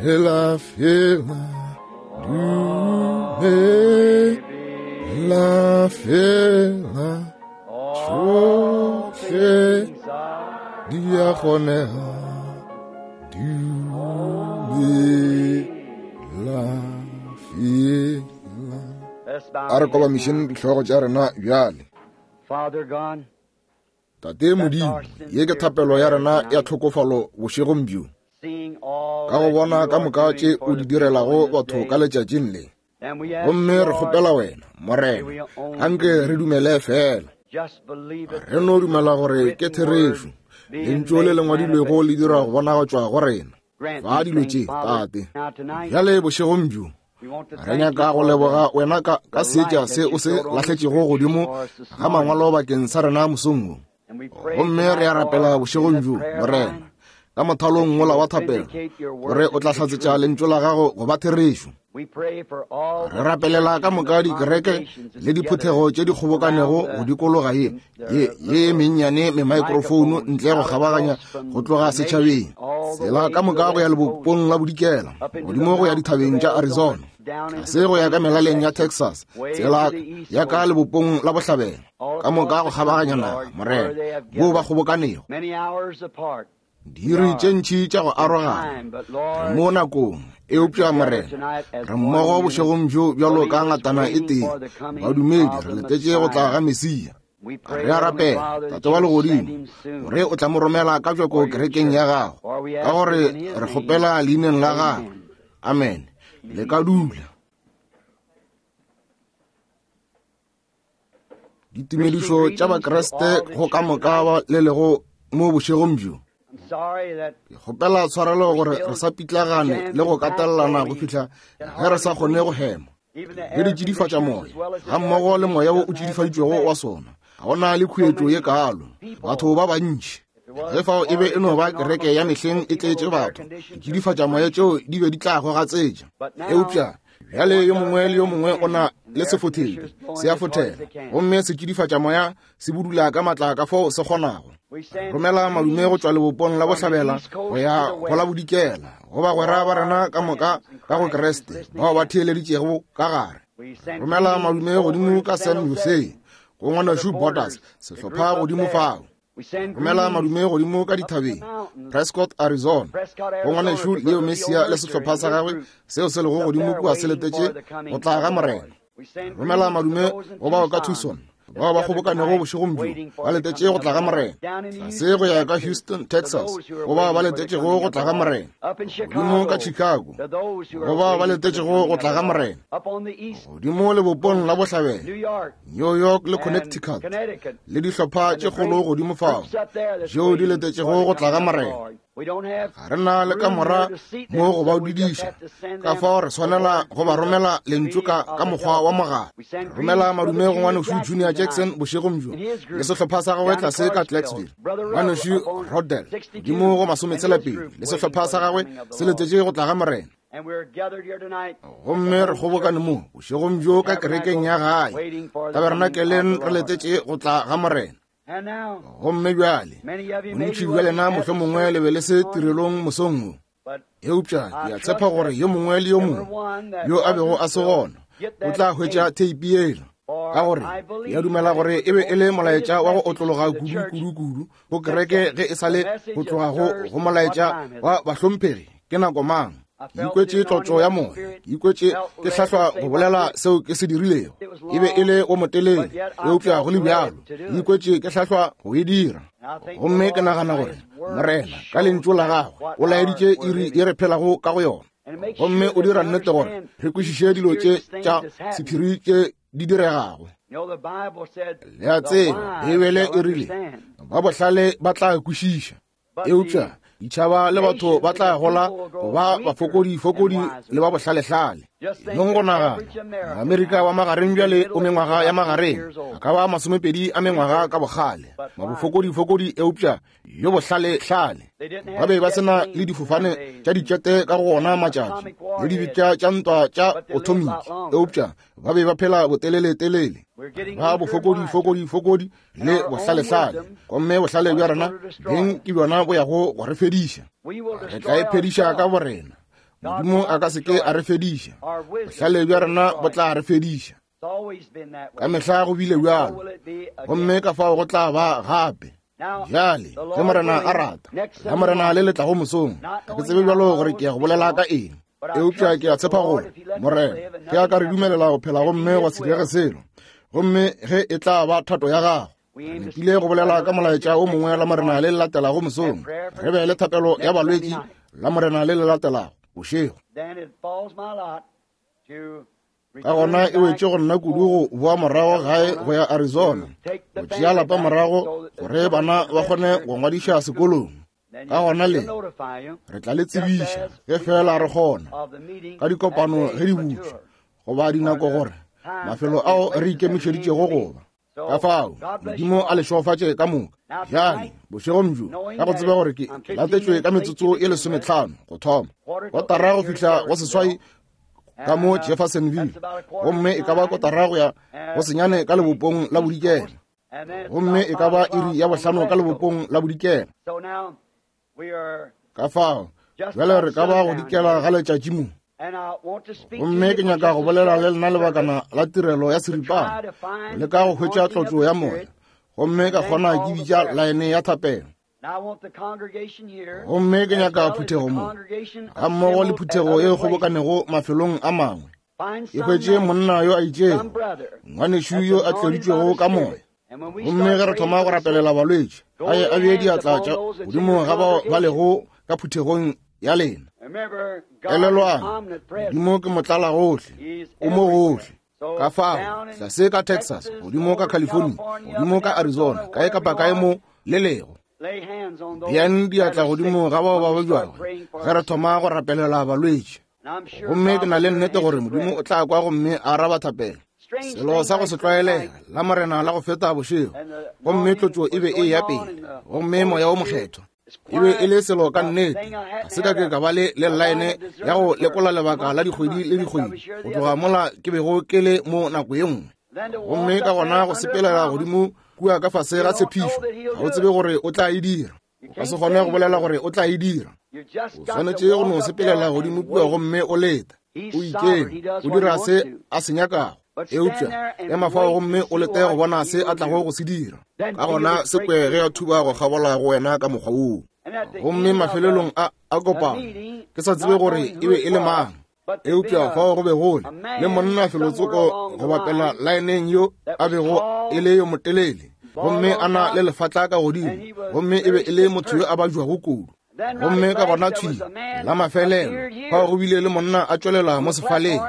Hela fela dumela fela tšohle di a kgonega dumela fela a re kobamišeng dihlogo tša rena bjale. Tate Modimo, ye ke thapelo ya rena ya tlhokofalo bošegong bjo. Ka go bona ka moka tše o di direlago batho ka letšatšing le. Gomme re kgopela wena, Morena, anke re dumele fela. Re no dumela gore ke therešo. Lentšu le le ngwadilwego le dira go bonagatšwa go rena. Fa dilo tše, Tate. Bjale bošegong bjo, re nyaka go leboga wena ka, ka seetša se o se lahletšego godimo ga mangwalo bakeng sa rena mosong wo. Gomme re a rapela bošegong bjo, Morena, ka mothalong wola wa thapelo, gore o tla hlatsetša lentšu la gago go ba therešo. Re rapelela ka moka dikereke le diphuthego tše di kgobokanego go dikologa ye ye ye mennyane memaekrofouno ntle go kgabaganya go tloga setšhabeng, tsela ka moka go ya lebopong la bodikela, godimo go ya dithabeng tša Arizona, tlase go ya ka melaleng ya Texas, tsela ya ka lebopong la bohlabela, ka moka go kgabaganya naga, Morena, moo ba kgobokanego. Diiri tše ntši tša go arogana, re mo nakong, eupša Morena, re mmogo bošegong bjo bjalo ka ngatana e tee, badumedi, re letetše go tla ga Mesia. Re a rapela, Tate wa Legodimo, gore o tla mo romela ka bjako kerekeng ya gago, ka gore re kgopela leineng la gagwe. Amen. Le ka dula. Ditumedišo tša Bakriste go ka moka ba le lego mo bošegong bjo. Ke kgopela tshwarelo gore re sa pitlagane le go katelelana go fihla ge re sa kgone go hema. Le di tšidifatša moya ga mmogo le moya wo o tšidifaditšwego wa sona. Ga go na le khuetšo ye kaalo. Batho ba bantši. Ge fao e be e no ba kereke ya mehleng e tletše batho, ditšidifatša moya tšeo di be di tla gogatsetša. Eupša bjale yo mongwe le yo mongwe o na le sefothedi, se a fothela, gomme setšidifatša moya se budula ka matla ka fao se kgonago. Romela madume go tšwa lebopong la bohlabela go ya go la bodikela, go bagwera ba rena ka moka ka go Kriste bao ba theeleditšego ka gare. Romela madume godimo ka San Jose go ngwanešu Borders, sehlopha godimo fao. Romela madume godimo ka dithabeng, Prescott, Arizona, go ngwanešu Leo Messia le sehlopha sa gagwe seo se lego godimo kua se letetše go tla ga Morena. Romela madume go bao ka Tucson, bao ba kgobokanego bošegong bjo ba letetše go tla ga Morena. Tlase go ya ka Houston, Texas, go bao ba letetšego go tla ga Morena. Godimo ka Chicago, go bao ba letetšego go tla ga Morena. Godimo lebopong la bohlabela, New York le Connecticut, le dihlopha tše kgolo godimo fao tšeo di letetšego go tla ga Morena. Ga re na le kamora mo go ba dudiša, ka fao re swanela go ba romela lentšu ka ka mokgwa wa mogala. Romela madume go ngwanešu Junior Jackson bošegong bjo le sehlopha sa gagwe tlase ka Clarksville. Ngwanešu Rodell godimo go masometshela-pedi le sehlopha sa gagwe se letetše go tla ga Morena. Gomme re kgobokane mo bošegong bjo ka kerekeng ya gae tabernakeleng re letetše go tla ga Morena. Gomme bjale bontši bja lena mohlomongwe le be le se tirelong mosong wo, eupša ke a tshepa gore yo mongwe le yo mongwe yo a bego a se gona o tla hwetša theipi yela, ka gore ke a dumela gore e be e le molaetša wa go otlologa kudu kudu kudu go kereke ge e sa le go tloga go go molaetša wa bahlomphegi ke nako mang. Ke ikwetše tlotšo ya moya, ke ikwetše ke hlahlwa go bolela seo ke se dirilego. E be e le wo motelele, eupša go le bjalo ke ikwetše ke hlahlwa go e dira. Gomme ke nagana gore Morena ka lentšu la gagwe o laeditše iri ye re phelago ka go yona, gomme o dira nnete gore re kwešiše dilo tše tša sephiri tše di diregago. Le a tseba, Beibele e rile ba bohlale ba tla kwešiša, eupša ditšhaba le batho ba tla gola go ba bafokodifokodi le ba bohlalehlale. Nong go nagana, Maamerika wa magareng bjale o mengwaga ya magareng, a ka ba masomepedi a mengwaga ka bokgale, mabofokodifokodi eupša yo bohlalehlale. Ba be ba se na le difofane tša ditšete ka go ona matšatši le dibetša tša ntwa tša othomiki, eupša ba be ba phela boteleletelele, ba bofokodifokodi le bohlalehlale. Gomme bohlale bja rena beng ke bjona bo yago go re fediša. Re tla iphediša ka borena. Modimo a ka se ke a re fediša. Bohlale bja rena bo tla re fediša. Ka mehla go bile bjalo, gomme ka fao go tla ba gape. Bjale, ge Morena a rata, la Morena le le tlago mosong, ga ke tsebe bjalo gore ke ya go bolela ka eng, eupša ke a tshepa gore Morena ge a ka re dumelela go phela gomme gwa se direge selo, gomme ge e tla ba thato ya gagwe, re nepile go bolela ka molaetša o mongwe la Morena le le latelago mosong, re be le thapelo ya balwetši la Morena le le latelago bošego. Ka gona e wetše go nna kudu go boa morago gae go ya Arizona, go tšea lapa morago gore bana ba kgone go ngwadiša sekolong. Ka gona le re tla le tsebiša ge fela re kgona ka dikopano ge di butšwe goba dinako gore mafelo ao re ikemišeditšego go ba. Ka fao Modimo a le šegofatše ka moka. Bjale bošegong bjo, ka go tseba gore ke latetšwe ka metsotso e 15 go thoma, kotara go fihla go 7 ka mo Jeffersonville, gomme e ka ba kotara go ya go 9 ka lebopong la bodikela, gomme e ka ba iri ya 5 ka lebopong la bodikela. Ka fao bjale re ka ba go dikela ga letšatši mo. Gomme ke nyaka go bolela le lena lebakana la tirelo ya seripana, go leka go hwetša tlotšo ya moya, gomme ka kgona ke bitša laene ya thapelo. Gomme ke nyaka phuthego mo, ga mmogo le phuthego e kgobokanego mafelong a mangwe, e hwetše monna yo a itšego, ngwanešu yo a tloditšwego ka moya. Gomme ge re thoma go rapelela balwetši, a ye a bee diatla tša godimo ga bao ba lego ka phuthegong ya lena. Elelwang, Modimo ke motlala gohle, o mo gohle. Ka fao, tlase ka Texas, godimo ka California, godimo ka Arizona, kae kapa kae mo le lego, beang diatla godimo ga bao ba babjago ge re thoma go rapelela balwetši. Gomme ke na le nnete gore Modimo o tla kwa gomme a araba thapelo. Selo sa go se tlwaelega la Morena la go feta bošego, gomme tlotšo e be e ya pele, gomme Moya o Mokgethwa e be e le selo ka nnete. Ga se ka ke ka ba le le line ya go lekola lebaka la dikgwedi le dikgwedi go tloga mola ke bego ke le mo nako ye nngwe. Gomme ka gona go sepelela godimo kua ka fase ga tshepišo, ga o tsebe gore o tla e dira. O ka se kgone go bolela gore o tla e dira. O swanetše go no sepelela godimo kua gomme o leta. O ikeme, o dira se a se nyakago. Eupša ema fao gomme o lete go bona se a tlago go se dira. Ka gona se kwe ge a thuba go kgabola go wena ka mokgwa woo. Gomme mafelelong a kopano, ke sa tsebe gore e be e le mang, eupša fao go be go le monna felotsoko go bapela laeneng yo a bego e le yo motelele, gomme a na le lefatla ka godimo, gomme e be e le motho yo a bajwago kudu. Gomme ka gona thwi la mafelelo fao go bile le monna a tšwelela mo sefaleng,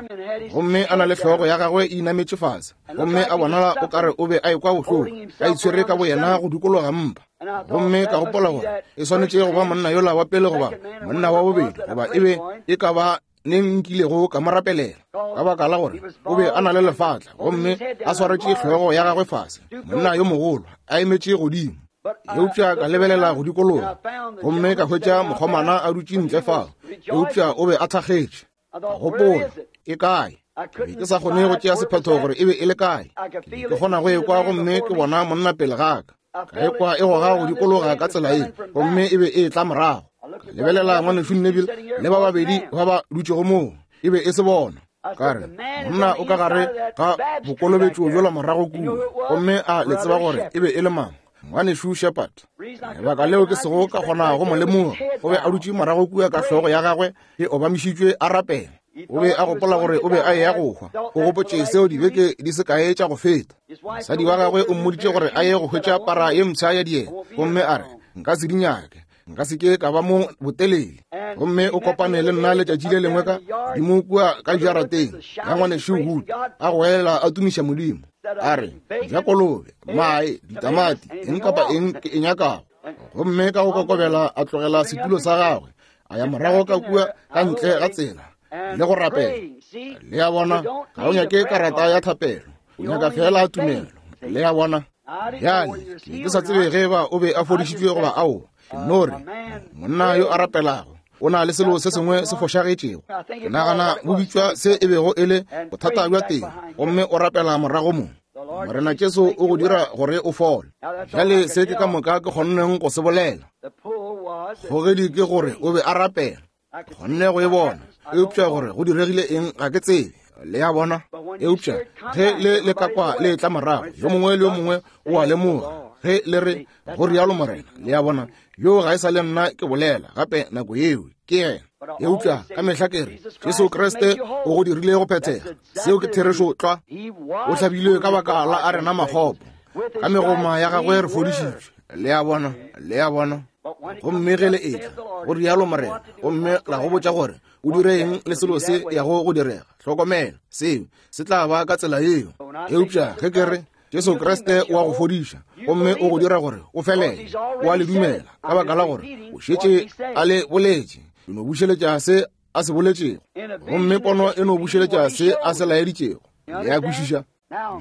gomme a na le hlogo ya gagwe e inametše fase, gomme a bonala o kare o be a ekwa bohloko, a itshwere ka boyena go dikologa mpa. Gomme ka gopola gore e swanetše go ba monna yola wa pele goba monna wa bobedi, goba e be e ka ba neng nkilego ka mo rapelela, ka baka la gore o be a na le lefatla gomme a swaretše hlogo ya gagwe fase, monna yo mogolo a emetše godimo. Eupša ka lebelela go dikologa gomme ka hwetša mokgomana a dutše ntle fao, eupša o be a thakgetše. Ka gopola, e kae? Ke be ke sa kgone go tšea sephetho gore e be e le kae. Ke be ke kgona go ekwa gomme ke bona monna pele ga ka. Ka ekwa e goga go dikologa ka tsela ye, gomme e be e tla morago. Ka lebelela ngwanešu Neville le ba babedi ba ba dutšego moo, e be e se bona. Ka re, monna o ka gare ga bokolobetšo bjola morago kua, gomme a le tseba gore e be e le mang? Ngwanešu Shepherd. Lebaka leo ke sego ka kgona go mo lemoga, o be a dutše morago kua ka hlogo ya gagwe e obamišitšwe a rapela. O be a gopola gore o be a eya go hwa. O gopotše seo dibeke di se kae tša go feta. Mosadi wa gagwe o mmoditše gore a ye go hwetša para ye mpsha ya dieta, gomme a re, nka se di nyake, nka se ke ka ba mo botelele. Gomme o kopane le nna letšatši le lengwe ka godimo kua ka jarateng ya ngwanešu Wood, a goelela a tumiša Modimo, a re, ja kolobe, mae, ditamati, eng kapa eng ke e nyakago. Gomme ka go kokobela a tlogela setulo sa gagwe, a ya morago ka kua ka ntle ga tsela le go rapela. Le a bona, ga o nyake karata ya thapelo, o nyaka fela tumelo. Le a bona? Bjale, ke sa tsebe ge ba o be a fodišitšwe goba ao. Ke no re, monna yo a rapelago o na le selo se sengwe se fošagetšego. Ke nagana bo bitšwa se e bego e le bothata bja teng, gomme o rapela morago mo. Morena Jesu o go dira gore o fole. Bjale se ke ka moka ke kgonneng go se bolela. Kgogedi ke gore o be a rapela. Kgonne go e bona, eupša gore go diregile eng ga ke tsebe. Le a bona? Eupša ge le le ka kwa le etla morago, yo mongwe le yo mongwe o a lemoga ge le re go rialo Morena. Le a bona? Yo ga e sa le nna ke bolela gape nako yeo, ke yena. Eupša ka mehla ke re Jesu Kriste o go dirile go phethega. Seo ke therešo tlwa. O hlabilwe ka baka la a rena makgopo, ka megoma ya gagwe re fodišitšwe. Le a bona? Le a bona? Gomme ge le etla go rialo Morena, gomme la go botša gore o dire eng le selo se yago go direga, hlokomela, seo se tla ba ka tsela yeo. Eupša ge ke re Jesu Kriste o a go fodiša gomme o go dira gore o felele, o a le dumela ka baka la gore o šetše a le boletše. E no bušeletša se a se boletšego, gomme pono e no bušeletša se a se laeditšego. Le a kwešiša?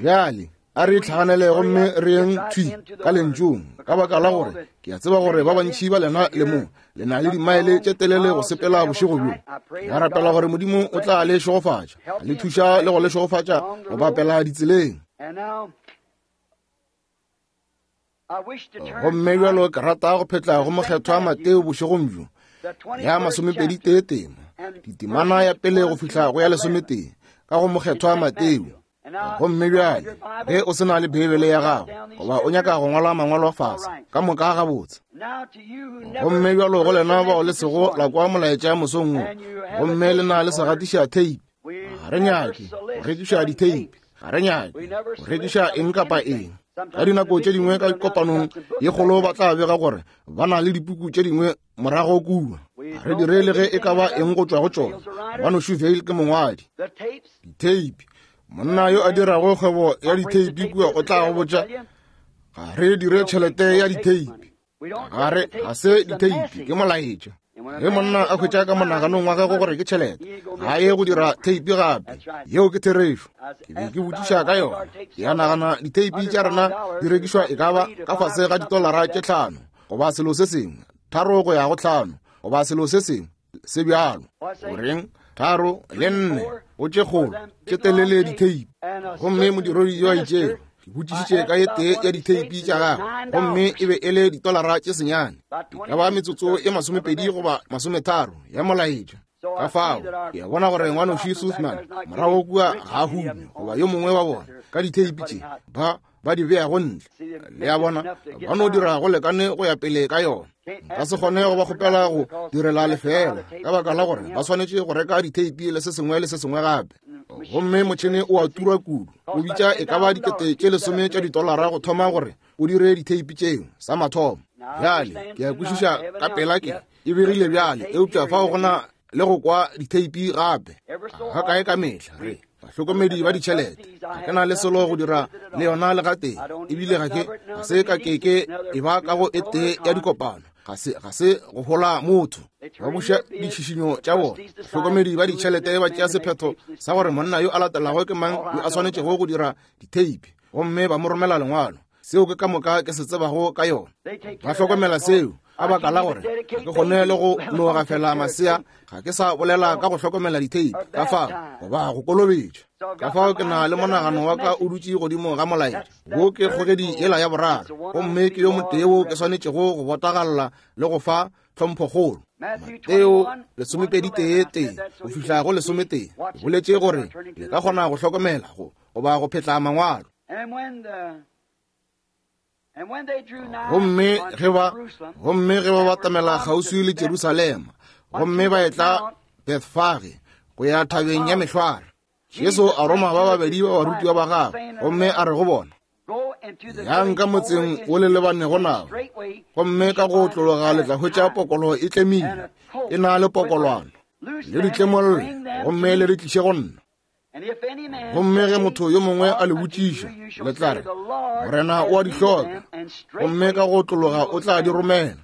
Bjale a re itlhaganele gomme re yeng thwi ka lentšung, ka baka la gore ke a tseba gore ba bantši ba lena le mo le na le dimaele tše telele go sepela bošego bjo. Ke a rapela gore Modimo o tla le šegofatša, le thuša le go le šegofatša go bapela ditseleng. Gomme bjalo ke rata go phetla go mokgethwa Mateo bošegong bjo, ya 21 tema, ditemana ya pele go fihla go ya 11, ka go mokgethwa Mateo. Gomme bjale ge o se na le Beibele ya gago, goba o nyaka go ngwala mangwalo fase, ka moka gabotse. Gomme bjalo go lena bao le sego la kwa molaetša mosong wo, gomme le na le segatiša tape, ga re nyake go rekiša ditheipi, ga re nyake go rekiša eng kapa eng. Ka dinako tše dingwe ka kopanong ye kgolo ba tla bega gore ba na le dipuku tše dingwe morago kua. Ga re dire le ge e ka ba eng go tšwa go tšona. Ngwanešu Vayle ke mongwadi. Ditheipi, monna yo a dirago kgwebo ya ditheipi kua o tla go botša, ga re dire tšhelete ya ditheipi. Ga re, ga se ditheipi, ke molaetša. Ge monna a hwetša ka monaganong wa gagwe gore ke tšhelete, ga ye go dira theipi gape. Yeo ke therešo. Ke be ke botšiša ka yona. Ke a nagana ditheipi tša rena di rekišwa e ka ba ka fase ga ditolara tše 5 goba selo se sengwe, 3 go ya go 5 goba selo se sengwe se bjalo. Goreng, 3 le 4 go tše kgolo tše telele ditheipi. Gomme modiredi yo a itšego, ke botšišitše ka ye tee ya ditheipi tša gagwe, gomme e be e le ditolara tše 9, e ka ba metsotso e 20 goba 30 ya molaetša. Ka fao ke a bona gore ngwanoši Sussman morago kua ga a hume, goba yo mongwe wa bona ka ditheipi tše ba di beago ntle. Le a bona, ba no dira go lekane go ya pele ka yona. Nka se kgone go ba kgopela go direla lefeela, ka baka la gore ba swanetše go reka ditheipi le se sengwe le se sengwe gape. Gomme motšhene o a tura kudu, o bitša e ka ba 10,000 tša ditolara go thoma gore o dire ditheipi tšeo sa mathomo. Bjale ke a kwešiša ka pela ke e begile bjale, eupša fao go na le go kwa ditheipi gape ga kae ka mehla. Re bahlokomedi ba ditšhelete, ga ke na le selo go dira le yona le gatee, ebile ga ke ga se ka ke ke e ba ka go e tee ya dikopano. Ga se go hola motho. Ba buša ditšhišinyo tša bona. Bahlokomedi ba ditšhelete ba tšea sephetho sa gore monna yo a latelago ke mang yo a swanetšego go dira ditheipi, gomme ba mo romela lengwalo. Seo ke ka moka ke se tsebago ka yona. Ba hlokomela seo ka baka la gore ga ke kgone le go no gafela masea, ga ke sa bolela ka go hlokomela ditheipi ka fao goba go kolobetša. Ka fao ke na le monagano wa ka o dutše godimo ga molaetša wo, ke kgogedi yela ya boraro, gomme ke yo motee wo ke swanetšego go botagalla le go fa tlhomphokgolo. Mateo 21 go fihla go 11 e boletše gore le ka kgona go hlokomela go goba go phetla mangwalo. Gomme ge ba batamela kgauswi le Jerusalema, gomme ba etla Bethfage go ya thabeng ya Mehlware, Jesu a roma ba babedi ba barutiwa ba gagwe, gomme a re go bona, Yang ka motseng wo le lebanego nao, gomme ka go otlologa le tla hwetša pokolo e tlemile, e na le pokolwana, le di tlemolle, gomme le di tliše go nna. Gomme ge motho yo mongwe a le botšiša, le tla re, Morena o a di hloka, gomme ka go otlologa o tla di romela.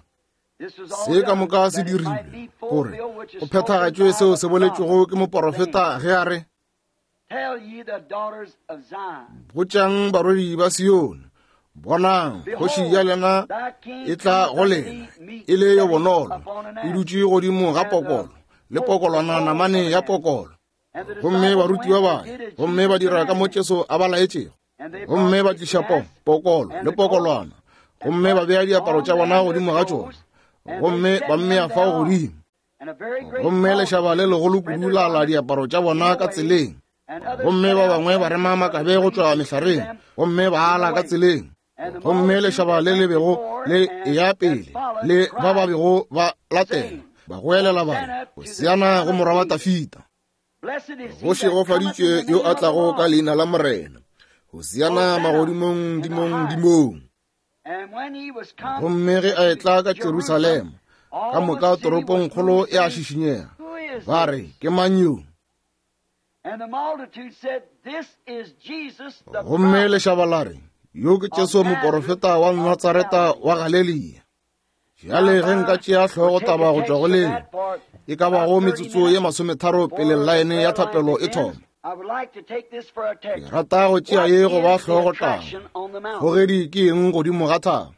Se ka moka se dirilwe gore go phethagatšwe seo se boletšwego ke moporofeta ge a re, Botšang barwedi ba Sione, bonang, kgoši ya lena e tla go lena e le yo bonolo, e dutše godimo ga pokolo, le pokolwana namane ya pokolo. Gomme barutiwa ba ya, gomme ba dira ka mo Jesu a ba laetšego. Gomme ba tliša pokolo le pokolwana, gomme ba bea diaparo tša bona godimo ga tšona, gomme ba mmea fao godimo. Gomme lešaba le legolo kudu la ala diaparo tša bona ka tseleng, gomme ba bangwe ba rema makabe go tšwa mehlareng, gomme ba ala ka tseleng. Gomme lešaba le le bego le eya pele le ba ba bego ba latela ba goelela ba re, Hosiana go morwa wa Dafida. Go šegofaditšwe yo a tlago ka leina la Morena. Hosiana magodimong dimong dimong. Gomme ge a etla ka Jerusalema, ka moka toropongkgolo ya šišinyega, ba re, Ke mang yo? Gomme lešaba la re, Yo ke Jesu moporofeta wa Natsareta wa Galelia. Bjale ge nka tšea hlogo taba go tšwa go leo, e ka bago metsotso ye masometharo pele llaene ya thapelo e thoma. Ke rata go tšea ye go ba hlogo taba. Kgogedi ke eng godimo ga thaba?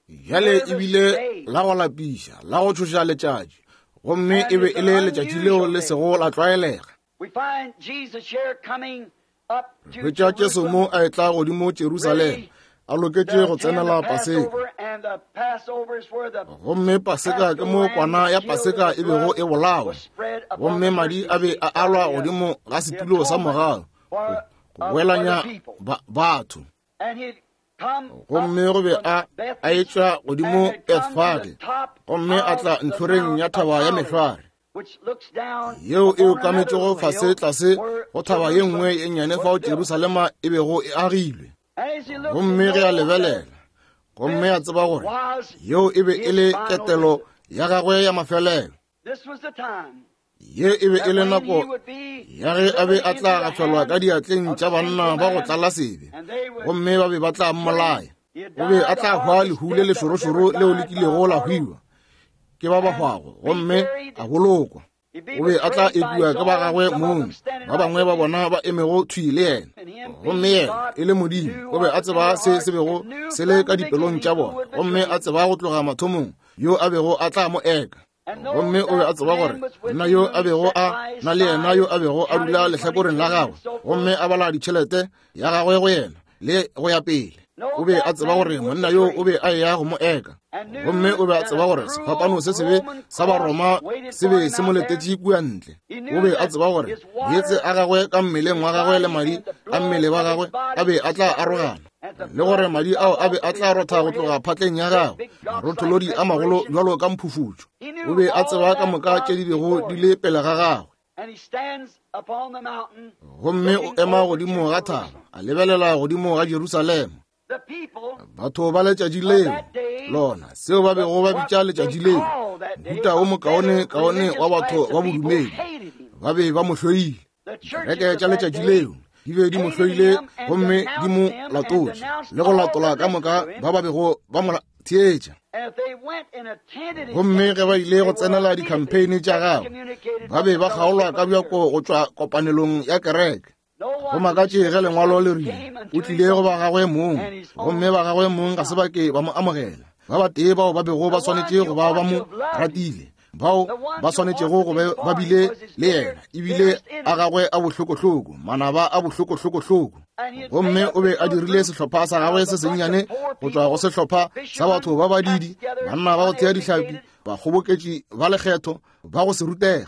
Bjale e bile la go lapiša, la go tšhoša letšatši, gomme e be e le letšatši leo le sego la tlwaelega. Re hwetša Jesu mo a etla godimo Jerusalema, a loketše go tsenela Paseka. Gomme Paseka ke mo kwana ya Paseka e bego e bolawa, gomme madi a be a alwa godimo ga setulo sa mogau go boelanya batho. Gomme go be a a etšwa godimo Bethfage, gomme a tla ntlhoreng ya thaba ya Mehlware, yeo e okametšego fase tlase go thaba ye nngwe ye nnyane fao Jerusalema e bego e agilwe. Gomme ge a lebelela, gomme a tseba gore yeo e be e le ketelo ya gagwe ya mafelelo. Ye e be e le nako ya ge a be a tla gafelwa ka diatleng tša banna ba go tlala sebe, gomme ba be ba tla mmolaya. O be a tla hwa lehu le lešorošoro leo le kilego la hwiwa ke ba ba hwago, gomme a bolokwa. O be a tla epiwa ke ba gagwe mong, ba bangwe ba bona ba emego thwi le yena. Gomme yena e le Modimo, o be a tseba se se bego se le ka dipelong tša bona, gomme a tseba go tloga mathomong yo a bego a tla mo eka. Gomme o be a tseba gore monna yo a bego a na le yena, yo a bego a dula lehlakoreng la gagwe gomme a bala ditšhelete ya gagwe go yena le go ya pele, o be a tseba gore monna yo o be a eya go mo eka. Gomme o be a tseba gore sefapano se sebe sa Baroma se be se mo letetše kua ntle. O be a tseba gore meetse a gagwe ka mmeleng wa gagwe le madi a mmele wa gagwe a be a tla arogana, le gore madi ao a be a tla rotha go tloga phatleng ya gagwe, marotholodi a magolo bjalo ka mphufutšo. O be a tseba ka moka tše di bego di le pele ga gagwe. Gomme o ema godimo ga thaba, a lebelela godimo ga Jerusalema. Batho ba letšatši leo, lona seo ba bego ba bitša letšatši leo, mohuta wo mokaone kaone wa batho ba bodumedi, ba be ba mo hloile. Dikereke tša letšatši leo di be di mo hloile gomme di mo latotše le go latola ka moka ba ba bego ba mo theetša. Gomme ge ba ile go tsenela dikhampeine tša gagwe, ba be ba kgaolwa ka bjako go tšwa kopanelong ya kereke. Go makatše ge lengwalo le rile o tlile go ba gagwe mong, gomme ba gagwe mong ga se ba ke ba mo amogela. Ba batee bao ba bego ba swanetše go ba ba mo ratile, bao ba swanetšego go be ba bile le yena, ebile a gagwe a bohlokohloko, manaba a bohlokohlokohloko. Gomme o be a dirile sehlopha sa gagwe se sennyane go tšwa go sehlopha sa batho ba badidi, banna ba go thea dihlapi, bakgoboketši ba lekgetho, ba go se rutege.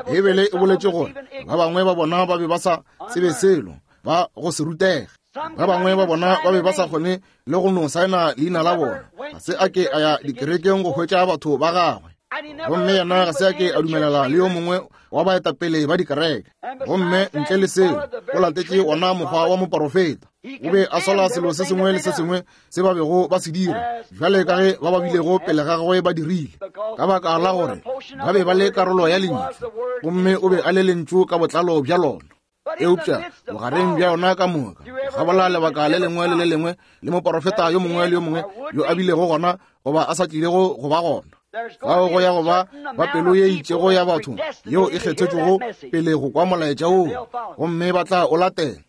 Beibele e boletše gore ba bangwe ba bona ba be ba sa tsebe selo, ba go se rutege. Ba bangwe ba bona ba be ba sa kgone le go no saena leina la bona. Ga se a ke a ya dikerekeng go hwetša batho ba gagwe, gomme yena ga se a ke a dumelela le yo mongwe wa baetapele ba dikereke. Gomme ntle le seo, o latetše wona mokgwa wa moporofeta. O be a sola selo se sengwe le se sengwe se ba bego ba se dira, bjale ka ge ba ba bilego pele ga gagwe ba dirile, ka baka la gore ba be ba le karolo ya lentšu, gomme o be a le lentšu ka botlalo bja lona. Eupša bogareng bja yona ka moka, gabola lebaka le lengwe le le lengwe le moporofeta yo mongwe le yo mongwe yo a bilego gona goba a sa tlilego go ba gona, fao go ya go ba ba pelo ye itšego ya batho yeo e kgethetšwego pele go kwa molaetša woo, gomme ba tla o latela.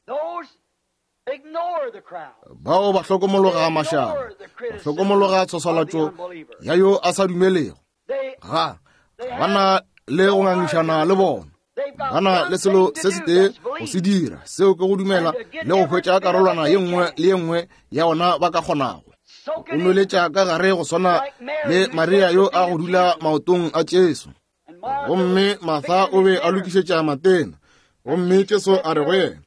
Bao ba hlokomologa mašaba, ba hlokomologa tshwaswalatšo ya yo a sa dumelego. Ga ba na le go ngangišana le bona, ba na le selo se setee go se dira, seo ke go dumela le go hwetša karolwana ye nngwe le ye nngwe ya ona ba ka kgonago. O nweletša ka gare go swana le Maria yo a go dula maotong a Jesu. Gomme Martha o be a lokišetša matena, gomme Jesu a re go yena,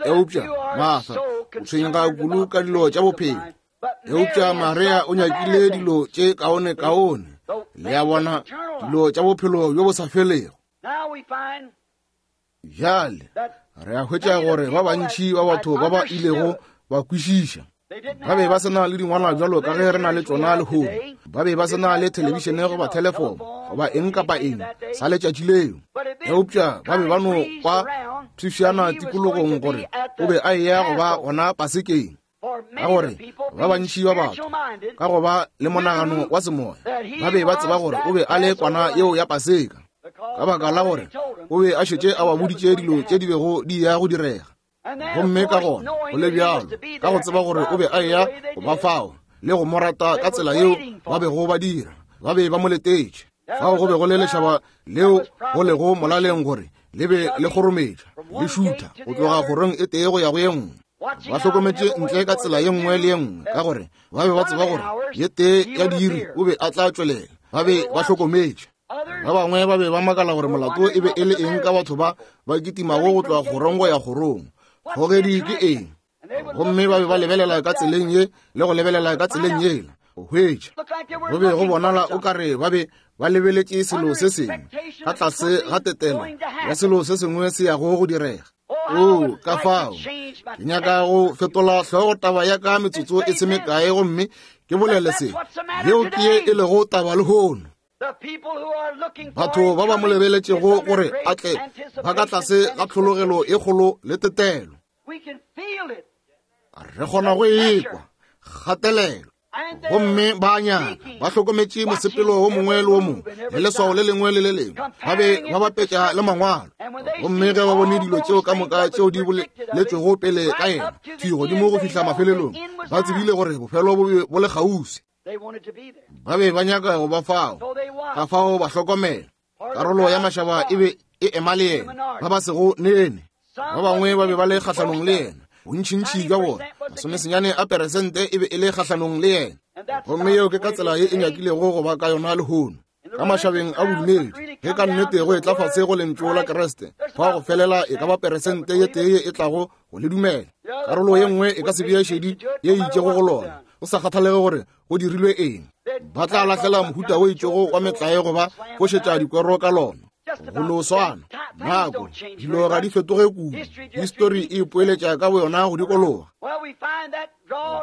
Eupša Martha o tshwenyega kudu ka dilo tša bophelo, eupša Maria o nyakile dilo tše kaone-kaone, le a bona, dilo tša bophelo bjo bo sa felego. Bjale re a hwetša gore ba bantši ba batho ba ba ilego ba kwešiša ba be ba se na le dingwalwa bjalo ka ge re na le tšona lehono. Ba be ba se na le thelebišene goba thelefomo goba eng kapa eng sa letšatši leo, eupša ba be ba no kwa pshifšana tikologong gore o be a eya go ba gona Pasekeng. Ka gore ba bantši ba batho ka go ba le monagano wa semoya ba be ba tseba gore o be a le kwana yeo ya Paseka, ka baka la gore o be a šetše a ba boditše dilo tše di bego di ya go direga. Gomme ka gona go le bjalo, ka go tseba gore o be a eya go ba fao le go mo rata ka tsela yeo ba bego ba dira, ba be ba mo letetše. Fao go be go le lešaba leo go lego molaleng gore le be le kgorometša le šutha go tloga kgorong e tee go ya go ye nngwe. Ba hlokometše ntle ka tsela ye nngwe le ye nngwe, ka gore ba be ba tseba gore ye tee ya diiri o be a tla tšwelela. Ba be ba hlokometše. Ba bangwe ba be ba makala gore molato e be e le eng ka batho ba ba kitimago go tloga kgorong go ya kgorong. Kgogedi ke eng? Gomme ba be ba lebelela ka tseleng ye le go lebelela ka tseleng yela go hwetša. Go be go bonala o ka re ba be ba lebeletše selo se sengwe ka tlase ga tetelo ya selo se sengwe se yago go direga. Oo, ka fao ke nyaka go fetola hlogo taba ya ka metsotso e se mekae gomme ke bolele se. Yeo ke ye e lego taba lehono. Batho ba ba mo lebeletšego gore a tle ba ka tlase ga tlhologelo e kgolo le tetelo. Re kgona go ekwa kgatelelo. Gomme ba a nyaka, ba hlokometše mosepelo wo mongwe le wo mongwe le leswao le lengwe le le lengwe, ba be ba bapetša le mangwalo. Gomme ge ba bone dilo tšeo ka moka tšeo di boletšwego pele ka yena, thwi godimo go fihla mafelelong, ba tsebile gore bofelo bo be bo le kgauswi. Ba be ba nyaka go ba fao, ka fao ba hlokomela. Karolo ya mašaba e be e ema le yena, ba ba sego nene. Ba bangwe ba be ba le kgahlanong le yena, bontšintši bja bona, masomesenyane a peresente e be e le kgahlanong le yena. Gomme yeo ke ka tsela ye e nyakilego go ba ka yona lehono ka mašabeng a bodumedi. Ge ka nnete go etla fase go lentšu la Kriste, fa go felela e ka ba peresente ye tee ye e tlago go le dumela. Karolo ye nngwe e ka se bee šedi ye e itšego go lona, go sa kgathalege gore go dirilwe eng. Ba tla lahlela mohuta o itšego wa metlae goba fošetša dikwero ka lona. Go no swana nako, dilo ga di fetoge kudu. Histori e ipoeletša ka boyona go dikologa.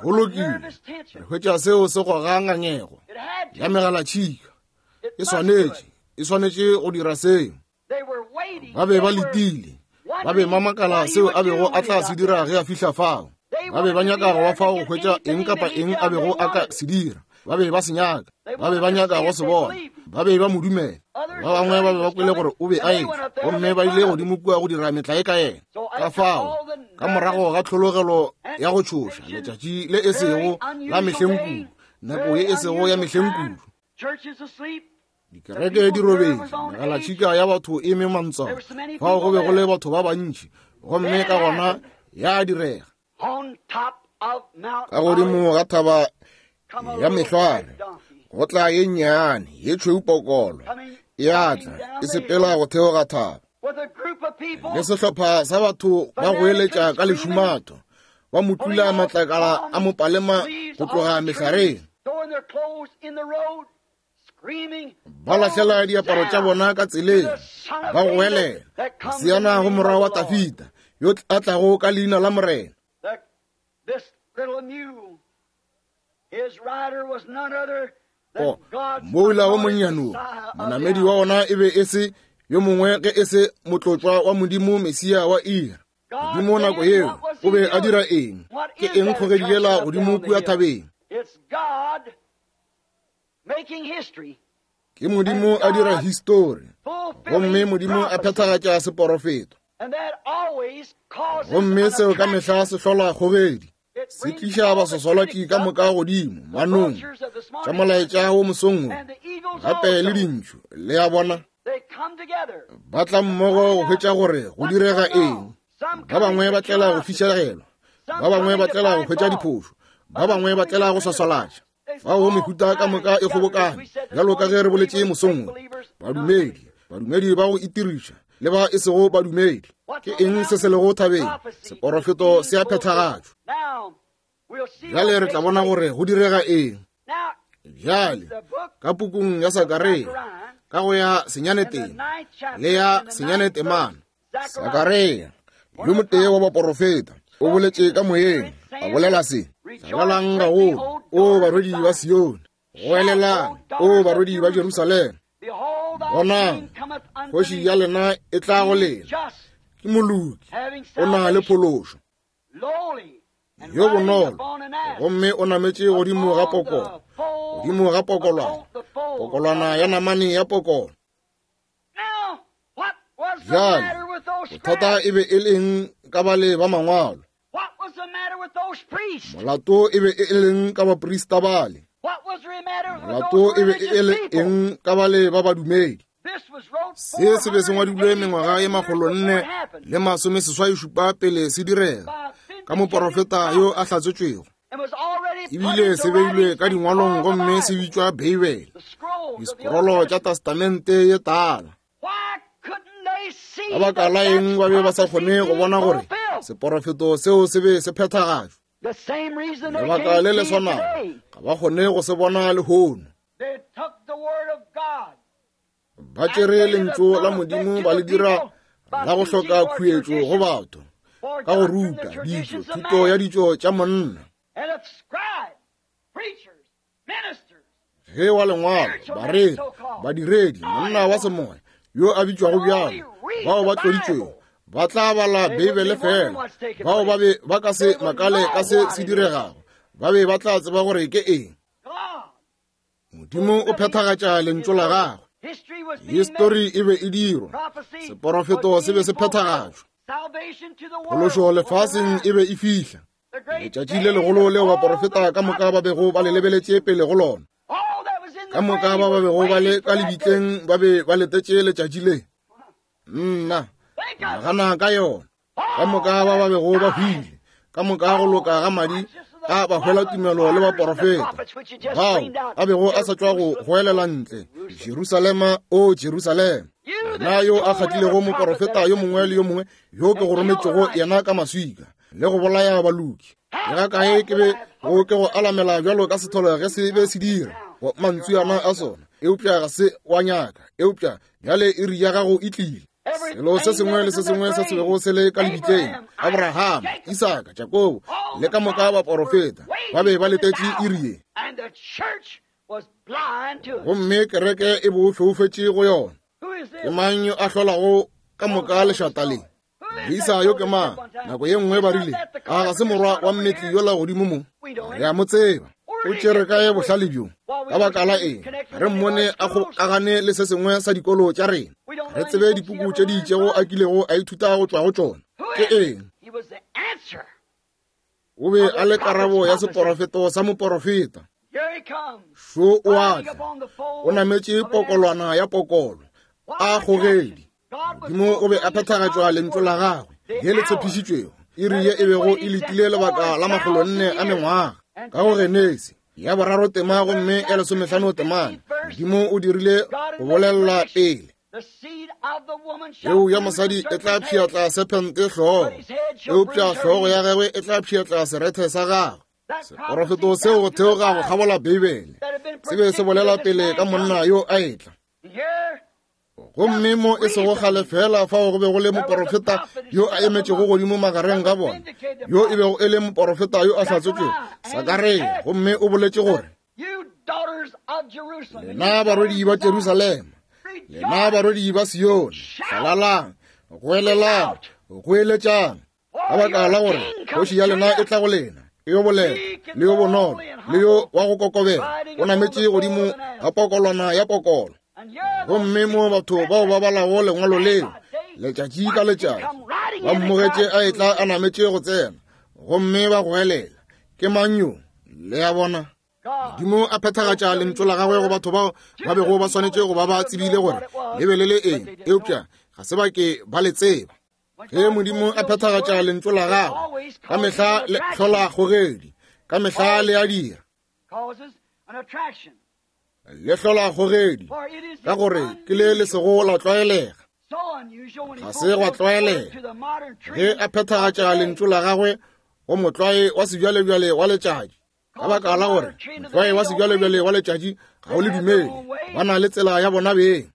Go lokile, re hwetša seo se goga ngangego ya megalatšhika. E swanetše, e swanetše go dira seo. Ba be ba letile, ba be ba makala seo a bego a tla se dira ge a fihla fao. Ba be ba nyaka go ba fao go hwetša eng kapa eng a bego a ka se dira. Ba be ba se nyaka, ba be ba nyaka go se bona. Ba be ba mo dumela. Ba bangwe ba be ba kwele gore o be a etla, gomme ba ile godimo kua go dira metlae ka yena. Ka fao, ka morago ga tlhologelo ya go tšhoša, letšatši le e sego la mehleng kudu, nako ye e sego ya mehleng kudu, dikereke di robetše, megalatšhika ya batho e me mantswana, fao go be go le batho ba bantši, gomme ka gona ya direga. Ka godimo ga thaba ya mehlware go tla ye nnyane ye tšhweu pokolo e a tla e sepela go theoga thaba le sehlopha sa batho ba goeletša ka lešumato, ba mo tula matlakala a mopalema go tloga mehlareng, ba lahlela diaparo tša bona ka tseleng, ba goelela, Hosiana go morwa wa Tafita, yo a tlago ka leina la Morena. O, moula wo monnyane wo, monamedi wa ona e be e se yo mongwe ge e se motlotšwa wa Modimo, Mesia wa ira. Modimo nako yeo o be a dira eng? Ke eng kgogedi yela godimo kua thabeng? Ke Modimo a dira histori, gomme Modimo a phethagatša seporofeto. Gomme seo ka mehla se hlola kgogedi, se tliša basoswalaki ka moka godimo manong tša molaetša wo mosong wo, gape le dintšhu. Le a bona, ba tla mmogo go hwetša gore go direga eng. Ba bangwe ba tlela go fišegelwa, Ba bangwe ba tlela go hwetša diphošo, ba bangwe ba tlela go swaswalatša. Fao mehuta ka moka e kgobokane, bjalo ka ge re boletše mosong wo. Badumedi, badumedi ba go itiriša, le ba e sego badumedi. Ke eng se se lego thabeng? Seporofeto se a phethagatšwa. Bjale re tla bona gore go direga eng. Bjale, ka pukung ya Sakaria, ka go ya senyaneteng le ya senyanetemana, Sakaria, yo motee wa baporofeta, o boletše ka moyeng, a bolela se, Hlalalang gagolo, o barwedi ba Sione, goelelang, o barwedi ba Jerusalema, bonang, kgoši ya lena e tla go lena, ke moloki, o na le phološo, yo bonolo, gomme o nametše godimo ga pokolo, godimo ga pokolwana, pokolwana ya namane ya pokolo. Bjale, bothata e be e leng ka bale ba mangwalo? Molato e be e leng ka baprista bale? Molato e be e le eng ka bale ba badumedi? Se se be se ngwadilwe mengwaga e 487 pele se direga ka moporofeta yo a hlatsetšwego. Ebile se beilwe ka dingwalong gomme se bitšwa Beibele, disekrolo tša Testamente ye Tala. Ka baka la eng ba be ba sa kgone go bona gore seporofeto seo se be se phethagatšwa? Lebaka le le swanago ga ba kgone go se bona lehono. Ba tšere lentšu la Modimo ba le dira la go hloka khuetšo go batho ka go ruta ditšo, thuto ya ditšo tša monna. Ge wa lengwalo, bareri, badiredi, monna wa semoya yo a bitšwago bjalo, bao ba tloditšwego ba tla bala Beibele fela, bao ba be ba ka se makale ka se se diregago, ba be ba tla tseba gore ke eng. Modimo o phethagatša lentšu la gagwe. Histori e be e dirwa, seporofeto se be se phethagatšwa, phološo lefaseng e be e fihla. Letšatši le legolo leo baporofeta ka moka ba bego ba le lebeletše pele go lona, ka moka ba ba bego ba le ka lebitleng ba be ba letetše letšatši le. Nna, nagana ka yona. Ka moka ba ba bego ba hwile, ka moka go loka ga madi a ba hwela tumelo le baporofeta bao a bego a sa tšwa go goelela ntle, Jerusalema, o Jerusalema, wena yo a kgatlilego moporofeta yo mongwe le yo mongwe yo ke go rometšego yena ka maswika le go bolaya baloki. Le ga kae ke be go ke go alamela bjalo ka setholo ge se be se dira mantšu ana a sona, eupša ga se wa nyaka, eupša bjale iri ya gago e tlile. Selo se sengwe le se sengwe se se bego se le ka lebitleng, Abrahama, Isaka, Jakobo le ka moka baporofeta ba be ba letetše iri ye, gomme kereke e bo foufetše go yona. Ke mang yo a hlolago ka moka lešata le? Moisa yo ke mang? Nako ye nngwe ba rile, a ga se morwa wa mmetli yola godimo mo? Re a mo tseba. O tšere kae bohlale bjo? Ka baka la eng re mmone a kgokagane le se sengwe sa dikolo tša rena? Re tsebe dipuku tše di itšego a kilego a ithuta go tšwa go tšona. Ke eng? O be a le karabo ya seporofeto sa moporofeta. Šo o a tla, o nametše pokolwana ya pokolo, a kgogedi. Modimo o be a phethagatšwa lentšu la gagwe ye le tshepišitšwego, iri ye e bego e letile lebaka la 400 a mengwaga. Ka go Genesi ya 3 tema gomme ya 15 temana, Modimo o dirile go bolelela pele peu ya mosadi e tla pšhiatla sephente hlogo, eupša hlogo ya gagwe e tla pšhiatla serethe sa gagwe. Seporofeto seo go theoga go kgabola Beibele se be se bolela pele ka monna yo a etla. Gomme mo e sego kgale fela fao go be go le moporofeta yo a emetšego godimo magareng ga bona, yo e bego e le moporofeta yo a hlatsetšwego, Sakaria, gomme o boletše gore, Lena barwedi ba Jerusalema, lena barwedi ba Sione, hlalalang, goelelang, goeletšang, ka baka la gore kgoši ya lena e tla go lena, e yo bolela le yo bonolo le yo wa go kokobela, o nametše godimo ga pokolwana ya pokolo. Gomme mo batho bao ba balago lengwalo leo letšatši ka letšatši ba mmogetše a etla a nametše go tsena, gomme ba goelela, Ke mang yo? Le a bona? Modimo a phethagatša lentšu la gagwe go batho bao ba bego ba swanetše go ba ba tsebile gore le be le le eng, eupša ga se ba ke ba le tseba. Ge Modimo a phethagatša lentšu la gagwe, ka mehla le hlola kgogedi, ka mehla le a dira. Le hlola kgogedi, ka gore ke le le sego la tlwaelega. Ga se gwa tlwaelega. Ge a phethagatša lentšu la gagwe go motlwae wa sebjalebjale wa letšatši, ka baka la gore motlwae wa sebjalebjale wa letšatši ga o le dumele, ba na le tsela ya bona beng.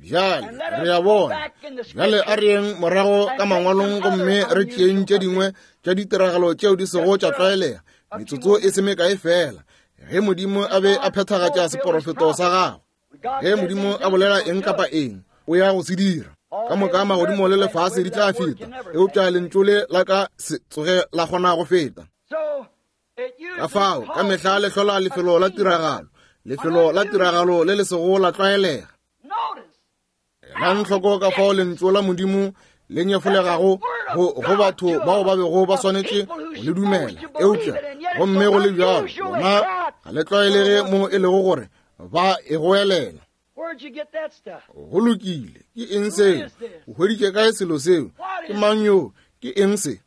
Bjale re a bona. Bjale a re yeng morago ka mangwalong gomme re tšeeng tše dingwe tša ditiragalo tšeo di sego tša tlwaelega, metsotso e se mekae feela, ge Modimo a be a phethagatša seporofeto sa gagwe. Ge Modimo a bolela eng kapa eng, o ya go se dira. Ka moka magodimo le lefase di tla feta, eupša lentšu le la ka se tsoge la kgona go feta. Ka fao, ka mehla le hlola lefelo la tiragalo, lefelo la tiragalo le le sego la tlwaelega. Elang hloko ka fao lentšu la Modimo le nyefolegago go, go batho bao ba bego ba swanetše go le dumela, eupša gomme go le bjalo bona ga le tlwaelege mo e lego gore ba e goelela. Go lokile, ke eng seo? O hweditše kae selo seo? Ke mang yo? Ke eng se?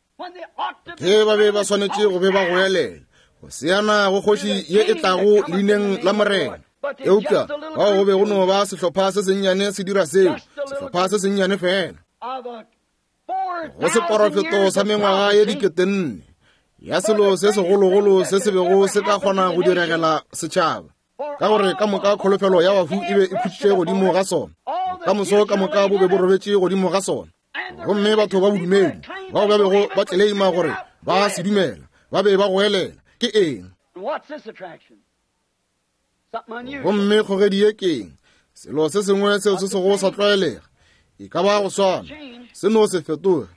Ge ba be ba swanetše go be ba goelela go seana go kgoši ye e tlago leineng la Morena, eupša bao go be go no ba sehlopha se sennyane se dira seo, sehlopha se sennyane fela. Go seporofeto sa mengwaga ye 4000 ya selo se segologolo se se bego se ka kgona go diregela setšhaba, ka gore ka moka kholofelo ya bahu e be e khutšitše godimo ga sona, ka moso ka moka bo be bo robetše godimo ga sona. Gomme batho ba bodumedi bao ba bego ba tleleima gore ba se dumela ba be ba goelela, Ke eng? Gomme kgogedi ye ke eng? Selo se sengwe seo se sego sa tlwaelega, e ka ba go swana, se no se fetoge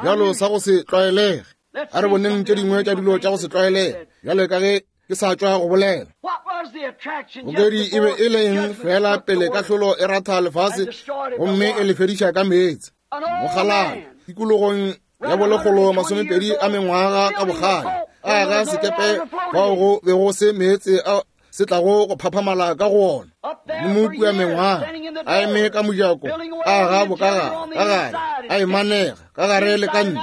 bjalo sa go se tlwaelege. A re boneng tše dingwe tša dilo tša go se tlwaelege, bjalo ka ge ke sa tšwa go bolela. Kgogedi e be e le eng fela pele kahlolo e ratha lefase gomme e le fediša ka meetse? Mokgalabje tikologong ya bolekgolo 20 a mengwaga ka bokgale a aga sekepe fao go bego se meetse a se tlago go phaphamala ka go ona. Modimo kua mengwaga a eme ka mojako, a aga bokagare ka gare, a e manega ka gare le ka ntle,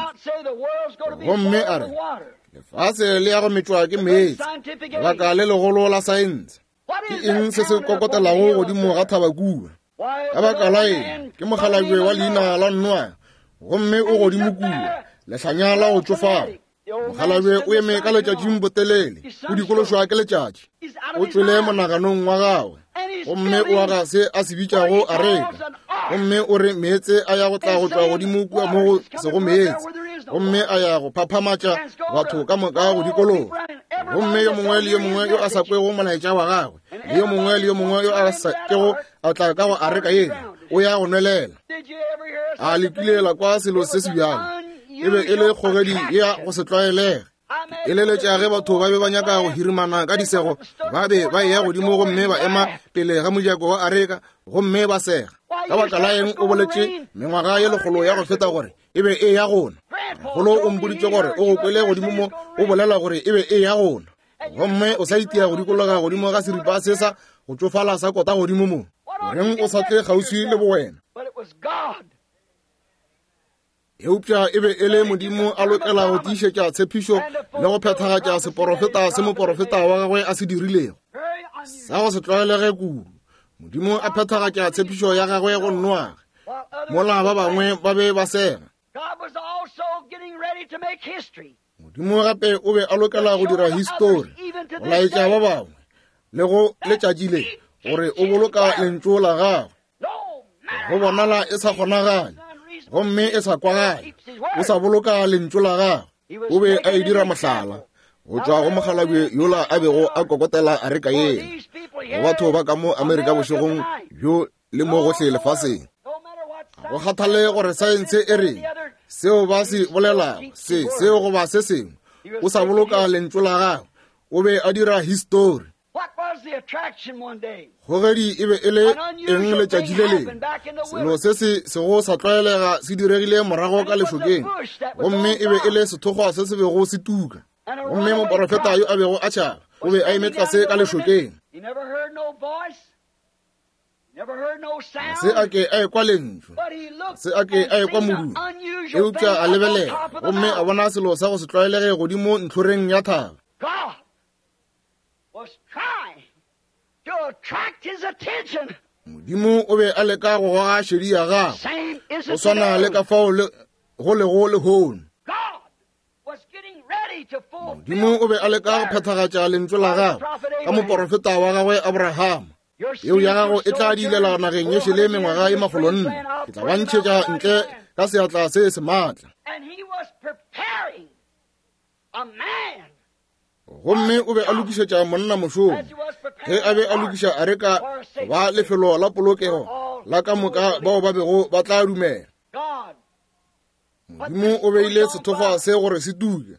gomme a re lefase le ya go metšwa ke meetse. Lebaka le legolo la saense. Ke eng se se kokotelago godimo ga thaba kua? Ka baka la eng? Ke mokgalabje wa leina la Noa, gomme o godimo kua, lehlanya la go tšofala. Mokgalabje o eme ka letšatšing botelele, o dikološwa ke letšatši, o tšwele monaganong wa gagwe, gomme o aga se a se bitšago areka, gomme o re meetse a ya go tla go tšwa godimo kua mo go sego meetse, gomme a ya go phaphamatša batho ka moka go dikologa. Gomme yo mongwe le yo mongwe yo a sa kwego molaetša wa gagwe, le yo mongwe le yo mongwe yo a sa kego a tla ka go areka yela, o ya go nwelela. A le kile la kwa selo se se bjalo? E be e le kgogedi ya go se tlwaelege. E leletša ge batho ba be ba nyaka go hirimana ka disego, ba be ba eya godimo gomme ba ema pele ga mojako wa areka gomme ba sega. Ka baka la eng o boletše mengwaga ye lekgolo ya go feta gore e be e ya gona? Golo o mpoditše gore o go kwele godimo mo o bolela gore e be e ya gona, gomme o sa itia go dikologa godimo ga seripa se sa go tšofala sa kota godimo mo. Goreng o sa tle kgauswi le bowena? Eupša e be e le Modimo a lokela go tiišetša tshepišo le go phethagatša seporofeta se moporofeta wa gagwe a se dirilego. Sa go se tlwaelege kudu, Modimo a phethagatša tshepišo ya gagwe go Noage, mola ba bangwe ba be ba sega. Modimo gape o be a lokela go dira histori, go laetša ba bangwe le go letšatši le gore o boloka lentšu la gagwe. Go bonala e sa kgonagale gomme e sa kwagale, o sa boloka lentšu la gagwe. O be a e dira mohlala go tšwa go mokgalabje yola a bego a kokotela areka yela go batho ba ka mo Amerika bošegong bjo le mo gohle lefaseng. Go kgathale gore saense e reng, seo ba se bolelago, se seo goba se sengwe, o sa boloka lentšu la gagwe. O be a dira histori. Kgogedi e be e le eng letšatši le lengwe? Selo se se sego sa tlwaelega se diregile morago ka lešokeng, gomme e be e le sethokgwa se se bego se tuka. Gomme moporofeta yo a bego a tšhaba o be a eme tlase ka lešokeng. Se a ke a ekwa lentšu, se a ke a ekwa modumo, eupša a lebelela gomme a bona selo sa go se tlwaelege godimo ntlhoreng ya thaba. Modimo o be a leka go goga šedi ya gagwe, go swana le ka fao go lego lehono. Modimo o be a leka go phethagatša lentšu la gagwe ka moporofeta wa gagwe Abrahama. Peu ya gago e tla diilela nageng ye šele mengwaga e makgolonne. Ke tla ba ntšhetša ntle ka seatla se se maatla. Gomme o be a lokišetša monna mošomo ge a be a lokiša areka go ba lefelo la polokego la ka moka bao ba bego ba tla dumela. Modimo o beile sethokgwa se gore se tuke,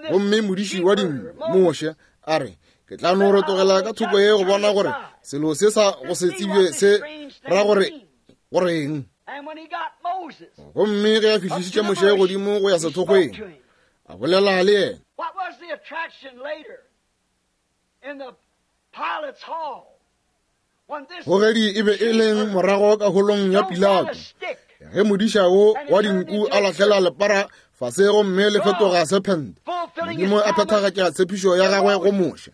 gomme modiši wa dinku, Moshe, a re, Ke tla no rotogela ka thoko ye go bona gore selo se sa go se tsebje se ra gore goreng. Gomme ge a fihlišitše Moshe godimo go ya sethokgweng, a bolela le yena. Kgogedi e be e leng morago ka holong ya Pilato ge modiša wo wa dinku a lahlela lepara fase gomme le fetoga sephente. Modimo a phethagatša tshepišo ya gagwe go Moshe.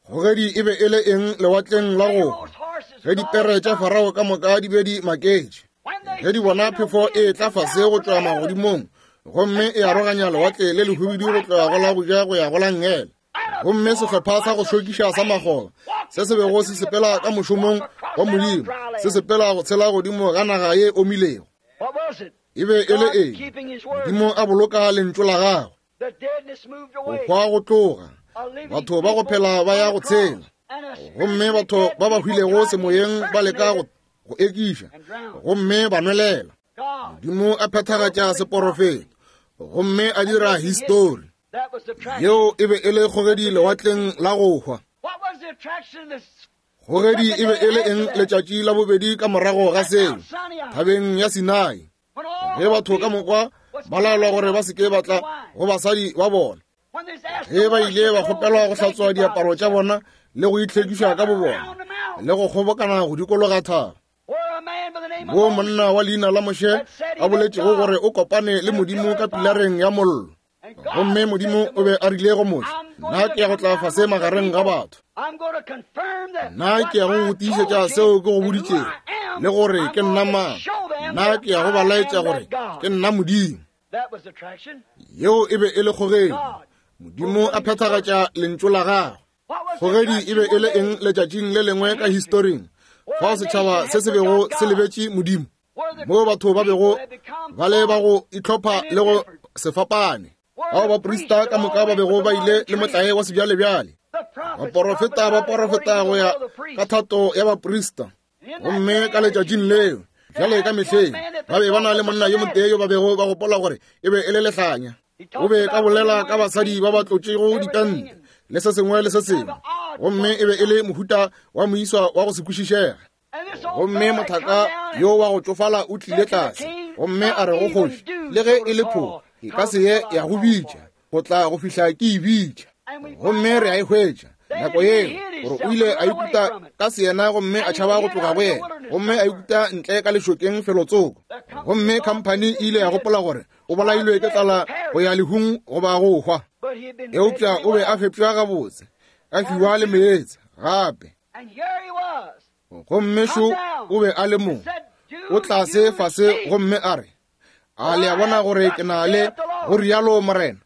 Kgogedi e be e le eng lewatleng la go hwa ge dipere tša Farao ka moka di be di maketše ge di bona phefo e tla fase go tšwa magodimong gomme e aroganya lewatle le lehubidu go tloga go la boja go ya go la nngele. Gomme sehlopha sa go šokiša sa magola se se bego se sepela ka mošomong wa Modimo se sepela go tshela godimo ga naga ye omilego. E be e le eng? Modimo a boloka lentšu la gagwe. Go hwa go tloga, batho ba go phela ba ya go tshela, gomme batho ba ba hwilego semoyeng ba leka go ekiša gomme ba nwelela. Modimo a phethagatša seporofeto gomme a dira histori. Yeo e be e le kgogedi lewatleng la go hwa. Kgogedi e be e le eng letšatši la bobedi ka morago ga seo, thabeng ya Sinai, ge batho ka mokwa ba laelwa gore ba se ke ba tla go basadi ba bona, ge ba ile ba kgopelwa go hlatswa diaparo tša bona le go itlhwekiša ka bobona le go kgobokana go dikologa thaba. Mo monna wa leina la Moshe a boletšego gore o kopane le Modimo ka pilareng ya mollo. Gomme Modimo o be a rile go Moshe, Nna ke ya go tla fase magareng ga batho. Nna ke ya go go tiišetša seo ke go boditšego, le gore ke nna mang. Nna ke ya go ba laetša gore ke nna Modimo. Yeo e be e le kgogedi. Modimo a phethagatša lentšu la gagwe. Kgogedi e be e le eng letšatšing le lengwe ka historing, fao setšhaba se se bego se lebetše Modimo, moo batho ba bego ba le ba go itlhopha le go se fapane, bao baprista ka moka ba bego ba ile le motlae wa sebjalebjale, baporofeta ba porofeta go ya ka thato ya baprista. Gomme ka letšatšing leo, bjale ka mehleng, ba be ba na le monna yo motee yo ba bego ba gopola gore e be e le lehlanya. O be ka bolela ka basadi ba ba tlotšego ditente le se sengwe le se sengwe, gomme e be e le mohuta wa moiswa wa go se kwešišege. Gomme mothaka yo wa go tšofala o tlile tlase gomme a re go kgoši, le ge e le phoka e ka se ye ya go bitša go tla go fihla ke e bitša. Gomme re a e hwetša nako yeo gore o ile a ikuta ka seyena gomme a tšhaba go tloga go yena, gomme a ikuta ntle ka lešokeng felotsoko. Gomme khamphani e ile ya gopola gore o bolailwe ke tlala go ya lehung goba go hwa, eupša o be a fepša gabotse, a fiwa le meetse gape. Gomme šo o be a le mo, o tlase fase gomme a re, A le a bona gore ke na le go rialo Morena?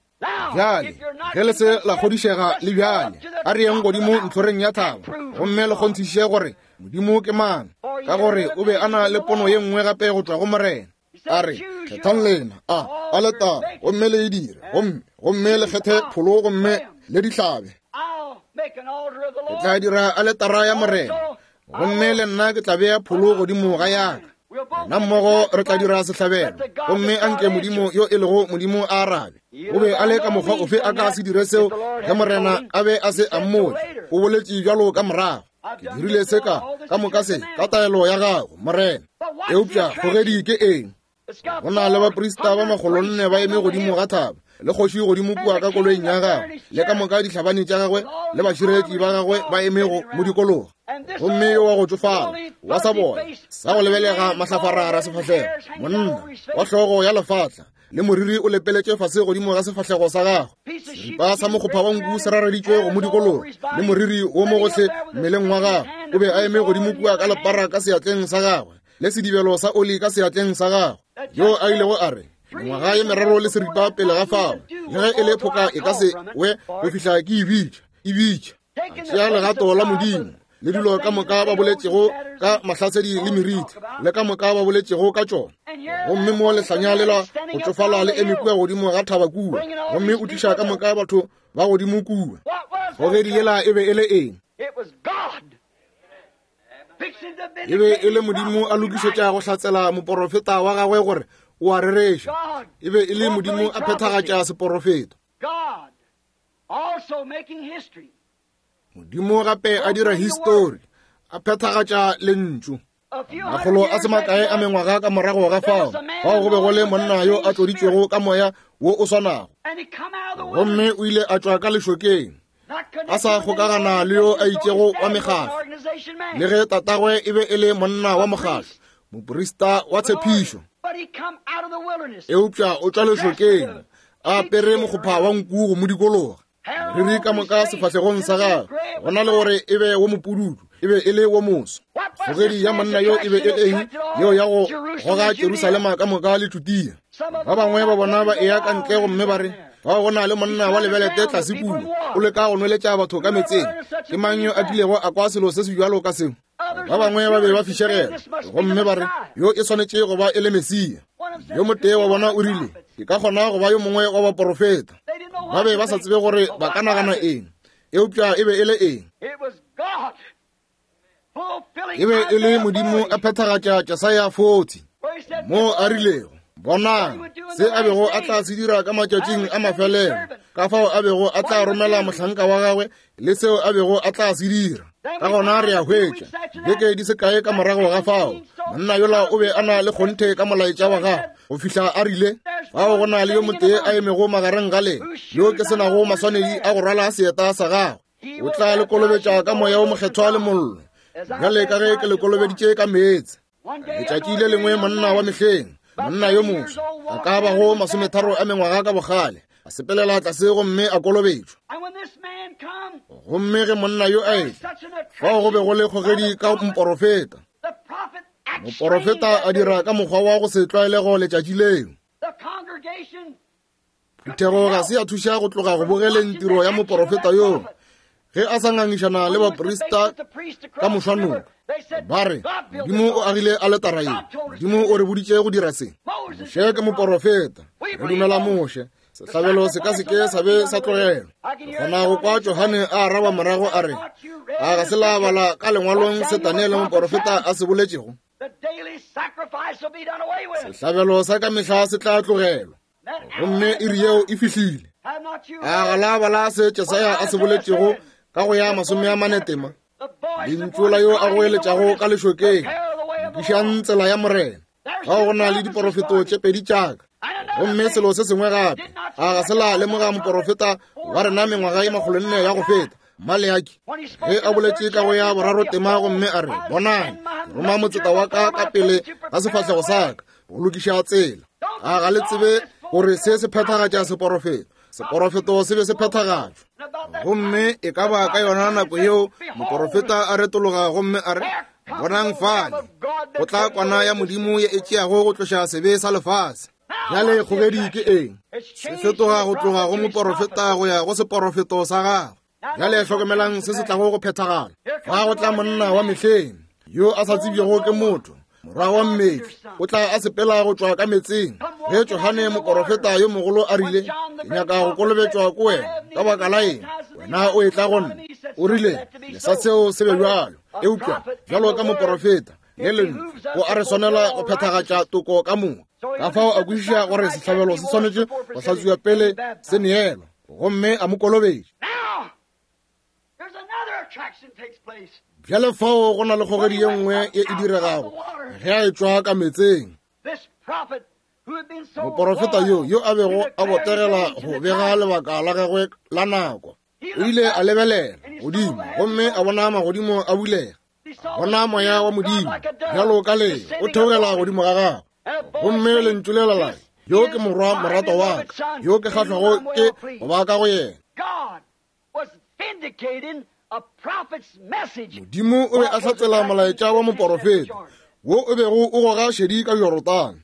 Bjale, ge le se la kgodišega le bjale, a re yeng godimo ntlhoreng ya thaba gomme le kgonthiše gore Modimo ke mang, ka gore o be a na le pono ye nngwe gape go tšwa go Morena. A re, Kgethang lena a aletare gomme le e dire, gomme gomme le kgethe pholo gomme le di hlabe. Ke tla dira aletara ya Morena, gomme le nna ke tla bea pholo godimo ga yaka. Rena mmogo re tla dira sehlabelo, gomme a nke Modimo yo e lego Modimo a arabe. O be a le ka mokgwa ofe a ka se dire seo ge Morena a be a se a mmotša? O boletše bjalo ka morago, Ke dirile se ka ka moka se ka taelo ya gago, Morena. Eupša kgogedi ke eng? Go na le baprista ba makgolonne ba eme godimo ga thaba, le kgoši godimo kua ka koloing ya gagwe, le ka moka dihlabani tša gagwe le bašireletši ba gagwe ba eme go mo dikologa. Gomme yo wa go tšofala wa sa boya sa go lebelega mahlafarara sefahlego, monna wa hlogo ya lefatla le moriri o lepeletše fase godimo ga sefahlego sa gagwe, seripa sa mokgopha wa nku se rareditšwe go mo dikologa, le moriri wo mo gohle mmeleng wa gagwe, o be a eme godimo kua ka lepara ka seatleng sa gagwe le sedibelo sa oli ka seatleng sa gagwe, yo a ilego a re, Mengwaga ye meraro le seripa pele ga fao, le ge e le phoka e ka se we go fihla ke e bitša, e bitša. A tšea legato la Modimo le dilo ka moka ba boletšego ka mahlasedi le meriti le ka moka ba boletšego ka tšona. Gomme mo lehlanya lela go tšofala le eme kua godimo ga thaba kua, gomme o tliša ka moka batho ba godimo kua. Kgogedi yela e be e le eng? E be e le Modimo a lokišetša go hlatsela moporofeta wa gagwe gore o a rereša. E be e le Modimo a phethagatša seporofeto. Modimo gape a dira histori, a phethagatša lentšu. Makgolo a se makae a mengwaga ka morago ga fao, fao go be go le monna yo a tloditšwego ka moya wo o swanago, gomme o ile a tšwa ka lešokeng a sa kgokagana le yo a itšego wa mekgatlo, le ge tatagwe e be e le monna wa mokgatlo, moprista wa tshepišo. Eupša o tšwa lešokeng a apere mokgopha wa nku go mo dikologa, moriri ka moka sefahlegong sa gagwe, go na le gore e be wo mopududu, e be e le wo moso. Kgogedi ya monna yo e be e le eng yeo ya go goga Jerusalema ka moka le Judea? Ba bangwe ba bona ba eya ka ntle gomme ba re, Fao go na le monna wa lebelete tlase kua, o leka go nweletša batho ka metseng. Ke mang yo a kilego a kwa selo se se bjalo ka seo? Ba bangwe ba be ba fišegela gomme ba re, Yo e swanetše go ba e le Mesia. Yo motee wa bona o rile, Ke ka kgona go ba yo mongwe wa baporofeta. Ba be ba sa tsebe gore ba ka nagana eng, eupša e be e le eng? E be e le Modimo a phethagatša Jesaya 40, moo a rilego, Bonang se a bego a tla se dira ka matšatšing a mafelelo, ka fao a bego a tla romela mohlanka wa gagwe le seo a bego a tla se dira. Ka gona re a hwetša, beke di se kae ka morago ga fao, monna yola o be a na le kgonthe ka molaetša wa gagwe go fihla a rile, Fao go na le yo motee a emego magareng ga lena, yo ke se nago maswanedi a go rwala seeta sa gagwe. O tla le kolobetša ka moya o mokgethwa le mollo, bjale ka ge ke le kolobeditše ka meetse. Letšatši le lengwe monna wa mehleng, monna yo moswa, a ka bago masometharo a mengwaga ka bogale, a sepelela tlase gomme a kolobetšwa. Gomme ge monna yo a etla, fao go be go le kgogedi ka moporofeta. Moporofeta a dira ka mokgwa wa go se tlwaelego letšatši leo. Phuthego ga se ya thuša go tloga go bogeleng tiro ya moporofeta yoo ge a sa ngangišana le baprista ka mošwanoka. Ba re, Modimo o agile aletara ye, Modimo o re boditše go dira se. Moshe ke moporofeta, re dumela Moshe. Sehlabelo se ka se ke sa be sa tlogelwa. Ke kgona go kwa Johane a araba morago a re, A ga se la bala ka lengwalong se Daniele moporofeta a se boletšego? Sehlabelo sa ka mehla se tla tlogelwa. Gomme iri yeo e fihlile. A ga la bala se Jesaya a se boletšego ka go ya 44 tema? Lentšu la yo a goeletšago ka lešokeng, lokišang tsela ya Morena. Fao go na le diporofeto tše pedi tša ka. Gomme selo se sengwe gape, a ga se la lemoga moporofeta wa rena mengwaga ye 400 ya go feta, Maleaki, ge a boletše ka go ya boraro tema gomme a re, Bonang, ke roma motseta wa ka ka pele ga sefahlego sa ka go lokiša tsela. A ga le tsebe gore se se phethagatša seporofeto? Seporofeto se be se phethagatšwa. Gomme e ka ba ka yona nako yeo moporofeta a retologa gomme a re, Bonang fale, go tla kwana ya Modimo ye e tšeago go tloša sebe sa lefase. Bjale kgogedi ke eng? Se fetoga go tloga go moporofeta go ya go seporofeto sa gagwe. Bjale hlokomelang se se tlago go phethagala. Fa go tla monna wa mehleng yo a sa tsebjego ke motho, morwa wa mmetli, o tla a sepela go tšwa ka metseng. Ge Johane moporofeta yo mogolo a rile, Ke nyaka go kolobetšwa ko wena, ka baka la eng wena o etla go nna? O rile, Lesa seo se be bjalo. Eupša bjalo ka moporofeta le lentšu, go a re swanela go phethagatša toko ka moka. Ka fao a kwešiša gore sehlabelo se swanetše go hlatswiwa pele se neelwa, gomme a mo kolobetša. Bjale fao go na le kgogedi ye nngwe ye e diregago ge a etšwa ka meetseng. Moporofeta yo yo a bego a botegela go bega lebaka la gagwe la nako, o ile a lebelela. godimo gomme a bona magodimo a bulega, a bona moya wa Modimo bjalo ka lee o theogela godimo ga gagwe, gomme lentšu lela la re, Yo ke Morwa moratwa wa ka, yo ke kgahlwago ke go ba ka go yena. Modimo o be a hlatsela molaetša wa moporofeta wo o bego o goga šedi ka Jorodane.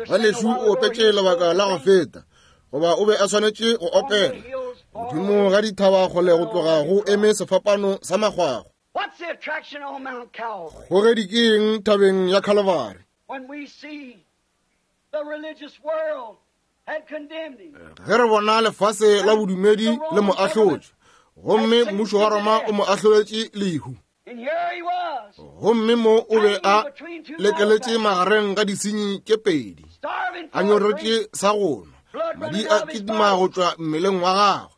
Ngwanešu o opetše lebaka la go feta, goba o be a swanetše go opela godimo ga dithaba kgole go tloga go eme sefapano sa makgwakgwa. Kgogedi ke eng thabeng ya Calvary? Ge re bona lefase la bodumedi le mo ahlotše, gomme mmušo wa Roma o mo ahloletše lehu, gomme mo o be a lekeletše magareng ga disenyi tše pedi, a nyoretše sa go nwa, madi a kitima go tšwa mmeleng wa gagwe.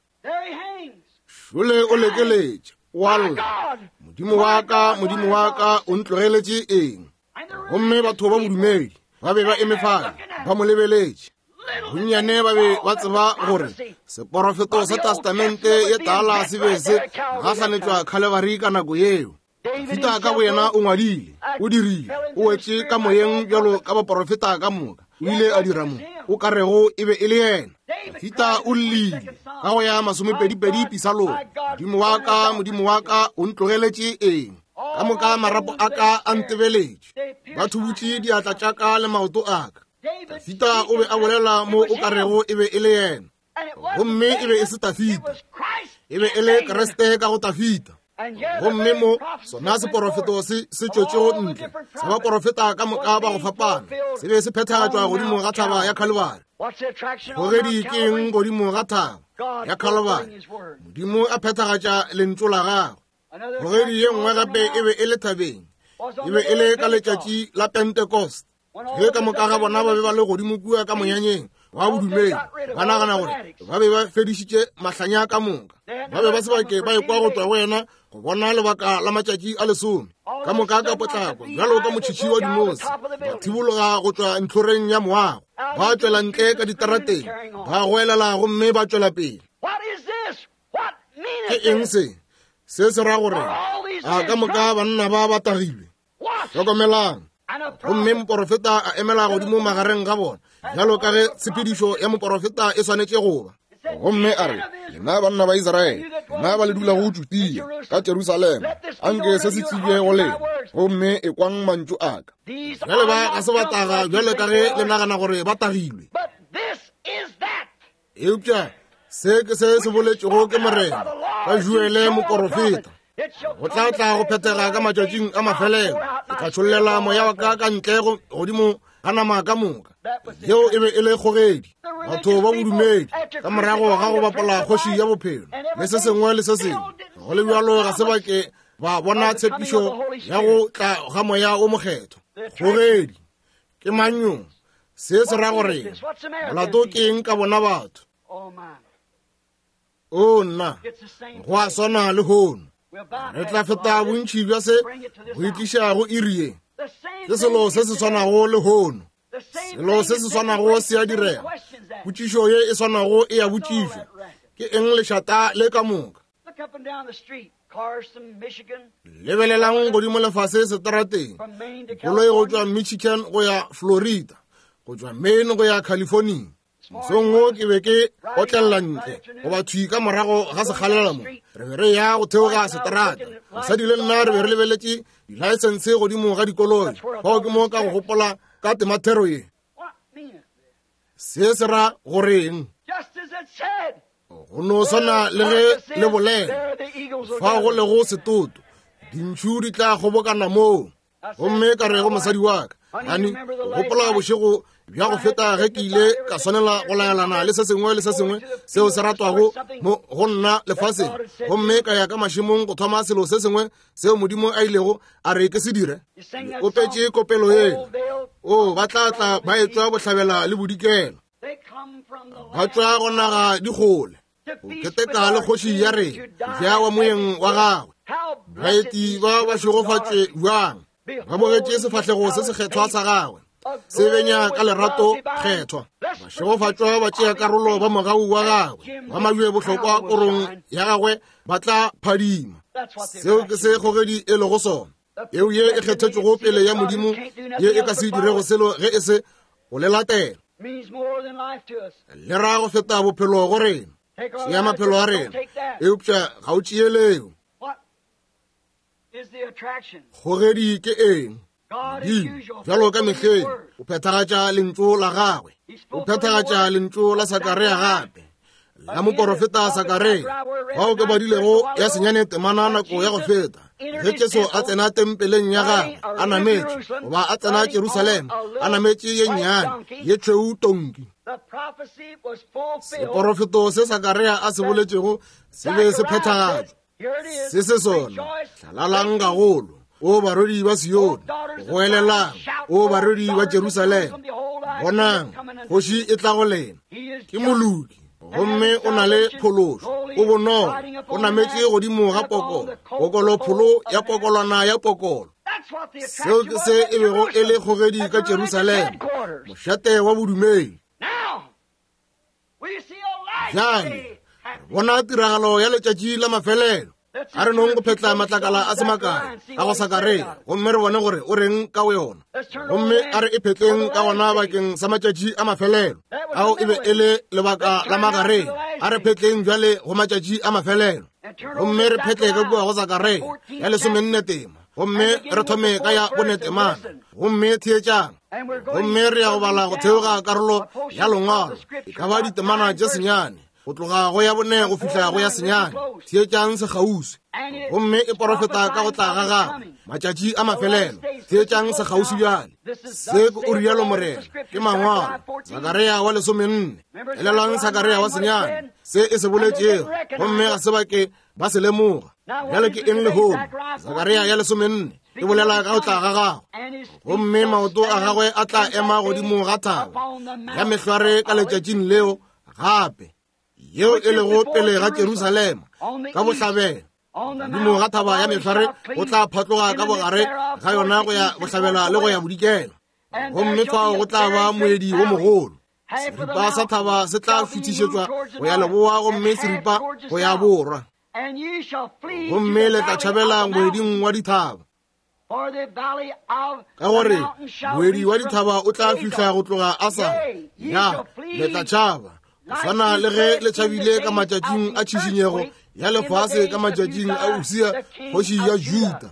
Šole o lekeletše, o a lla, Modimo wa ka, Modimo wa ka, o ntlogeletše eng? Gomme batho ba bodumedi ba be ba eme fale ba mo lebeletše. Bonnyane ba be ba tseba gore seporofeto sa Testamente ye Tala se be se gahlanetšwa Calvary ka nako yeo. Dafida ka boyena o ngwadile, o dirile, o wetše ka moyeng bjalo ka baporofeta ka moka. O ile a dira mo o ka rego e be e le yena. Dafida o llile ka go ya masomepedipedi pisalong, Modimo wa ka, Modimo wa ka, o ntlogeletše eng? Ka moka marapo a ka a ntebeletše, ba thubutše diatla tša ka le maoto a ka. Dafida o be a bolela mo o ka rego e be e le yena, gomme e be e se Dafida, e be e le Kriste ka go Dafida. Gomme mo sona seporofeto se se tšwetšego ntle sa baporofeta ka moka ba go fapana se be se phethagatšwa godimo ga thaba ya Calvary. Kgogedi ke eng godimo ga thaba ya Calvary? Modimo a phethagatša lentšu la gagwe. Kgogedi ye nngwe gape e be e le thabeng, e be e le ka letšatši la Pentecost, ge ka moka ga bona ba be ba le godimo kua ka monyanyeng wa bodumedi, ba nagana gore ba be ba fedišitše mahlanya ka moka. Ba be ba se bake ba ekwa go tšwa go yena go bona lebaka la matšatši a lesome. Ka moka ka potlako bjalo ka motšhitšhi wa dinose, ba thibologa go tšwa ntlhoreng ya moago, ba tšwela ntle ka diterateng, ba goelela gomme ba tšwela pele. Ke eng se? Se se ra gore a ka moka banna ba ba tagilwe. Hlokomelang. Gomme moporofeta a emela godimo magareng ga bona, bjalo ka ge tshepedišo ya moporofeta e swanetše go ba. Gomme a re, Lena banna ba Israele, lena ba le dulago Judea ka Jerusalema, anke se se tsebje go lena, gomme ekwang mantšu a ka. Bjale ba ga se ba taga bjalo ka ge le nagana gore ba tagilwe. Eupša se ke se se boletšego ke Morena ka Joele moporofeta. Go tla tla go phethega ka matšatšing a mafelelo, ke tla tšhollela moya wa ka ka ntle godimo ga nama ka moka. Yeo e be e le kgogedi, batho ba bodumedi, ka morago ga go bapola kgoši ya bophelo le se sengwe le se sengwe. Go le bjalo ga se ba ke ba bona tshepišo ya go tla ga moya o mokgethwa. Kgogedi ke mang yo? Se se ra gore molato ke eng ka bona batho? O nna, go a swana le hono. Re tla feta bontši bja se go itliša go iri ye. Ke selo se se swanago le hono. Selo se se swanago se a direga. Potšišo ye e swanago e a botšišwa. Ke eng lešata le ka moka? Lebelelang godimo lefase seterateng, koloi go tšwa Michigan go ya Florida, go tšwa Maine go ya California. Mosong wo ke be ke otlelela ntle goba thwi ka morago ga sekgalela mo, re be re ya go theoga seterata. Mosadi le nna re be re lebeletše dilaesense godimo ga dikoloi. Fao ke mo ka go gopola ka temathero ye. Se se ra goreng? Go no swana le ge le bolela, fa go lego setoto, dintšhu di tla kgobokana moo. Gomme ka re go mosadi wa ka, Hani, gopola bošego bja go feta ge ke ile ka swanela go laelana le se sengwe le se sengwe seo se ratwago mo go nna lefaseng, gomme ka ya ka mašemong go thoma selo se sengwe seo Modimo a ilego a re ke se dire. Le opetše kopelo yela, O, ba tla tla ba etšwa bohlabela le bodikela, ba tšwa go naga dikgole go keteka le kgoši ya rena, ja wa moyeng wa gagwe. Baeti ba ba šegofatše bjang, ba bogetše sefahlego se sekgethwa sa gagwe. Se benya ka lerato kgethwa. Bašegofatšwa ba tšea karolo ba mogau wa gagwe, ba mabje bohlokwa korong ya gagwe ba tla phadima. Seo ke se kgogedi e lego sona. Peu ye e kgethetšwego pele ya Modimo ye e ka se dirego selo ge e se go le latela. Le ra go feta bophelo go rena. Tšea maphelo a rena, eupša ga o tšee leo. Kgogedi ke eng? Modimo, bjalo ka mehleng, o phethagatša lentšu la gagwe. O phethagatša lentšu la Sakaria gape, la moporofeta Sakaria, bao ke badilego ya senyane temana nako ya go feta, ge Jesu a tsena tempeleng ya gagwe a nametše, goba a tsena Jerusalema a nametše ye nnyane ye tšhweu tonki. Seporofeto se Sakaria a se boletšego se be se phethagatšwa. Se se sona, hlalalang gagolo, o barwedi ba Sione, goelelang, o barwedi ba Jerusalema. Bonang, kgoši e tla go lena, ke moloki, gomme o na le phološo, o bonolo, o nametše godimo ga pokolo, pokolo pholo ya pokolwana ya pokolo. Seo ke se e bego e le kgogedi ka Jerusalema, mošate wa bodumedi. Bjale bona tiragalo ya letšatši la mafelelo. A re nong go phetla matlakala a se makae a go Sakaria gomme re bone gore o reng ka go yona. Gomme a re e phetleng ka gona bakeng sa matšatši a mafelelo. Ao e be e le lebaka la magareng. A re phetleng bjale go matšatši a mafelelo. Gomme re phetle ka kua go Sakaria ya lesomenne tema. Gomme re thome ka ya bone temana. Gomme theetšang. Gomme re ya go bala go theoga karolo ya lengwalo, e ka ba ditemana tše senyane, go tloga go ya bone go fihla go ya senyane. Theetšang sekgauswi. Gomme e porofeta ka go tla ga gagwe, matšatši a mafelelo. Theetšang sekgauswi bjale. Se ke o rialo Morena, ke mangwalo. Sakaria wa lesomenne. Elelwang Sakaria wa senyane, se e se boletšego, gomme ga se ba ke ba se lemoga. Bjale ke eng lehono? Sakaria ya lesomenne e bolela ka go tla ga gagwe, gomme maoto a gagwe a tla ema godimo ga thaba ya mehlware ka letšatšing leo gape, yeo e lego pele ga Jerusalema ka bohlabela. Godimo ga thaba ya mehlware go tla phatloga ka bogare ga yona go ya bohlabela le go ya bodikela, gomme fao go tla ba moedi wo mogolo. Seripa sa thaba se tla fetišetšwa go ya leboa gomme seripa go ya borwa, gomme le tla tšhabela moeding wa dithaba, ka gore moedi wa dithaba o tla fihla go tloga Asala. Ya, le tla tšhaba go swana le ge le tšhabile ka matšatšing a tšhišinyego ya lefase, ka matšatšing a Usia kgoši ya Juda.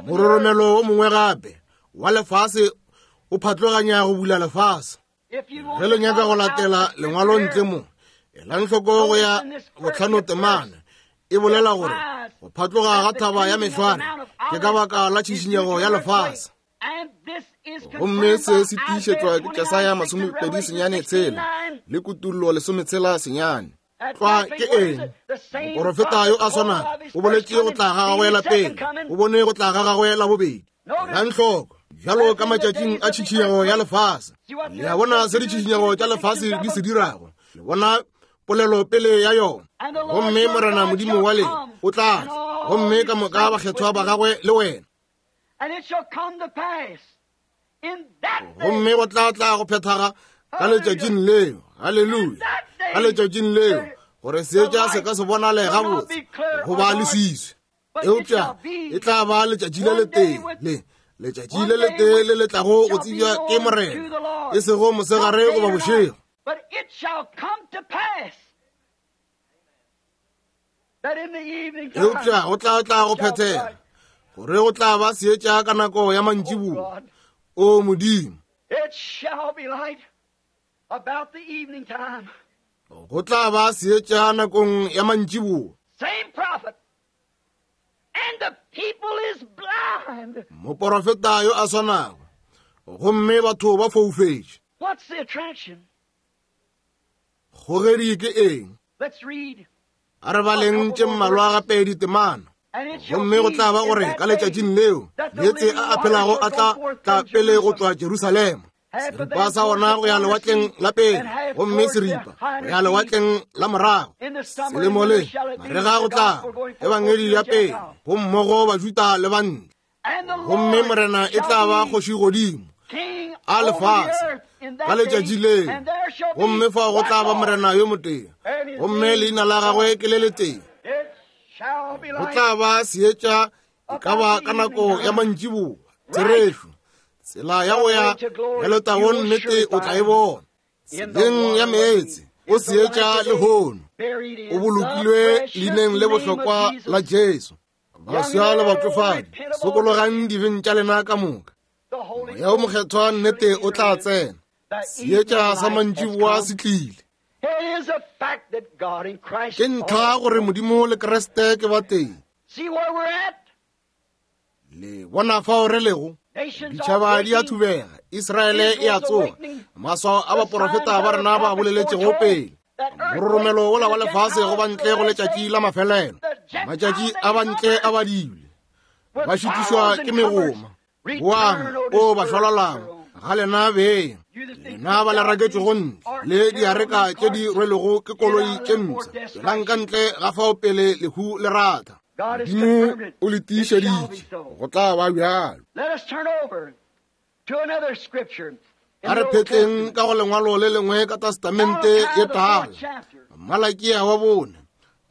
Mororomelo wo mongwe gape wa lefase o phatloganya go bula lefase. Ge le nyaka go latela lengwalo ntle mo, elang hloko go ya bohlano temana e bolela gore go phatloga ga thaba ya mehlware ke ka baka la tšhišinyego ya lefase. Gomme se se tiišetšwa ke Jesaya 29 le Kutullo 16. Tlwa ke eng? Moporofeta yo a swanago o boletše go tla ga gagwe la pele, o bone go tla ga gagwe la bobedi. Elang hloko, bjalo ka matšatšing a tšhišinyego ya lefase. Le a bona se ditšhišinyego tša lefase di se dirago. Le bona polelo pele ya yona. Gomme Morena Modimo wa lena o tla tla, gomme ka moka bakgethwa ba gagwe le wena. Gomme go tla tla go phethaga ka letšatšing leo, haleluya, ka letšatšing leo, gore seetša se ka se bonale gabotse goba leswiswi, eupša e tla ba letšatši le letee le letšatši le letee le le tlago go tsebja ke Morena, e sego mosegare goba bošego. Eupša go tla tla go phethega gore go tla ba seetša ka nako ya mantšiboa. O Modimo, go tla ba seetša nakong ya mantšiboa. Moporofeta yo a swanago, gomme batho ba foufetše. Kgogedi ke eng? A re baleng tše mmalwa gape ditemana. Gomme go tla ba gore ka letšatšing leo meetse a a phelago a tla tla pele go tšwa Jerusalema, seripa sa ona go ya lewatleng la pele, gomme seripa go ya lewatleng la morago. Selemo le marega go tla ebangedi ya pele go mmogo Bajuda le bantle. Gomme Morena e tla ba kgoši godimo a lefase ka letšatši leo, gomme fao go tla ba Morena yo motee, gomme leina la gagwe ke le letee. Go tla ba seetša e ka ba ka nako ya mantšiboa. Therešo, tsela ya go ya ya letagong nnete o tla e bona. Tseleng ya meetse o seetša lehono, o bolokilwe leineng le bohlokwa la Jesu. Baswa le batšofadi, sokologang dibeng tša lena ka moka. Moya o Mokgethwa nnete o tla tsena. Seetša sa mantšiboa se tlile. Ke ntlha gore Modimo le Kriste ke batee. Le bona fao re lego? Ditšhaba di a thubega, Israele e a tsoga, maswao a baporofeta ba rena ba boleletšego pele. Mororomelo wola wa lefase go ba ntle go letšatši la mafelelo. Matšatši a ba ntle a badilwe, ba šitišwa ke megoma. Boang, o ba šwalalang, ga lena beng, lena ba le raketšego ntle le diareka tše di rwelego ke koloi tše mpsha. Tšwelang ka ntle ga fao pele lehu le ratha. Modimo o le tiišeditše, go tla ba bjalo. A re phetleng ka go lengwalo le lengwe ka Testamente ye Tala, Malakia wa bone,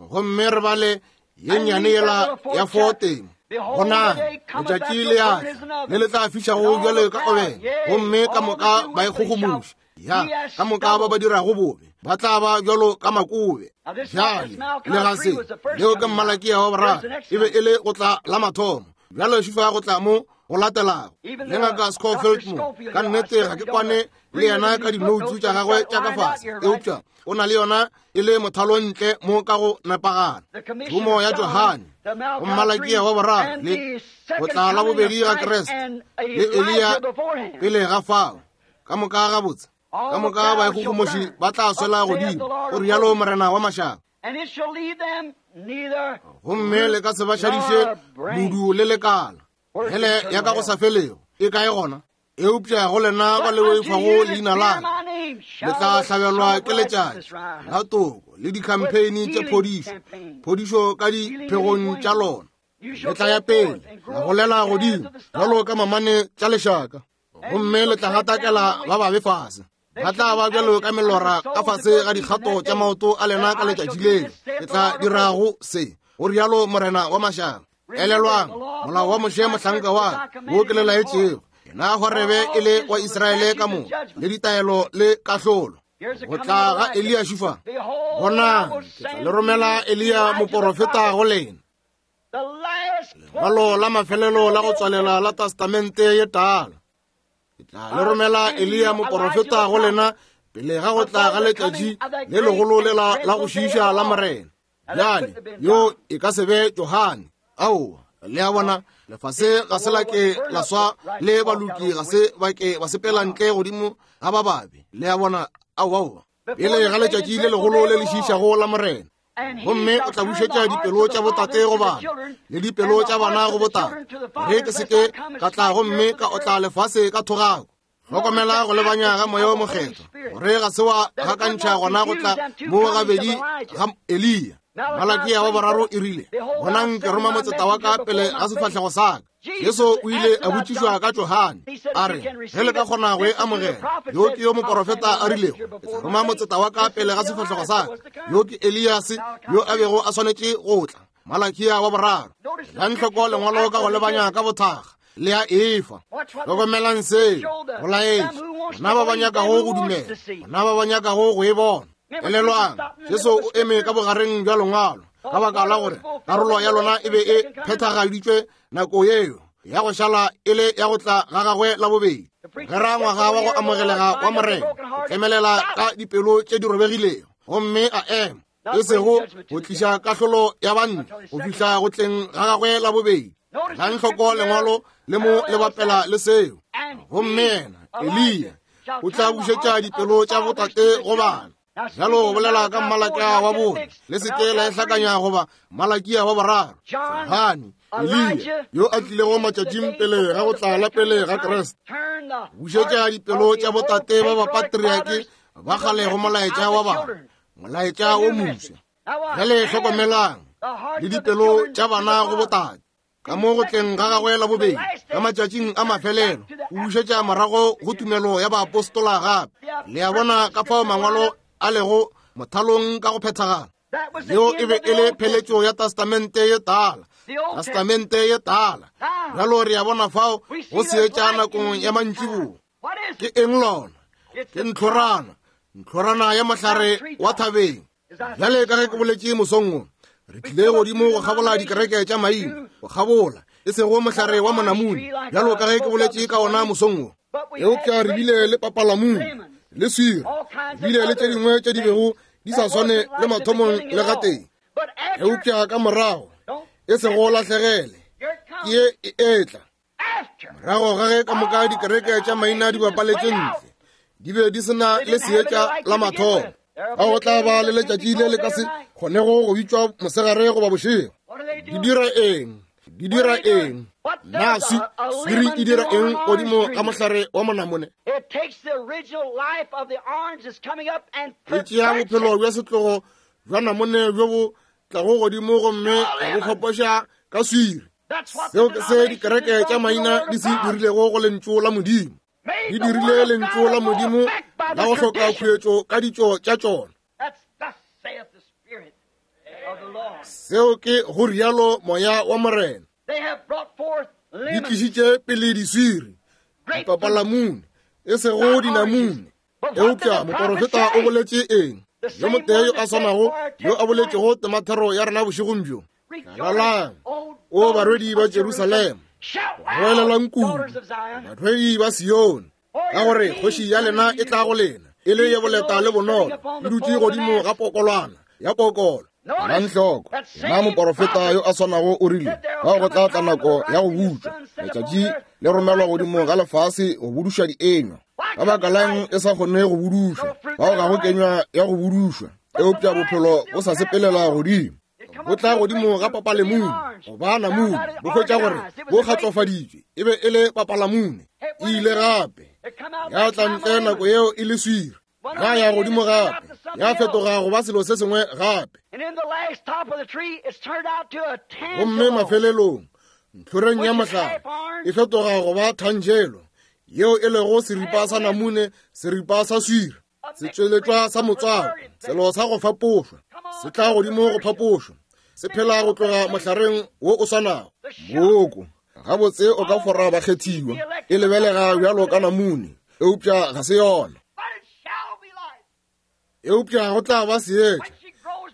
gomme re bale ye nnyane yela ya 4. Bonang, letšatši le a tla le le tla fišago bjalo ka obene, gomme ka moka ba ikgogomoša. Ya, ka moka ba ba dirago bobe ba tla ba bjalo ka makobe. Bjale, le ga se leo ke Malakia wa boraro, e be e le go tla la mathomo. Bjale šifa go tla mo go latelago le ngaka Scofield mo, ka nnete ga ke kwane le yena ka dinoutsu tša gagwe tša ka fase, eupša o na le yona e le mothalo ntle mo ka go nepagala. Thomo ya Johane go Malakia wa boraro le go tla la bobedi ga Kriste le Eliya pele ga fao. Ka moka gabotse, ka moka baikgogomoši ba tla swela godimo, o rialo Morena wa mašaba. Gomme le ka se ba šadiše modu le lekala. Hele ya ka go sa felego e kae gona? Eupša go lena ba le boifago leina la ka, le tla hlabelwa ke letšatši la toko le dikhampeine tša phodišo, phodišo ka diphegong tša lona. Le tla ya pele la golela godimo bjalo ka mamane tša lešaka, gomme le tla gatakela ba babe fase. Ba tla ba bjalo ka melora ka fase ga dikgato tša maoto a lena ka letšatši leo ke tla dirago se, go rialo Morena wa mašaba. Elelwang molao wa Moshe mohlanka wa ka, wo ke le laetšego, yena Horebe e le wa Israele ka moka, le ditaelo le kahlolo. Go tla ga Eliya šufa, bonang, ke tla le romela Eliya moporofeta go lena. Lengwalo la mafelelo la go tswalela la Testamente ye Tala. Ke tla le romela Eliya moporofeta go lena pele ga go tla ga letšatši le legolo lela la go šiiša la Morena. Bjale, yo e ka se be Johane. Aowa, le a bona, lefase ga se la ke la swa le baloki ga se ba ke ba sepela ntle godimo ga ba babe. Le a bona, aowa, aowa. Pele ga letšatši le legolo le le šiišago la Morena. Gomme o tla bušetša dipelo tša botate go bana le dipelo tša bana go botate, gore ke se ke ka tla gomme ka otla lefase ka thogako. Hlokomela go lebanya ga Moya wo Mokgethwa, gore ga se wa gakantšha gona go tla mo gabedi ga Eliya. Malakia wa boraro e rile, Bonang, ke roma motseta wa ka pele ga sefahlego sa ka. Jesu o ile a botšišwa ka Johane, a re, Ge le ka kgona go e amogela, yo ke yo moporofeta a rilego, ke tla roma motseta wa ka pele ga sefahlego sa ka. Yo ke Eliase yo a bego a swanetše go tla. Malakia wa boraro. Elang hloko lengwalo ka go lebanya ka bothakga le ya efa. Hlokomelang seo, go laetša bona ba ba nyakago go dumela, bona ba ba nyakago go e bona. Elelwang, Jesu o eme ka bogareng bja lengwalo ka baka la gore karolo ya lona e be e phethagaditšwe nako yeo ya go šala e le ya go tla ga gagwe la bobedi. Ge ra ngwaga wa go amogelega wa Morena, o tlemelela ka dipelo tše di robegilego gomme a ema, e sego go tliša kahlolo ya banna go fihla go tleng ga gagwe la bobedi. Elang hloko lengwalo le mo le bapela le seo. Gomme yena Eliya o tla bušetša dipelo tša botate go bana. Bjalo go bolela ka Malakia wa bone, le se ke la e hlakanya goba Malakia wa boraro. Johane, Eliya yo a tlilego matšatšing pele ga go tla la pele ga Kriste, bušetša dipelo tša botate ba bapatriake ba kgale go molaetša wa bana, molaetša wo mofsa. Bjale hlokomelang, le dipelo tša bana go botate. Ka mo go tleng ga gagwe la bobedi, ka matšatšing a mafelelo, o bušetša morago go tumelo ya baapostola gape. Le a bona ka fao mangwalo a lego mothalong ka go phethagala. Yeo e be e le pheletšo ya Testamente ye Tala, Testamente ye Tala. Bjalo re a bona fao go seetša nakong ya mantšiboa. Ke eng lona? Ke ntlhorana, ntlhorana ya mohlare wa thabeng. Bjale ka ge ke boletše mosong wo, re tlile godimo go kgabola dikereke tša maina, go kgabola, e sego mohlare wa monamune, bjalo ka ge ke boletše ka ona mosong wo. Eupša re bile le papalamune, le swiri, re bile le tše dingwe tše di bego di sa swane le mathomong le gatee. Eupša ka morago, e sego lahlegele, ke ye e etla. Morago ga ge ka moka dikereke tša maina di bapaletše ntle, di be di se na le seetša la mathomo. Ga go tla ba le letšatši le le ka se kgonego go bitšwa mosegare goba bošego. Di dira eng? Di dira eng? Na swiri e dira eng godimo ga mohlare wa monamone? E tšea bophelo bja setlogo bja namone bjo bo tlago godimo gomme bo fapoša ka swiri. Seo ke se dikereke tša maina di se dirilego go lentšu la Modimo. Di dirile lentšu la Modimo la go hloka khuetšo ka ditšo tša tšona. Seo ke go rialo moya wa Morena. Di tlišitše pele diswiri, dipapalamune, e sego dinamune. Eupša moporofeta o boletše eng? Yo motee yo a swanago yo a boletšego temathero ya rena bošegong bjo. Lalalang, o barwedi ba Jerusalema, goelelang kudu, barwedi ba Sione, ka gore kgoši ya lena e tla go lena e le ye boleta le bonolo, e dutše godimo ga pokolwana ya pokolo. Elang hloko, yena moporofeta yo a swanago o rile, Fao go tla tla nako ya go butšwa, letšatši le romelwa godimo ga lefase go buduša dienywa. Ka baka lang e sa kgone go budušwa? Fao ga go kenywa ya go budušwa, eupša bophelo bo sa sepelela godimo. Bo tla godimo ga papalemune goba namune, bo hwetša gore bo kgatlofaditšwe, e be e le papalamune. E ile gape ya tla ntle nako yeo e le swiri, ya ya godimo gape, ya fetoga go ba selo se sengwe gape. Gomme mafelelong ntlhoreng ya mohlare e fetoga go ba thanjelo, yeo e lego seripa sa namune, seripa sa swiri, setšweletšwa sa motswako, selo sa go fapošwa, se tla godimo go phapošwa, se phela go tloga mohlareng wo o swanago. Mooko gabotse o ka fora bakgethiwa, e lebelega bjalo ka namune, eupša ga se yona. Eupša go tla ba seetša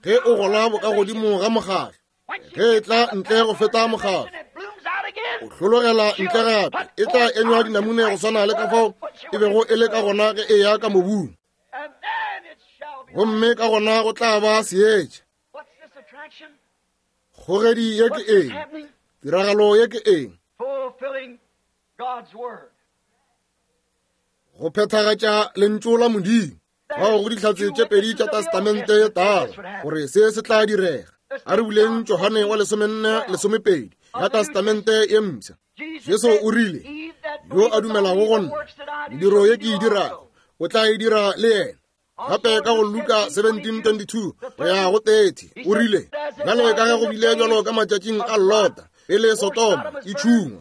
ge o gola bokagodimo ga mokgahlo, ge e tla ntle go feta mokgahlo, o hlologela ntle gape, e tla enywa dinamune go swana le ka fao e bego e le ka gona ge e ya ka mobung. Gomme ka gona go tla ba seetša. Kgogedi ye ke eng? Tiragalo ye ke eng? Go phethagatša lentšu la Modimo. Bao go dihlatse tše pedi tša Testamente ye Tala gore se se tla direga. A re buleng Johane wa 14 lesomepedi ya Testamente ye Mpsha. Jesu o rile, Yo a dumelago go nna, mediro ye ke e dirago, o tla e dira le yena. Gape ka go Luka 17:22 go ya go 30 o rile, Bjale ka ge go bile bjalo ka matšatšing a Lota, pele Sodoma e tšhungwa,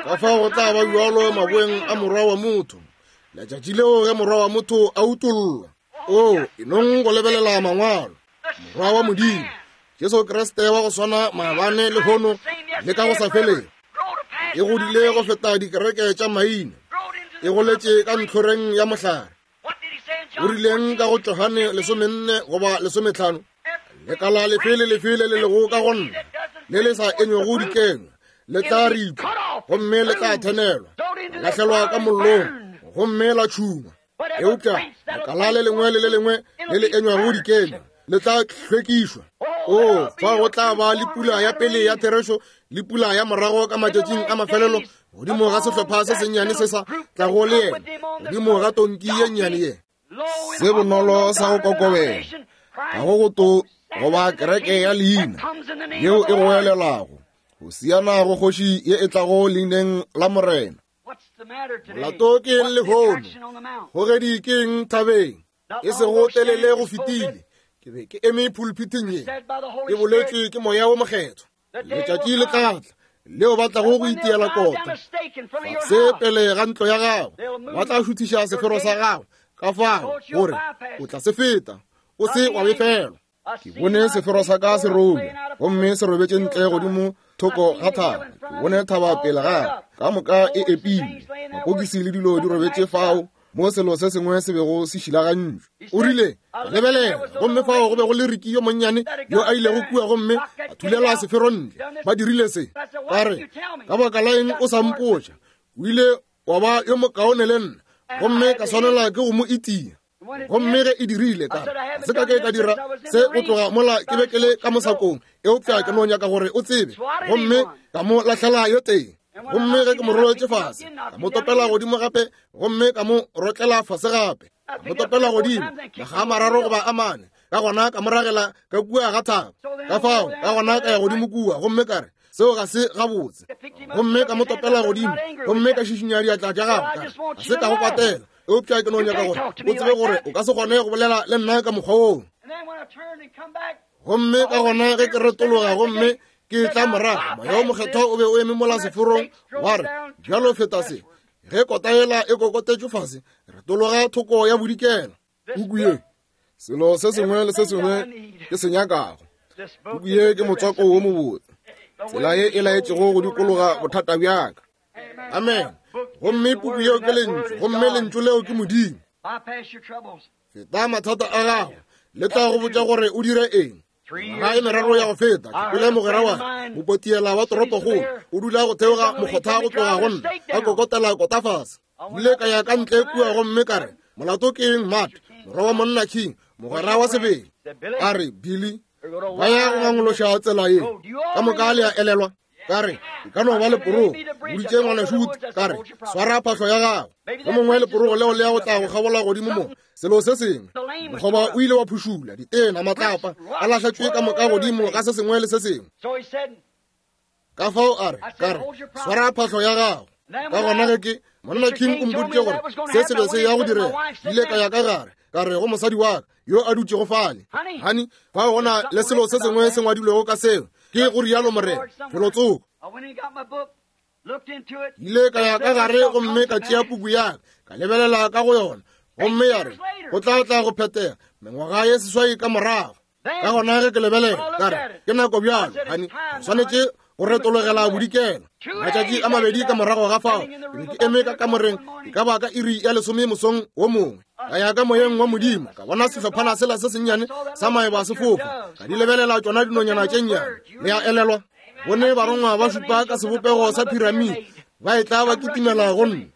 ka fao go tla ba bjalo maboeng a Morwa wa motho, letšatši leo ge Morwa wa motho a utollwa. O e nong go lebelela mangwalo, Morwa wa Modimo, Jesu Kriste wa go swana maabane lehono le ka go sa felego, e godile go feta dikereke tša maina, e goletše ka ntlhoreng ya mohlare. O rileng ka go Johane 14 goba 15? Lekala lefe le lefe le le lego ka go nna le le sa enywego dikenywa le tla ripwa gomme le tla thenelwa, lahlelwa ka mollong gomme la tšhungwa. Eupša lekala le lengwe le le lengwe le le enywago dikenywa le tla hlwekišwa. O fa go tla ba le pula ya pele ya therešo le pula ya morago ka matšatšing a mafelelo godimo ga sehlopha se sennyane se sa tlago le yena godimo ga tonki ye nnyane ye. Se bonolo sa go kokobela ga go go to goba kereke ya leina yeo e goelelago go siana go kgoši ye e tlago leineng la Morena. Molato ke eng lehono? Kgogedi ke eng thabeng? E sego telele go fetile. Ke be ke eme pulpithing ye, e boletšwe ke Moya wo Mokgethwa. Letšatši le tla tla leo ba tlago go itiela kota fase pele ga ntlo ya gago, ba tla šuthiša sefero sa gago ka fao gore o tla se feta o se wa befelwa. Ke bone sefero sa ka se robja gomme se robetše ntle godimo thoko ga thaba. Ke bone thaba pele ga ka moka e epilwe, mapokisi le dilo di robetše fao mo selo se sengwe se bego se šilagantšwe. O rile, Lebelela, gomme fao go be go le Ricky yo monnyane yo a ilego kua gomme a thulela sefero ntle. Ba dirile se. Ka re, Ka baka la eng o sa mpotša? O ile wa ba yo mokaone le nna, gomme ka swanela ke go mo itia. Gomme ge e dirile, ka re, Ga se ka ke ka dira se go tloga mola ke be ke le ka mosakong, eupša ke no nyaka gore o tsebe. Gomme ka mo lahlela yo tee. Gomme ge ke mo roletše fase, ka mo topela godimo gape, gomme ka mo rotlela fase gape, ka mo topela godimo makga a mararo goba a mane, ka gona ka mo ragela ka kua ga thaba. Ka fao ka gona ka ya godimo kua, gomme ka re, Seo ga se gabotse. Gomme ka mo topela godimo, gomme ka šišinya diatla tša gagwe, ka re, Ga se ka go kwatela, eupša ke no nyaka gore o tsebe gore o ka se kgone go bolela le nna ka mokgwa woo. Gomme ka gona ge ke retologa gomme ke tla morago, Moya wo Mokgethwa o be o eme mola seforong, wa re, Bjalo feta se. Ge kota yela e kokotetšwe fase, retologa thoko ya bodikela. Puku ye, selo se sengwe le se sengwe ke se nyakago. Puku ye ke motswako wo mobotse, tsela ye e laetšego go dikologa bothata bja ka. Amen. Gomme puku yeo ke Lentšu, gomme Lentšu leo ke Modimo. Feta mathata a gago, le tla go botša gore o dire eng. Ngwaga e meraro ya go feta, ke kwele mogwera wa ka, mopotiela wa toropokgolo, o dula go theoga mokgotha go tloga go nna, a kokotela kota fase. Ile ka ya ka ntle kua gomme ka re, Molato ke eng, Matt, morwa wa monna King, mogwera wa sebele? A re, Billy, ba ya go ngangološa tsela ye ka moka, le a elelwa. Ka re, E ka no ba leporogo. Boditše ngwanešu Wood, ka re, Swara phahlo ya gago. Yo mongwe leporogo leo le ya go tla go kgabola godimo mo, selo se sengwe. Mokgoba o ile wa phušula, ditena, matlapa, a lahletšwe ka moka godimo ga se sengwe le se sengwe. Ka fao a re, ka re, Swara phahlo ya gago. Ka gona ge ke, monna King o mpoditše gore se se be se ya go direga, ile ka ya ka gare, ka re go mosadi wa ka yo a dutšego fale, Honey, fao go na le selo se sengwe se ngwadilwego ka seo, ke go rialo Morena, felotsoko. Ile ka ya ka gare gomme ka tšea puku ya ka, ka lebelela ka go yona, gomme ya re go tla tla go phethega mengwaga ye seswai ka morago. Ka gona ge ke lebelela, ka re, Ke nako bjalo, honey, re swanetše go retologela bodikela. Matšatši a mabedi ka morago ga fao, ke be ke eme ka kamoreng e ka ba ka iri ya lesome mosong wo mongwe. Ka ya ka moyeng wa Modimo, ka bona sehlophana sela se sennyane sa maeba se fofa, ka di lebelela tšona dinonyana tše nnyane. Le a elelwa? Bone barongwa ba šupa ka sebopego sa phiramide ba etla ba kitimela go nna.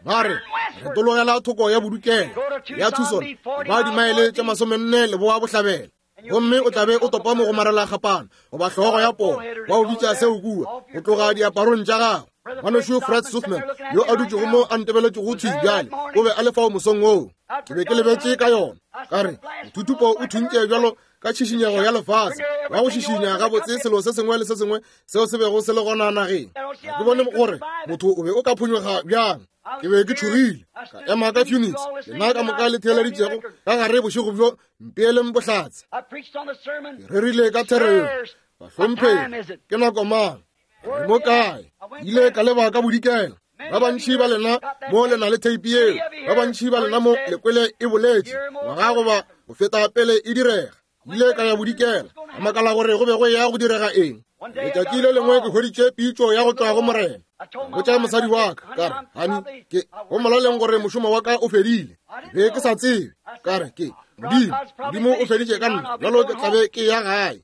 Ba re, Retologela thoko ya bodikela ya Tucson, ba dimaele tše masomenne leboa bohlabela, gomme o tla be o topa mo go marela kgapana goba hlogo ya poo, ba o bitša seo kua, go tloga diaparong tša gago. Ngwanešu Fred Sothmann, yo a dutšego mo a ntebeletšego thwi bjale, o be a le fao mosong woo. Ke be ke lebetše ka yona. Ka re, Mothuthupo o thuntše bjalo ka tšhišinyego ya lefase, wa go šišinya gabotse selo se sengwe le se sengwe seo se bego se le gona nageng. Ga ke bone gore motho o be o ka phonyokga bjang. Ke be ke tšhogile. Ka ema ka Phoenix, lena ka moka le theeleditšego ka gare bošego bjo, mpeeleng bohlatse. Ke rerile ka thero yeo, Bahlomphegi, ke nako mang? Re mo kae? Ile ka leba ka bodikela. Ba bantši ba lena mo le na le theipi yeo. Ba bantši ba lena mo le kwele e boletše ngwaga goba go feta pele e direga. Ile ka ya bodikela, ka makala gore go be go ya go direga eng. Letšatši le lengwe ke hweditše pitšo ya go tšwa go Morena. Ka botša mosadi wa ka, ka re, Honey, ke go molaleng gore mošomo wa ka o fedile. Ke be ke sa tsebe. Ka re, ke Modimo, Modimo o feditše ka nna, bjalo ke tla be ke ya gae.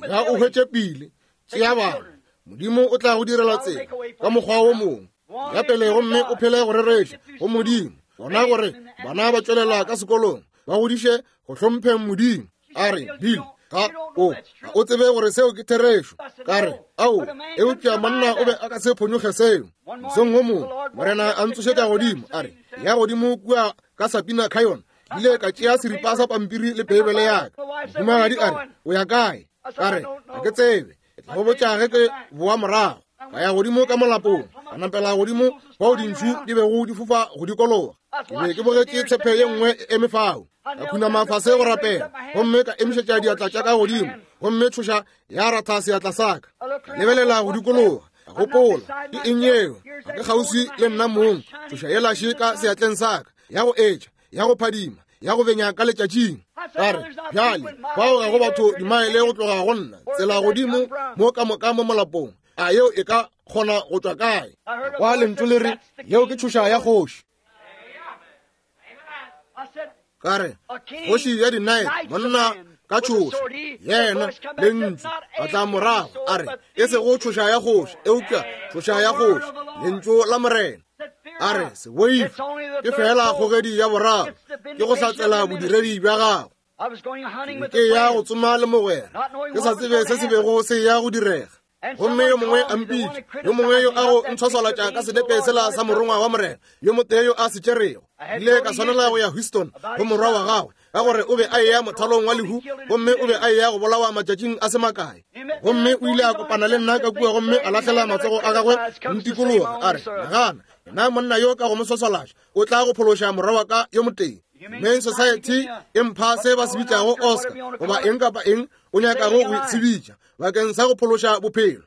Ya o hwetše pele, tšea bana. Modimo o tla go direla tsela ka mokgwa wo mongwe. Ya pele gomme o phele go rereša go Modimo. Bona gore bana ba tšwelela ka sekolong, ba godiše go hlompheng Modimo. A re, Bill, ga o, ga o tsebe gore seo ke therešo. Ka re, Ao, eupša monna o be a ka se phonyokge seo. Mosong wo mongwe, Morena a ntsošetša godimo, a re, ya godimo kua ka Sapina Canyon. Ke ile ka tšea seripa sa pampiri le Beibele ya ka. Mohumagadi a re, O ya kae? Ka re, Ga ke tsebe. Ke tla go botša ge ke boa morago. Ka ya godimo ka molapong, ka nampela godimo fao dintšhu di bego di fofa go dikologa. Ke be ke bogetše tshepe ye nngwe e eme fao. Ka khunama fase go rapela, gomme ka emišetša diatla tša ka godimo, gomme tšhoša ya ratha seatla sa ka. Ka lebelela go dikologa, ka gopola, ke eng yeo? Ga ke kgauswi le nna mong, tšhoša yela še ka seatleng sa ka, ya go etša, ya go phadima, ya go benya ka letšatšing. Ka re, bjale, fao ga go batho dimaele go tloga go nna, tsela godimo mo ka moka mo molapong. A yeo e ka kgona go tšwa kae? Kwa lentšu le re, yeo ke tšhoša ya kgoši. Ka re, kgoši ya dinae, monna ka tšhoša, yena lentšu a tla morago, a re, e sego tšhoša ya kgoši, eupša tšhoša ya kgoši, lentšu la Morena. A re, se boife, ke feela kgogedi ya boraro, ke go hlatsela bodiredi bja gago. Ke ya go tsoma le mogwera, ke sa tsebe se se bego se ya go direga. Gomme yo mongwe a mpitša, yo mongwe yo a go ntshwaswalatša ka senepe sela sa morongwa wa Morena, yo motee yo a se tšerego. Ile ka swanela go ya Houston go morwa wa gagwe, ka gore o be a eya mothalong wa lehu, gomme o be a eya go bolawa matšatšing a se makae. Gomme o ile a kopana le nna ka kua gomme a lahlela matsogo a gagwe ntikologa, a re, nagana, na monna yo ka go mo swaswalatša o tla go phološa morwa wa ka yo motee. Main Society e mpha se ba se bitšago Oscar, goba eng kapa eng o nyakago go se bitša, bakeng sa go phološa bophelo.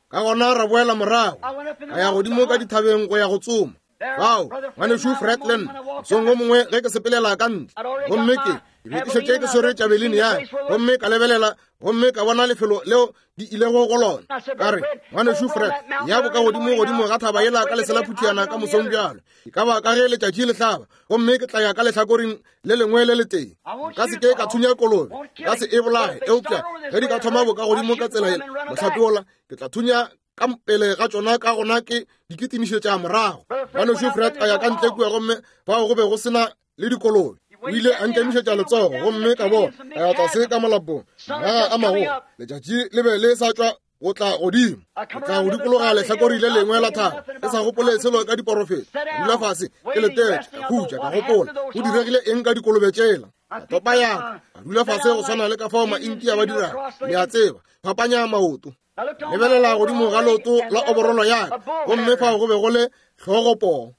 Ka gona ra boela morago, ka ya godimo ka dithabeng go ya go tsoma. Fao, ngwanešu Fred le nna, mosong wo mongwe ge ke sepelela ka ntle, gomme ke be ke šetše ke swere tšabelini ya ka, gomme ka lebelela gomme ka bona lefelo leo di ilego go lona. Ka re, ngwanešu Fred, ya boka godimo godimo ga thaba yela ka lesela phuthiana ka mosong bjalo, e ka ba ka ge letšatši le hlaba, gomme ke tla ya ka lehlakoreng le lengwe le letee. Nka se ke ka thunya kolobe, nka se e bolaye, eupša ge di ka thoma boka godimo ka tsela yela, mohlape wola, ke tla thunya ka pele ga tšona, ka gona ke di kitimišetša morago. Ngwanešu Fred a ya ka ntle kua, gomme fao go be go sena le dikolobe. O ile a nkemišetša letsogo, gomme ka bona ka ya tlase ka molapong, magaga a magolo, letšatši le be le sa tšwa go tla godimo, go tla go dikologa lehlakori le lengwe la thaba, ke sa gopole selo ka diporofeto. Ka dula fase ke letetše, ka khutša, ka gopola go diregile eng ka dikolobe tšela. Ka topa ya ka, ka dula fase go swana le ka fao Maintia ba dirago, le a tseba, fapanya maoto. Lebelela godimo ga leoto la oborolo ya ka, gomme fao go be go le hlogopoo.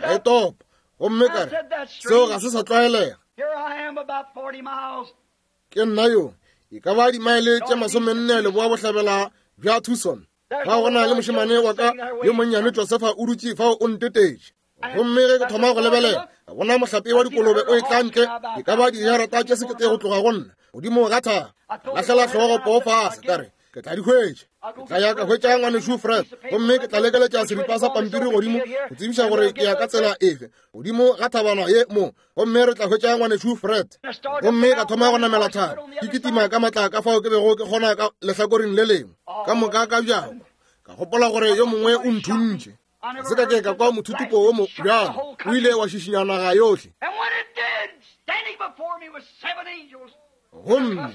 Ka e topa, gomme ka re, seo ga se sa tlwaelega. Ke nna yo, e ka ba dimaele tše 40 leboa bohlabela bja Tucson. Fao go na le mošemane wa ka yo monnyane Josefa o dutše fao o ntetetše. Gomme ge ke thoma go lebelela, ka bona mohlape wa dikolobe o etla ntle, e ka ba dijarata tše sekete go tloga go nna, godimo ga thaba. Ka lahlela hlogo poo fase, ka re, ke tla di hwetša. Ke tla ya ka hwetša ngwanešu Fred, gomme ke tla lekeletša seripa sa pampiri godimo go tsebiša gore ke ya ka tsela efe godimo ga thabana ye mo, gomme re tla hwetša ngwanešu Fred. Gomme ka thoma go namela thaba, ke kitima ka matla ka fao ke bego ke kgona ka lehlakoreng le lengwe, ka moka ka bjako. Ka gopola gore yo mongwe o nthuntše. Ga se ka ke ka kwa mothutupo wo mo bjalo, o ile wa šišinya naga yohle. Gomme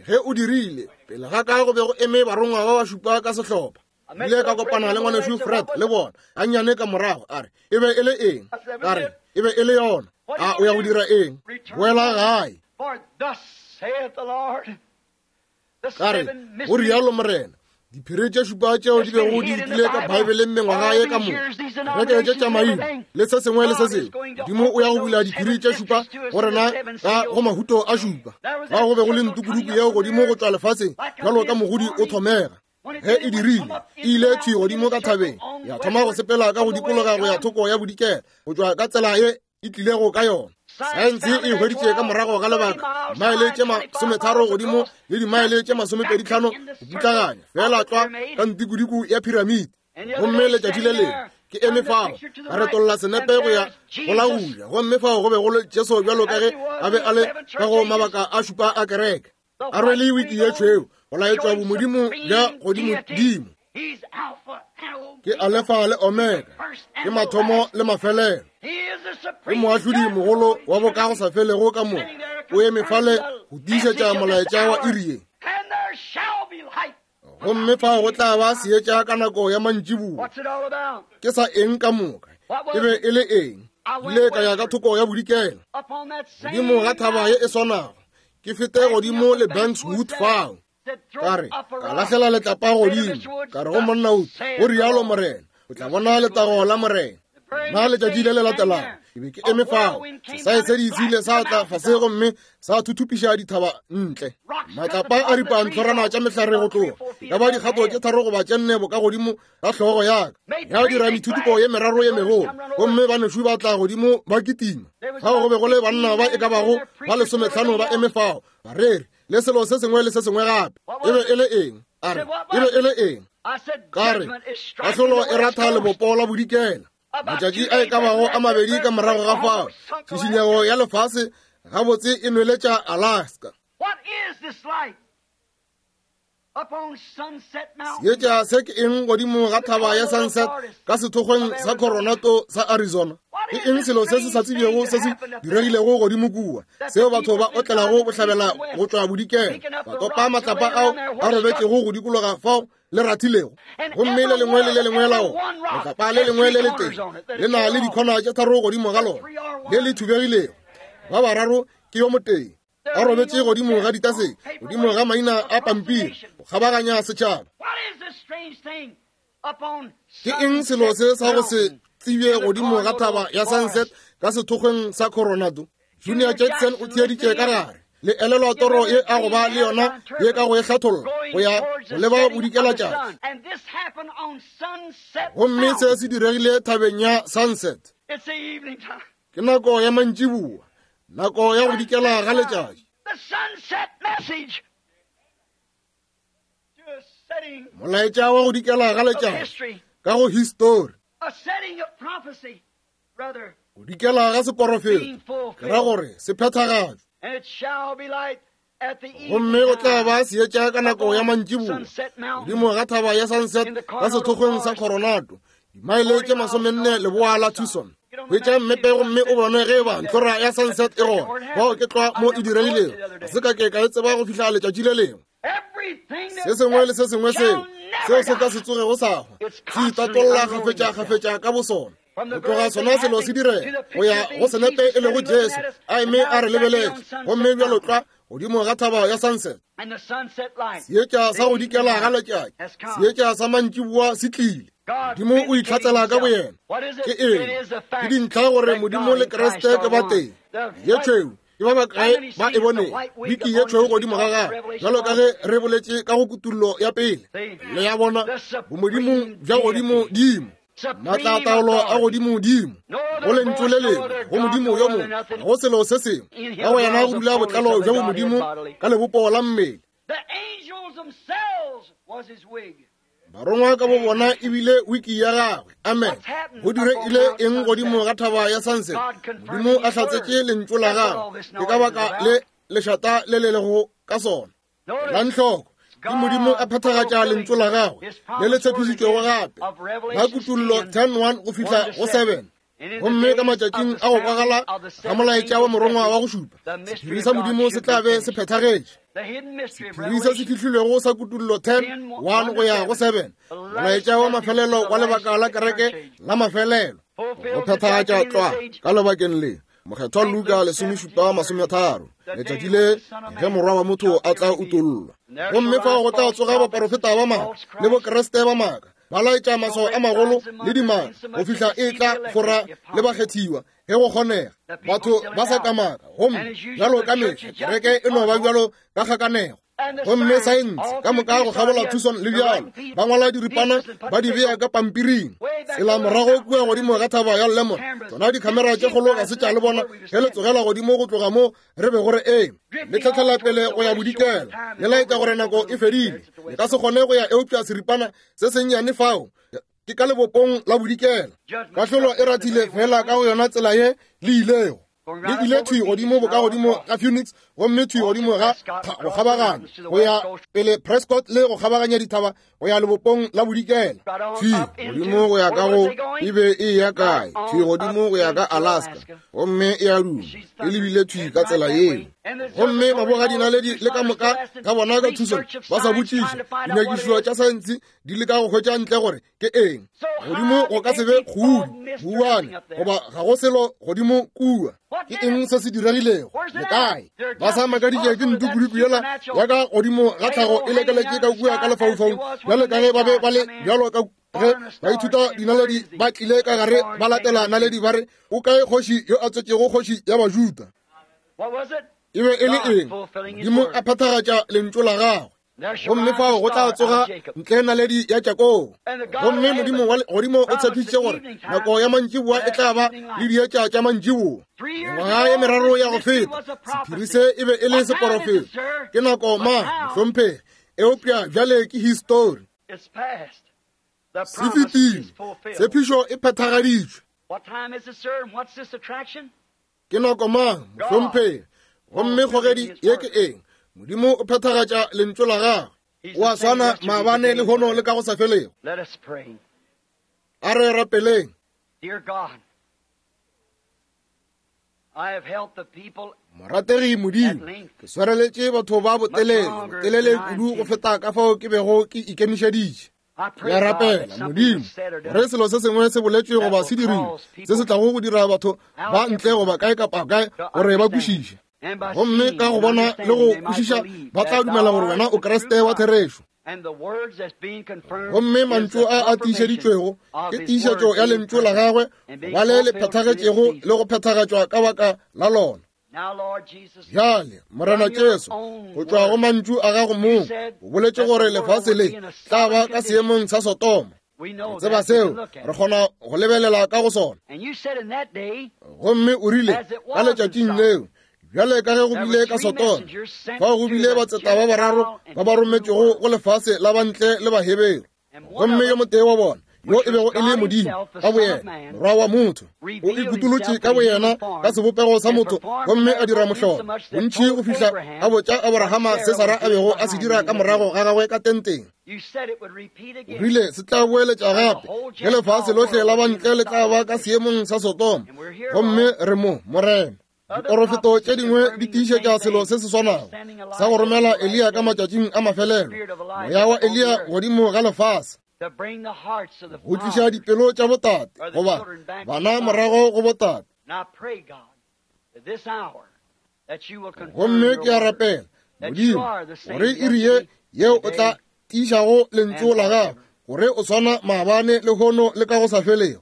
ge o dirile, pele ga ka go be go eme barongwa ba ba šupa ka sehlopha. Ile ka kopana le ngwanešu Fred le bona gannyane ka morago, a re, e be e le eng? Ka re, e be e le yona. A o ya go dira eng? Boela gae. Ka re, go rialo Morena, diphiri tše šupa tšeo di bego di utile ka Baebeleng mengwaga ye ka moka, kereke tše tša maina le se sengwe le se sengwe, Modimo o ya go bula diphiri tše šupa go rena ka go mahuto a šupa. Fao go be go le ntukuduku yeo godimo go tšwa lefaseng bjalo ka mogodi o thomega. Ge e dirile, e ile thwi godimo ka thabeng, ya thoma go sepela ka go dikologa go ya thoko ya bodikela, go tšwa ka tsela ye e tlilego ka yona. Saense e hweditše ka morago ga lebaka dimaele tše 30 godimo le dimaele tše 25 go putlaganya feela tlwa ka ntikudiku ya piramidi. Gomme letšatši le lengwe ke eme fao, ka retolla senepe go ya go la go ja, gomme fao go be go le Jesu bjalo ka ge a be a le ka go mabaka a šupa a kereke, a rwele wiki ye tšhweu go laetšwa bomodimo bja godimodimo. Ke Alefa le Omega, ke mathomo le mafelelo, ke moahlodi mogolo wa bokagosafelego ka moka, o eme fale go tiišetša molaetša wa iri ye. Gomme fao go tla ba seetša ka nako ya mantšiboa. Ke sa eng ka moka? E be e le eng? Ile ka ya ka thoko ya bodikela, godimo ga thaba ye e swanago, ke fete godimo le Banks Wood fao. Ka re, ka lahlela letlapa godimo, ka re go monna o, go rialo Morena, o tla bona letago la Morena. Na letšatši le le latelago ke be ke eme fao, sesaesedi se ile sa tla fase gomme sa thuthupiša dithaba ntle. Matlapa a ripa ntlhorana tša mehlare go tloga e ka ba dikgato tše tharo goba tše nne bokagodimo ga hlogo ya ka, ya dira methuthupo ye meraro ye megolo, gomme banešu ba tla godimo ba kitima. Fao go be go le banna ba e ka bago ba lesometlhano ba eme fao, bareri le selo se sengwe le se sengwe gape. E be e le eng? A re, e be e le eng? Ka re, kahlolo e ratha lebopo la bodikela. Matšatši a e ka bago a mabedi ka morago ga fao, tšhišinyego ya lefase gabotse e nweletša Alaska. Seetša se ke eng godimo ga thaba ya Sunset ka sethokgweng sa Coronado sa Arizona? Ke eng selo se se sa tsebjego se se diregilego godimo kua, seo batho ba otlelago bohlabela go tšwa bodikela, ba topa matlapa ao a robetšego go dikologa fao le rathilego, gomme le lengwe le le lengwe la ona letlapa le lengwe le letee le na le dikhona tše tharo godimo ga lona le le thubegilego, ba bararo ke yo motee a robetše godimo ga ditase, godimo ga maina a pampiri, go kgabaganya setšhaba. Ke eng selo se sa go se tsebje godimo ga thaba ya Sunset ka sethokgweng sa Coronado? Junior Jackson o theeditše ka gare. Le elelwa toro ye a go ba le yona ye ka go e hlatholla go ya go leba bodikelatšatši. Gomme se se diregile thabeng ya Sunset. Ke nako ya mantšiboa, nako ya go dikela ga letšatši. Molaetša wa go dikela ga letšatši ka go histori, go dikela ga seporofeto, ke ra gore se phethagatšwe. Gomme go tla ba seetša ka nako ya mantšiboa godimo ga thaba ya Sunset ka sethokgweng sa Coronado, dimaele tše masomenne leboa la Tucson. Hwetša mmepe gomme o bone ge eba ntlhora ya Sunset e gona. Bao ke tlwa mo e diregilego. Ga se ka ke ka e tseba go fihla letšatši le lengwe. Se sengwe le se sengwe seo seo se ka se tsogego sa hwa se itatolla kgafetša-kgafetša ka bosona. Go tloga sona selo se direga go ya go senepe e lego Jesu a eme a re lebeletše, gomme bjalo tlwa godimo ga thaba ya Sunset. Seetša sa go dikela ga letšatši, seetša sa mantšiboa se tlile. Modimo o itlhatsela ka boyena. Ke eng? Ke dintlha gore Modimo le Kriste ke ba tee. Ye tšhweu ke ba bakae ba e bone wiki ye tšhweu godimo ga gagwe, bjalo ka ge re boletše ka go kutullo ya pele. Le ya bona bomodimo bja godimodimo, maatla-taolo a godimodimo, go lentšu le lengwe go Modimo yo mongwe, ga go selo se sengwe ka go yena go dula botlalo bja bomodimo ka lebopo la mmele. Barongwa ka bo bona ebile wiki ya gagwe. Amen. Go diregile eng godimo ga thaba ya Sunset? Modimo a hlatsetše lentšu la gagwe. Ke ka baka le lešata le le lego ka sona. La ntlhoko ke Modimo a phethagatša lentšu la gagwe le le tshepišitšwego gape la Kutullo 10:1 go fihla go 7. Gomme ka matšatšing a go kwagala ga molaetša wa morongwa wa go šupa, sephiri sa Modimo se tla be se phethagetše. Sephiri se se fihlilwego sa Kutullo 10 1 go ya go 7, molaetša wa mafelelo wa lebaka la kereke la mafelelo, go phethagatša tlwa ka lebakeng le. Mokgethwa Luka 17:30, letšatši le ge Morwa wa motho a tla utollwa. Gomme fao go tla tsoga baporofeta ba maaka le bokriste ba maaka, ba laetša maswao a magolo le dimaka go fihla e tla fora le bakgethiwa ge go kgonega. Batho ba sa kamaka, gomme bjalo ka mehla kereke e no ba bjalo ka kgakanego. Gomme saense ka moka go kgabola Tucson le bjalo, ba ngwala diripana ba di bea ka pampiring. Tsela morago kua godimo ga thaba ya Lemmon, tsona dikhamera tše kgolo ga se tša le bona ge le tsogela godimo go tloga mo re bego re eme, le tlhatlhela pele go ya bodikela, le laetša gore nako e fedile. Le ka se kgone go ya eupša seripana se sennyane fao ke ka lebopong la bodikela. Kahlolo e rathile fela ka go yona tsela ye le ilego. Le ile thwi godimo bokagodimo ga Phoenix, gomme thwi godimo ga go kgabaganya go ya pele Prescott le go kgabaganya dithaba go ya lebopong la bodikela, thwi godimo go ya ka go e be e ya kae, thwi godimo go ya ka Alaska, gomme e a duma e lebile thwi ka tsela yeo. Gomme mabogadinaledi le ka moka ga bona ka Tucson ba sa botšiša, dinyakišišo tša saense di leka go hwetša ntle gore ke eng godimo go ka se be kgudi buane goba ga go selo godimo kua. Ke eng se se diregilego? Le kae? Ba sa makaditše ke ntukuduku yela ya ka godimo ga tlhago e lekeletše ka kua ka lefaufaung, bjalo ka ge ba be ba le bjalo ka. Ge baithuta dinaledi ba tlile ka gare ba latela naledi ba re, O kae kgoši yo a tswetšego kgoši ya Bajuda? E be e le eng? Modimo a phethagatša lentšu la gagwe. Gomme fao go tla tsoga ntle naledi ya Jakobo. Gomme Modimo wa godimo o tshepišitše gore nako ya mantšiboa e tla ba le dietša tša mantšiboa. Mengwaga ye meraro ya go feta, sephiri se e be e le seporofeto. Ke nako mang, mohlomphegi? Eupša bjale ke histori. Se fetile. Tshepišo e phethagaditšwe. Ke nako mang, mohlomphegi? Gomme kgogedi ye ke eng? Modimo o phethagatša lentšu la gagwe. O a swana maabane, lehono le ka go sa felego. A re rapeleng. Morategi Modimo, ke swareletše batho ba botelele, botelele kudu go feta ka fao ke bego ke ikemišeditše. Ke a rapela, Modimo, gore selo se sengwe se boletšwe goba se dirilwe se se tlago go dira batho ba ntle goba kae kapa kae gore ba kwešiše. Gomme ka go bona le go kwešiša ba tla dumela gore wena o Kriste wa therešo. Gomme mantšu a a tiišeditšwego ke tiišetšo ya lentšu la gagwe ba le le phethagetšego le go phethagatšwa ka baka la lona. Bjale, Morena Jesu, go tšwa go mantšu a gago mong, o boletše gore lefase le tla ba ka seemong sa Sodoma. Re tseba seo, re kgona go lebelela ka go sona. Gomme o rile, ka letšatšing leo, bjale ka ge go bile ka Sodoma, fao go bile batseta ba bararo ba ba rometšwego go lefase la bantle le Baheberu. Gomme yo motee wa bona, yo e bego e le Modimo ka boyena, Morwa wa motho, o ikutolotše ka boyena ka sebopego sa motho gomme a dira mohlolo bontši go fihla a botša Aborahama se Sara a bego a se dira ka morago ga gagwe ka tenteng. O rile se tla boeletša gape ge lefase lohle la bantle le tla ba ka seemong sa Sodoma. Gomme re mo, Morena. Diporofeto tše dingwe di tiišetša selo se se swanago sa go romela Eliya ka matšatšing a mafelelo, moya wa Eliya godimo ga lefase, go tliša dipelo tša botate goba bana morago go botate. Gomme ke a rapela, Modimo, gore iri ye yeo o tla tiišago lentšu la gago, gore o swana maabane, lehono le ka go sa felego.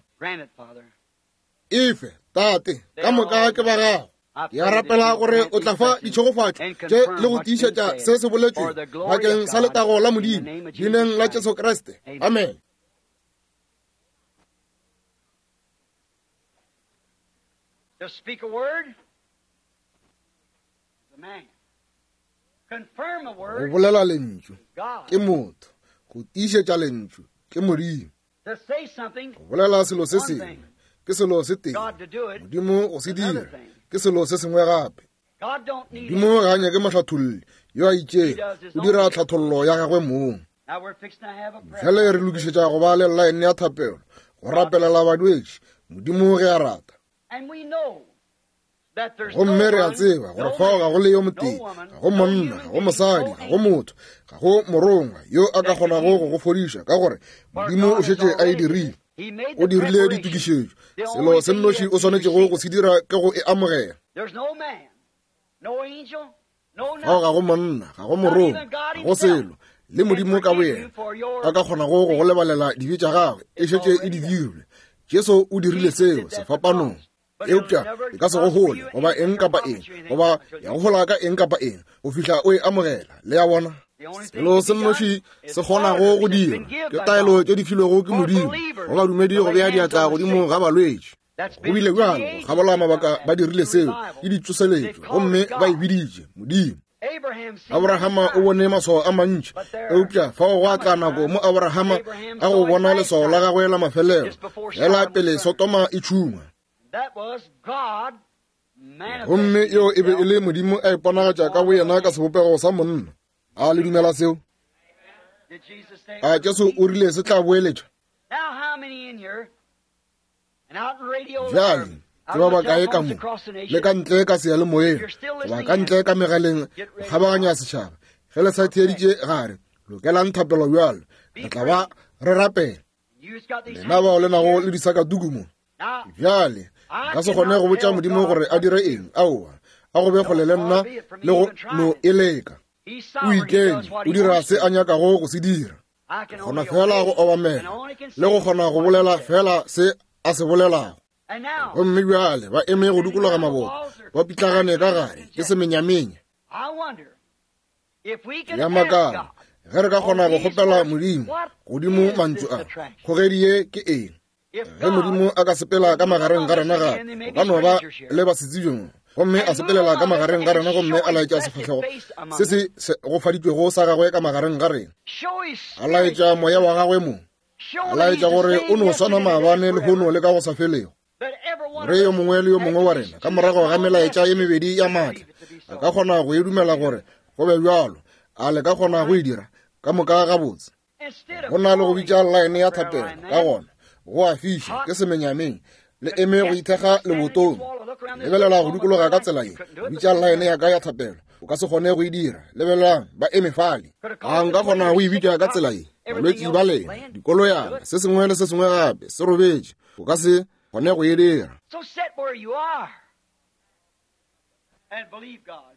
Efe, Tate, ka moka ke ba gago. Ke a rapela gore o tla fa ditšhegofatšo tše le go tiišetša se se boletšwego bakeng sa letago la Modimo, leineng la Jesu Kriste. Amen. To speak a word is a man. Confirm a Go word bolela lentšu is God. ke motho, go tiišetša lentšu ke Modimo. To say something Go bolela selo se one sengwe thing. ke selo se tee, God to do it Modimo go se is another dira thing. ke selo se sengwe gape. God don't need Modimo ga a nyake mohlatholli yo a He itšego, does his o own dira thing. tlhathollo ya gagwe mong. Now we're fixing to have a prayer. Bjale re lokišetša go ba le llaene ya thapelo go rapelela balwetši, Modimo ge a rata. And we know that there's Gomme no re a one, tseba gore no fao ga go le yo man, no motee, woman, ga go no monna, human ga go being, mosadi, no ga go angel motho, ga go morongwa yo a ka that can kgonago heal go you. go fodiša, ka gore For Modimo o God has šetše a e already did dirile. it. He made O the dirile preparation. ditokišetšo. The Selo only se thing you nnoši have o to do is swanetšego receive go it. se dira ke go e amogela. There's no man, no angel, no Fao ga nothing. go monna, ga go Not morongwa, even God ga go himself selo, le can Modimo ka forgive you boyena for your a ka kgonago go go sin. lebalela dibe tša gagwe, e It's šetše e already di done. dirilwe. Jesu o dirile Jesus did seo that at the sefapanong. cross. But it'll Eupša never e ka se go prosper hole you goba anything eng or kapa profit eng, you anything goba until ya you go hola ka eng kapa eng go fihla o e amogela. Le a bona? The only thing Selo to se be done nnoši is se kgonago go orders that's dirwa been given ke by taelo God tše di filwego ke for Modimo go believers badumedi to go lay bea hands diatla on the godimo sick. ga balwetši. That's Go been bile through the bjalo go ages kgabola they've done mabaka that ba dirile through seo ke revivals. They ditsoseletšo called gomme it ba e God. biditše Modimo. Abraham seen many Abrahama o signs, bone maswao a mantši, but there eupša fao gwa come a tla nako time mo Abrahama Abraham a go saw his bona last leswao la sign gagwe la mafelelo, just before fela Sodom was pele burned. Sodoma e tšhungwa. That was God Gomme manifesting yeo e be e himself le Modimo a in the iponagatša ka form of a boyena ka man. sebopego sa monna. A le dumela seo? Did Jesus say it A would Jesu repeat? o rile se tla boeletša? Now, how many in here and out in radio or Bjale ke out ba on the bakae ka telephones mo across the le nation, ka ntle ka if seyalemoyeng you're still goba listening ka in, ntle ka megaleng get go ready kgabaganya now setšhaba ge le sa for prayer. theeditše gare lokelang thapelo bjalo Be re tla ba praying. re rapela You've got these lena bao le handkerchiefs nago here. le disakatuku mo Now, bjale I nka se kgone cannot go botša tell Modimo God gore a what dire to do. eng aowa a go be No, kgole le far nna be it from le me go even no trying. e leka He's o sovereign. He does ikeme what o he dira wants se to. a nyakago go se dira Kgona fela go obamela le go kgona go bolela fela se a se bolelago. Gomme bjale ba eme go dikologa maboto, ba pitlagane ka gare ke semenyamenya. Ya makala ge re ka kgona go kgopela Modimo godimo mantšu a, kgogedi ye ke eng? Ge Modimo a ka sepela ka magareng ga rena gape, o ka no ba le basetsebjong, gomme a sepelela ka magareng ga rena gomme a laetša sefahlego se se segofaditšwego sa gagwe ka magareng ga rena, a laetša moya wa gagwe mo, a laetša gore o no swana maabane, lehono le ka go sa felego. Gore yo mongwe le yo mongwe wa rena ka morago ga melaetša ye mebedi ya maatla a ka kgona go e dumela gore go be bjalo, a le ka kgona go e dira ka moka gabotse. Go na le go bitša line ya thapelo, ka gona go a fiša, ke semenyameng, le eme go ithekga lebotong. Lebelela go dikologa ka tsela ye, bitša line ya ka ya thapelo, o ka se kgone go e dira. Lebelelang, ba eme fale. A nka kgona go e bitša ka tsela ye? Balwetši ba lena, dikoloyana, se sengwe le se sengwe gape se robetše, o ka se kgone go e dira. So sit where you are and believe God.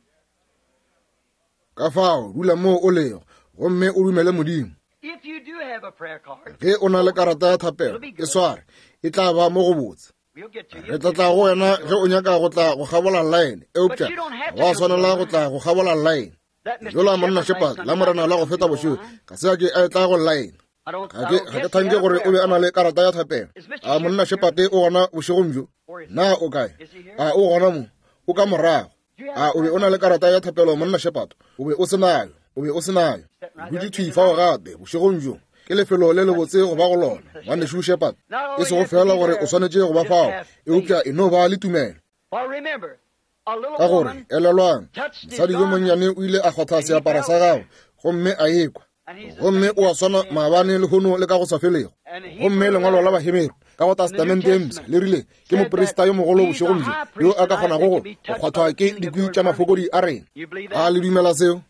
Ka fao dula moo o lego gomme o dumele Modimo. If you do have a prayer card, Ge o na le karata ya thapelo, e sware, e tla ba mo go botse. we'll get to you. Re tla tla go wena ge o nyaka go tla go kgabola line, eupša ga wa swanela go tla go kgabola line. That Mr. Yola monna Shepherd Shepherd last la morena Sunday la go feta night, bošego ga se a ke a etla go line. I don't, Ga I ke don't ga ke guess he thanke had a gore o prayer be a na card. le karata ya thapelo. Is Mr. A monna Shepherd Shepherd o gona bošegong bjo? Where is he? Na o kae? Is he here? A o gona mo? O ka morago. A o be o na le karata ya thapelo monna Shepherd? O be o se nayo. O be o se nayo. O dutše thwi fao gape bošegong bjo. Ke lefelo le lebotse go ba go lona, ngwanešu Shepherd. E sego feela gore o swanetše go ba fao, eupša e no ba le tumelo. For remember, a little Ka gore, woman elelwang, touched his mosadi yo garment, monnyane o ile a kgwatha seaparo sa gagwe gomme a ekwa. and he's the Gomme same o a swana yesterday and maabane, lehono le ka go sa felego. And he Gomme lengwalo la Baheberu ka go Testamente e Mpsha le rile ke moprista yo mogolo bošegong bjo yo a ka kgonago go kgwathwa ke dikwi tša mafokodi a rena. A le dumela seo?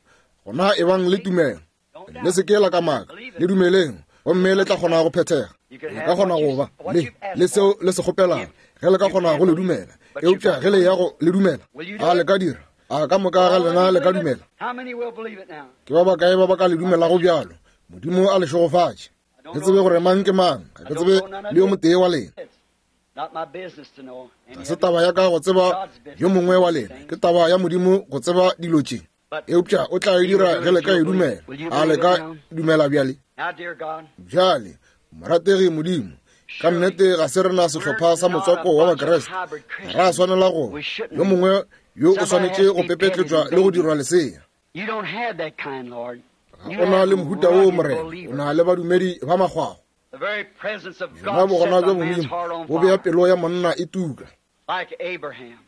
Gona ebang le tumelo. Le se ke la kamaka, le dumeleng, gomme le tla kgona go phethega. Le ka kgona go ba le le seo le se kgopelago ge le ka kgona go le dumela. Eupša ge le ya go le dumela, a le ka dira? A ka moka ga lena le ka dumela? How many will believe it now? Ke ba bakae ba ba ka le dumelago bjalo? Modimo a le šegofatše. Ke tsebe gore mang ke mang, ga ke tsebe le yo motee wa lena. It's not my business to know any Ga se of you. taba ya ka go tseba yo mongwe wa lena, ke taba ya Modimo go tseba dilo tše. Eupša o tla e dira ge le ka e dumela. A le ka dumela bjale? Now, dear God, Bjale, morategi Modimo, ka nnete ga se rena sehlopha sa motswako wa Bakriste. Ga ra swanela go yo mongwe yo o swanetše go pepetletšwa le go dirwa lesea. you don't have that kind, Lord. Ga You o na have le mohuta woo, rugged Morena. O believers. na le badumedi ba makgwakgwa. The very presence of Yona God bogona sets bja a man's Modimo heart on bo bea fire, pelo ya monna e tuka. like Abraham.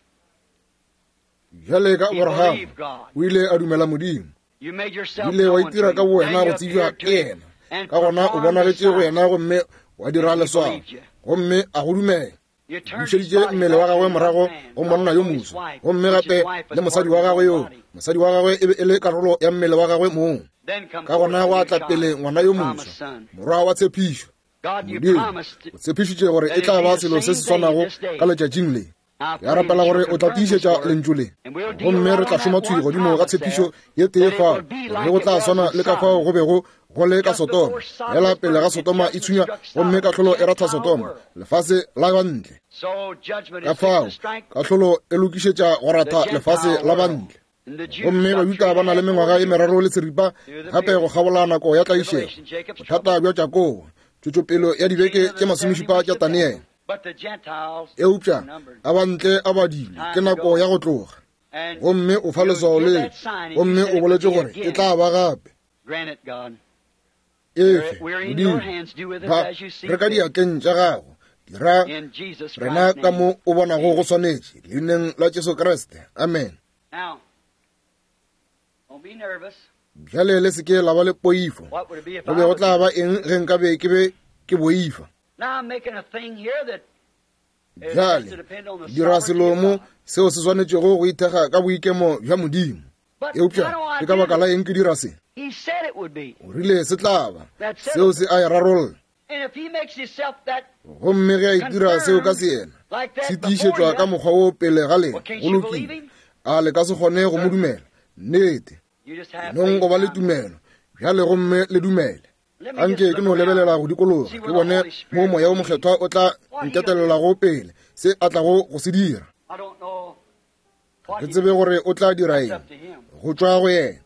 Bjale ka He Abraham believed God. o ile a dumela Modimo. You made O yourself ile wa known to itira him. ka bowena Then go you tsebja appeared ke to him yena. and Ka gona o performed the bonagetše go sign. yena gomme wa dira And he leswao, believed you. gomme a go dumela. You turned his Bušeditše body mmele back wa to gagwe the morago young man, go monna yo also his moswa, wife, gomme which his gape wife was le mosadi part wa of his gagwe own yoo. body. Mosadi wa gagwe e be e le karolo ya mmele wa gagwe mong. Then come Ka forth gona the gwa new tla child, pele ngwana yo the promised moswa, son. morwa wa tshepišo. God, you Modimo, promised o tshepišitše gore e tla ba selo se se swanago ka letšatšing le. I Ke pray a rapela that gore you'll o tla confirm this tiišetša word, lentšu le, and we'll deal gomme right re tla on šoma that thwi one godimo ga promise tshepišo there, ye tee that it fao, will be gore like go it tla was swana in le ka fao Sodom. go bego go le ka Just Sodoma. before Sodom Fela was pele ga burned, Sodoma e judgment thunya, struck gomme Sodom, kahlolo e ratha Gentile Sodoma, world. lefase la ba ntle. So judgment Ka is fixed fao to strike kahlolo e lokišetša go the ratha lefase Gentile la ba world. ntle. And the Jews Gomme got Bajuda ba na le 3.5 mengwaga more e years meraro le seripa through the gape go period. kgabola nako ya tlaišego, Tribulation, Jacob's bothata trouble. bja Jakobo, tšwetšopelo ya dibeke Beginning of tše the 70 masomešupa weeks tša of Daniel. Daniele. But the Gentiles Eupša are numbered. a ba ntle a badile, ke Time to nako go. ya go tloga. And Gomme o fa you'll leswao give le, that sign, and you gomme said o it would boletše be gore e again. tla ba gape. Grant it, God. Efe, We're in your Modimo, hands. Do with us ba as you see re ka fit. diatleng tša gago, dira In Jesus rena Christ's ka name. mo o bonago go swanetše, leineng la Jesu Kriste. Amen. Now, don't be nervous. Bjale le se ke la ba le poifo. What would it be if Go I be go was tla ba eng ge nka be ke be ke boifa? Now I'm making a thing here that is Bjale to depend on the dira sovereignty selo of mo God. seo se swanetšego go ithekga ka boikemo bja Modimo. But Eupša why do I ke ka do baka la this? eng ke dira se? He said it would be. O rile se tla ba. That Seo settles se it. a e rarolla. And if he makes himself that Gomme ge a itira seo ka confirmed se yena, like se that before tiišetšwa you, ka mokgwa wo pele ga well, lena, can't go you believe lokile. him? A le ka se kgone go mo Sir, dumela? Nnete. you just have Nong faith go ba le now. tumelo bjale gomme le dumele. Anke ke no lebelela go dikologa, ke bone mo Moya wo Mokgethwa o tla nketelelago pele, se a tlago go se dira. Ga ke tsebe gore o tla dira eng, go tšwa go yena.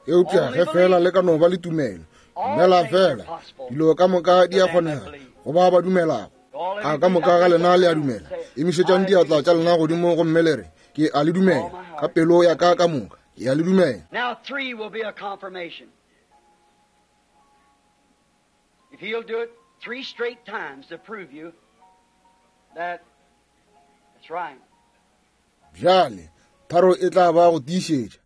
Eupša ge feela le ka no ba le tumelo, dumela feela, dilo ka moka di a kgonega go ba ba dumelago. A ka moka ga lena le a dumela? Emišetšang diatla tša lena godimo gomme le re, Ke a le dumela ka pelo ya ka ka moka. Ke a le dumela. Now three will be a confirmation. If he'll do it three straight times to prove you that it's right. Bjale, tharo e tla ba go tiišetša.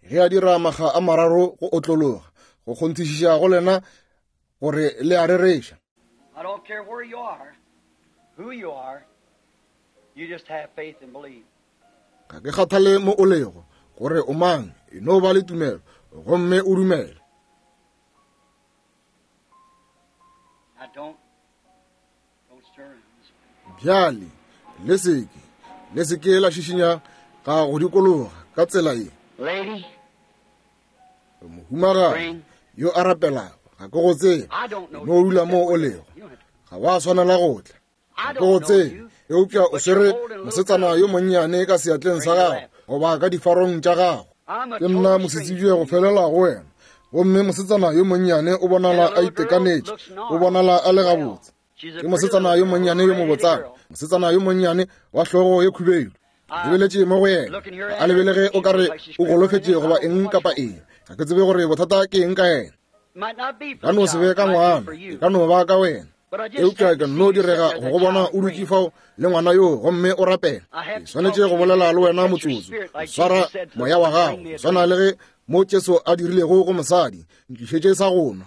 Ge a dira makga a mararo go otlologa, go kgonthišiša go lena gore le a rereša. I don't care where you are, who you are, you just have faith and believe. Ga ke kgathale mo o lego, gore o mang, e no ba le tumelo, gomme o dumele. Now don't, don't stir. Bjale, le seke, le seke la šišinya ga go dikologa ka tsela ye. Lady, Mohumagadi yo a rapelago, ga ke go tsebe, no dula mo o lego, ga wa swanela go tla. Ga ke go tsebe, eupša o swere mosetsana yo monnyane ka seatleng sa gago goba ka difarong tša gago. Ke nna mosetsebje go felela go wena. Gomme mosetsana yo monnyane o bonala a itekanetše, o bonala a le gabotse. Ke mosetsana yo monnyane yo mobotsana, mosetsana yo monnyane wa hlogo ye khubedu. Lebeletše mo go yena, ga a lebelege o ka re o golofetše goba eng kapa eng. Ga ke tsebe gore bothata ke eng ka yena. Ka no se be ka ngwana, e ka no ba ka wena. Eupša ke nno direga go go bona o dutše fao le ngwana yoo gomme o rapela. Ke swanetše go bolela le wena motsotso. Go swara moya wa gago, go swana le ge mo Jesu a dirilego go mosadi, ntlišetše sa go nwa.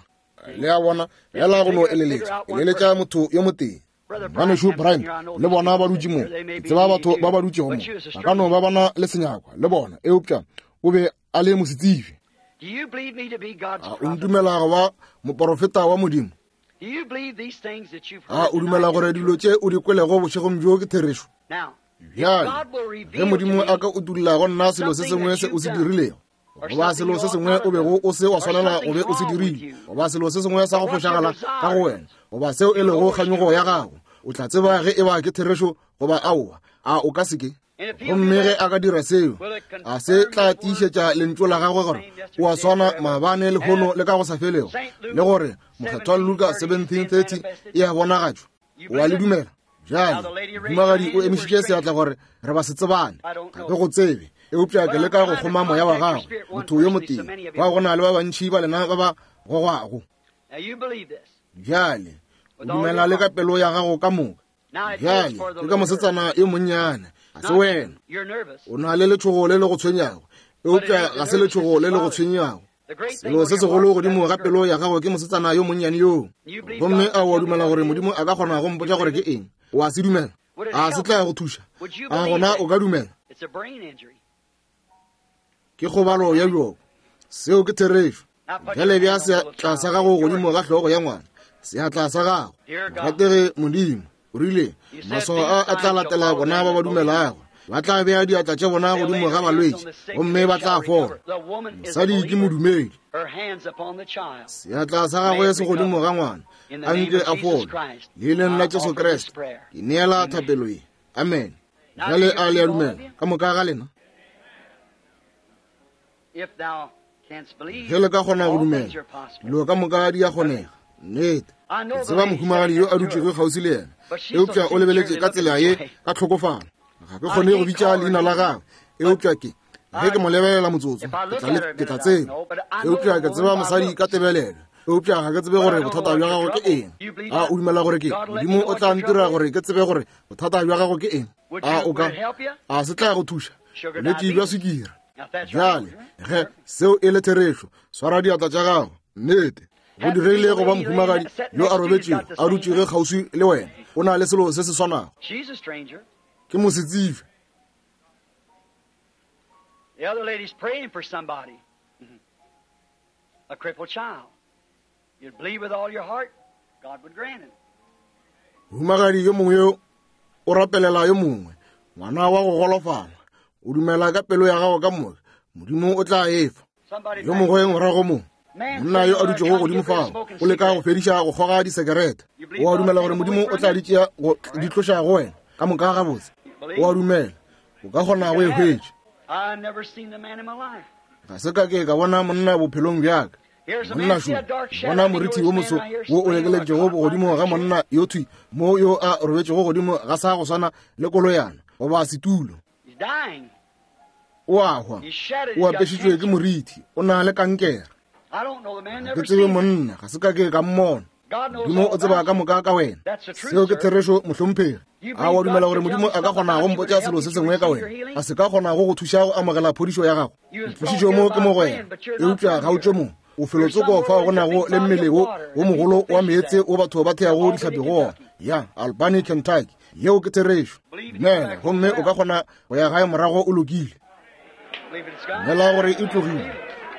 Le a bona, fela go no eleletša, eleletša motho yo motee. Ngwanešu Bryant le bona ba dutše mo. Ke tseba batho ba ba dutšego mo. Ba ka no ba ba na le senyakwa le bona, eupša o be a le mosetsebje. A o ntumela go ba moporofeta wa Modimo? A o dumela gore dilo tše o di kwelego bošegong bjo ke therešo? Bjale, ge Modimo a ka utolla go nna selo se sengwe se o se dirilego, goba selo se sengwe o bego o se wa swanela go be o se dirile, goba selo se sengwe sa go fošagala ka go wena, goba seo e lego kganyogo ya gago, o tla tseba ge e ba ke therešo goba aowa. A o ka se ke? Gomme ge a ka dira seo, a se tla tiišetša lentšu la gagwe gore o a swana maabane, lehono le ka go sa felego, le gore Mokgethwa Luka 17:30 e a bonagatšwa? O a le dumela? Bjale, mohumagadi o emišitše seatla gore re ba se tsebane. Ga ke go tsebe, eupša ke leka go kgoma moya wa gagwe, motho yo motee. Fao go na le ba bantši ba lena ba ba gogwago. Bjale, o dumela le ka pelo ya gago ka moka. Bjale, ke ka mosetsana yo monnyane, ga se wena. O na le letšhogo le le go tshwenyago, eupša ga se letšhogo le le go tshwenyago. Selo se segolo godimo ga pelo ya gago ke mosetsana yo monnyane yoo. Gomme a o a dumela gore Modimo a ka kgona go mpotša gore ke eng? O a se dumela? A se tla go thuša? A gona o ka dumela? Ke kgobalo ya bjoko. Seo ke therešo. Bjale bea seatla sa gago godimo ga hlogo ya ngwana, seatla sa gago. Morategi Modimo, o rile, maswao a a tla latela bona ba ba dumelago. Ba tla bea diatla tša bona godimo ga balwetši gomme ba tla fola. Mosadi ke modumedi. Seatla sa gagwe se godimo ga ngwana, a nke a fole. Leineng la Jesu Kriste, ke neela thapelo ye. Amen. Bjale a le a dumela ka moka ga lena? Ge le ka kgona go dumela, dilo ka moka di a kgonega. Nnete. Ke tseba mohumagadi yo a dutšego kgauswi le yena, eupša o lebeletše ka tsela ye ka tlhokofalo. Ga ke kgone go bitša leina la gagwe, eupša ke ge ke mo lebelela motsotso, ke tla tseba. Eupša ke tseba mosadi ka tebelelo, eupša ga ke tsebe gore bothata bja gago ke eng. A o dumela gore ke Modimo o tla ntira gore ke tsebe gore bothata bja gago ke eng? A o ka? A se tla go thuša? Bolwetši bja sukiri. Bjale, ge seo e le therešo, swara diatla tša gago. Nnete. Go diregile go ba mohumagadi yo a robetšego a dutšege kgauswi le wena. O na le selo se se swanago. Ke mosetsebje. The other lady's praying for somebody, a crippled child. You'd believe with all your heart, God would grant it. Mohumagadi yo mongwe yo o rapelela yo mongwe, ngwana wa go golofala. O dumela ka pelo ya gago ka moka, Modimo o tla e fa. Yo mongwe morago mo, monna yo a dutšego godimo fao, o leka go fediša go kgoga disekerete. O a dumela gore Modimo o tla di tšea go di tloša go wena ka moka gabotse? O a dumela o ka kgona go e hwetša? Ga se ka ke ka bona monna bophelong bjaka. Monna šo, bona morithi wo moso wo o lekeletšego godimo ga monna yo thwi mo yo a robetšego godimo ga sa go swana le koloyana goba setulo. O a hwa, o apešitšwe ke morithi, o na le kankere. Ga ke tsebe monna, ga se ka ke ka mmona. Modimo o tseba ka moka ka wena. Seo ke therešo, mohlomphegi. A wa dumela gore Modimo a ka kgona go mpotša selo se sengwe ka wena? A se ka kgona go go thuša go amogela phodišo ya gago? O tlošitšwe mo ke mogwera, eupša ga o tšwe mo. O felotsoko fao go nago le mmele wo wo mogolo wa meetse wo batho ba theago dihlapi go ona. Ya, Albany, Kentucky. Yeo ke therešo. Dumela, gomme o ka kgona go ya gae morago o lokile. Dumela gore e tlogile.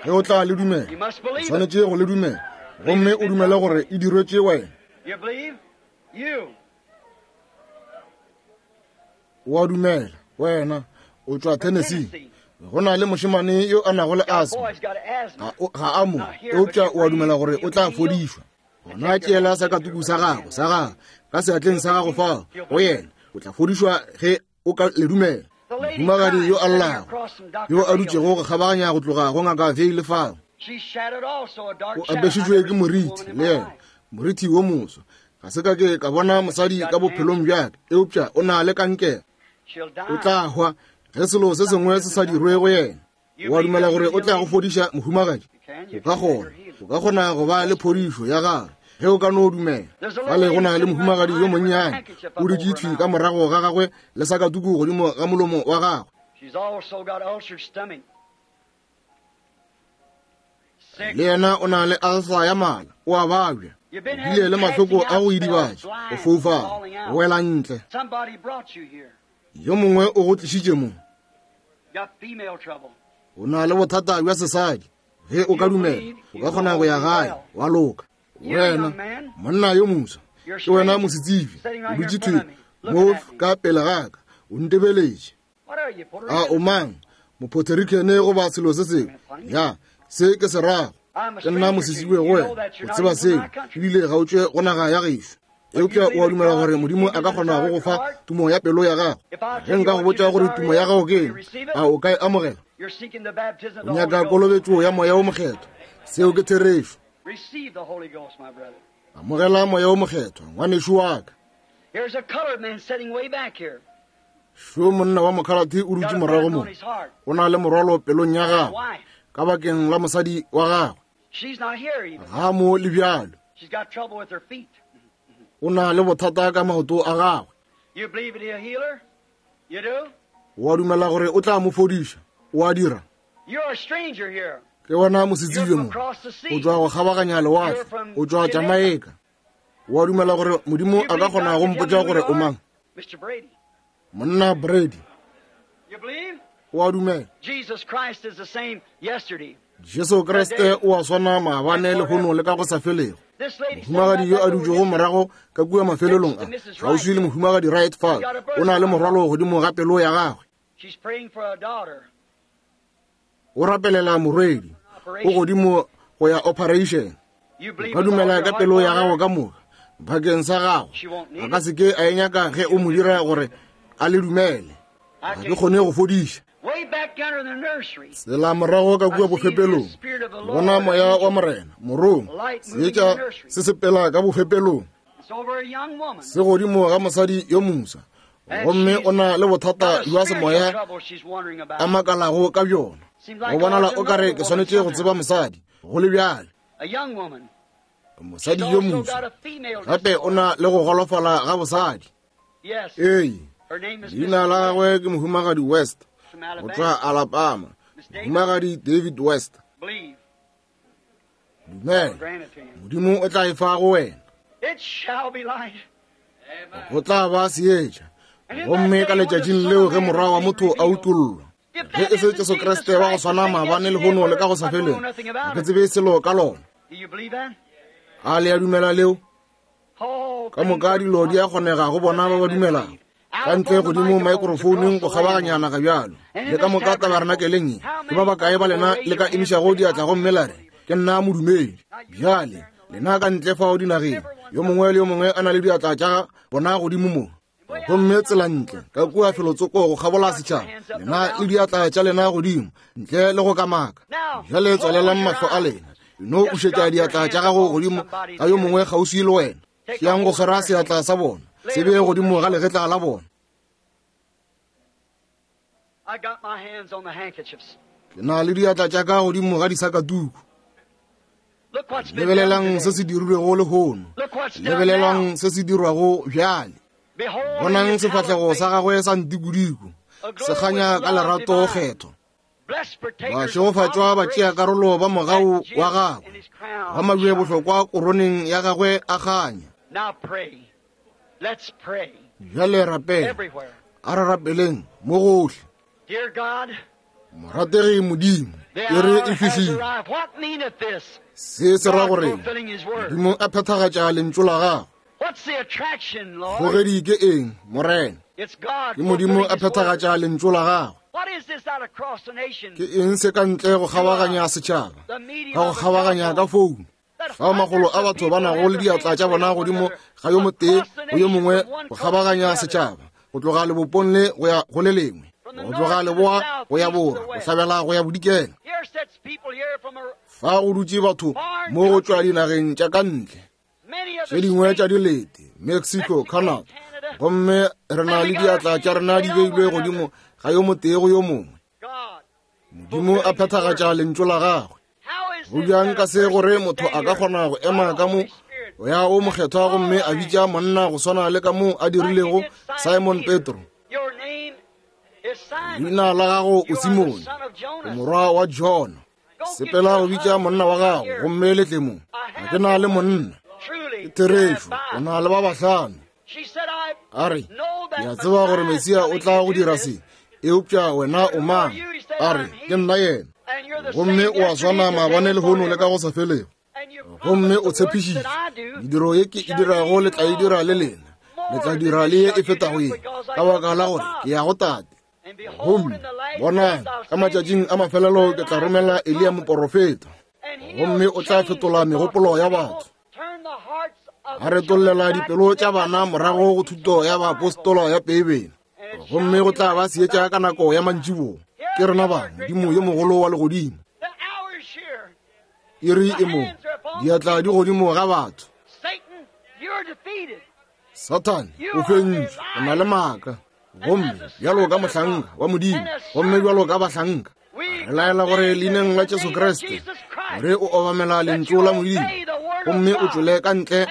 Ge o tla le dumela, o swanetše go le dumela, gomme o dumele gore e dirwetše wena. O a dumela, wena, o tšwa Tennessee. Go na le mošemane yo a nago le asma. Ga a mo, eupša o a dumela gore o tla fodišwa. Gona tšeela sakatuku sa gago, sa gago, ka seatleng sa gago fao, go yena. O tla fodišwa ge o ka le dumela. Mohumagadi yo a llago, yo a dutšego go kgabaganya go tloga go ngaka Veile fao, o apešitšwe ke moriti le yena, moriti wo moso. Ga se ka ke ka bona mosadi ka bophelong bja ka, eupša o na le kankere. O tla hwa ge selo se sengwe se sa dirwe go yena. O a dumela gore o tla go fodiša, mohumagadi? O ka kgona. O ka kgona go ba le phodišo ya gagwe ge o ka no dumela. Fale go na le mohumagadi yo monnyane o dutše thwi ka morago ga gagwe le sakatuku godimo ga molomo wa gagwe. Le yena o na le alsa ya mala, o a babja. O bile le mahloko a go idibatša, go foufala, go wela ntle. Yo mongwe o go tlišitše mo. O na le bothata bja sesadi. Ge o ka dumela, o ka kgona go ya gae wa loka. Wena monna yo moswa, ke wena mosetsebje, o dutše thwi mo ka pele ga ka, o ntebeletše. A o mang, Mopuerto Rican goba selo se sengwe? Ya, se ke se rago. Ke nna mosetsebje go wena, o tseba seo, ebile ga o tšwe go naga ya gešo. Eupša o a dumela gore Modimo a ka kgona go go fa tumo ya pelo ya gago? Ge nka go botša gore tumo ya gago ke eng, a o ka e amogela? O nyaka kolobetšo ya Moya wo Mokgethwa. Seo ke therešo. Amogela Moya wo Mokgethwa, ngwanešu wa ka. Šo monna wa mokhalate o dutše morago mo. O na le morwalo pelong ya gagwe ka bakeng la mosadi wa gagwe. Ga mo le bjalo. O na le bothata ka maoto a gagwe. O a dumela gore o tla mo fodiša? O a dira? Ke wena mosetsebje mo. O tšwa go kgabaganya lewatle. O tšwa Jamaica. O a dumela gore Modimo a ka kgona go mpotša gore o mang? Monna Brady. O a dumela? Jesu Kriste o a swana maabane, lehono le ka go sa felego. Mohumagadi yo a dutšego morago ka kua mafelelong a, kgauswi le mohumagadi Wright fale, o na le morwalo godimo ga pelo ya gagwe. O rapelela morwedi, o godimo go ya operation. O ka dumela ka pelo ya gago ka moka bakeng sa gago. A ka se ke a e nyaka ge o mo dira gore a le dumele. Ga ke kgone go fodiša. Tsela morago ka kua bofepelong, bona moya wa Morena, morong, seetša se sepela ka bofepelong, se godimo ga mosadi yo moswa, gomme o na le bothata bja semoya a makalago ka bjona. Go bonala o ka re ke swanetše go tseba mosadi, go le bjale. Mosadi yo moswa gape o na le go golofala ga bosadi. Ee, leina la gagwe ke Mohumagadi West, go tšwa Alabama, Mohumagadi David West. Dumela, Modimo o tla e fa go wena. Go tla ba seetša. Gomme ka letšatšing leo ge Morwa wa motho a utollwa, ge e se Jesu Kriste wa go swana maabane, lehono le ka go sa felego, ga ke tsebe selo ka lona. A le a dumela leo? Ka moka dilo di a kgonega go bona ba ba dumelago. Ka ntle godimo maekrofouneng go kgabaganya naga bjalo, le ka moka tabarenakeleng ye, ke ba bakae ba lena le ka emišago diatla gomme la re, Ke nna modumedi? Bjale, lena ka ntle fao dinageng, yo mongwe le yo mongwe a na le diatla tša bona godimo mo. Gomme tsela ntle ka kua felotsoko go kgabola setšhaba, lena le diatla tša lena godimo, ntle le go kamaka. Bjale tswalelang mahlo a lena, no ušetša diatla tša gago godimo ga yo mongwe kgauswi le wena. Yang go swara seatla sa bona, se bee godimo ga legetla la bona. Ke na le diatla tša ka godimo ga disakatuku. Lebelelang se se dirilwego lehono. Lebelelang se se dirwago bjale. Bonang sefahlego sa gagwe sa ntikodiko se kganya ka lerato kgetho. Bašegofatšwa ba tšea karolo ba mogau wa gagwe, ba mabje bohlokwa koroneng ya gagwe a kganya. Bjale rapela, a re rapeleng mo gohle. Morategi Modimo, e re e fihlile. Se se ra gore Modimo a phethagatša lentšu la gagwe. Kgogedi ke eng, Morena? Ke Modimo a phethagatša lentšu la gagwe. Ke eng se ka ntle go kgabaganya setšhaba, ka go kgabaganya ka founu? Fao magolo a batho ba nago le diatla tša bona godimo ga yo motee go yo mongwe go kgabaganya setšhaba, go tloga lebopong le go ya go le lengwe, go tloga leboa go ya borwa, bohlabela go ya bodikela. Fa go dutše batho mo go tšwa dinageng tša ka ntle, tše dingwe tša dilete, Mexico, Canada, gomme re na le diatla tša rena di beilwe godimo ga yo motee go yo mongwe. Modimo a phethagatša lentšu la gagwe. Go bjang ka se gore motho a ka kgona go ema ka mo ya o mokgethwa gomme a bitša monna go swana le ka mo a dirilego Simon Petro. Leina la gago o Simone, o morwa wa Jona. Sepela go bitša monna wa gago gomme le tle mo. Ga ke na le monna. Ke therešo, o na le ba bahlano. A re, ke a tseba gore Mesia o tla go dira se, eupša wena o mang? A re, ke nna yena. Gomme o a swana maabane lehono le ka go sa felego. Gomme o tshepišitše, mediro ye ke e dirago le tla e dira le lena, le tla dira le ye e fetago ye, ka baka la gore ke ya go Tate. Gomme bonang, ka matšatšing a mafelelo ke tla romela Eliya moporofeta, gomme o tla fetola megopolo ya batho, a retollela dipelo tša bana morago go thuto ya baapostola ya Beibele, gomme go tla ba seetša ka nako ya mantšiboa. Ke rena ba Modimo yo mogolo wa legodimo. Iri e mo, diatla di godimo ga batho. Sathane o fentšwe, o na le maaka. Gomme bjalo ka mohlanka wa Modimo, gomme bjalo ka bahlanka, re laela gore leineng la Jesu Kriste gore o obamela lentšu la Modimo gomme o tšwele ka ntle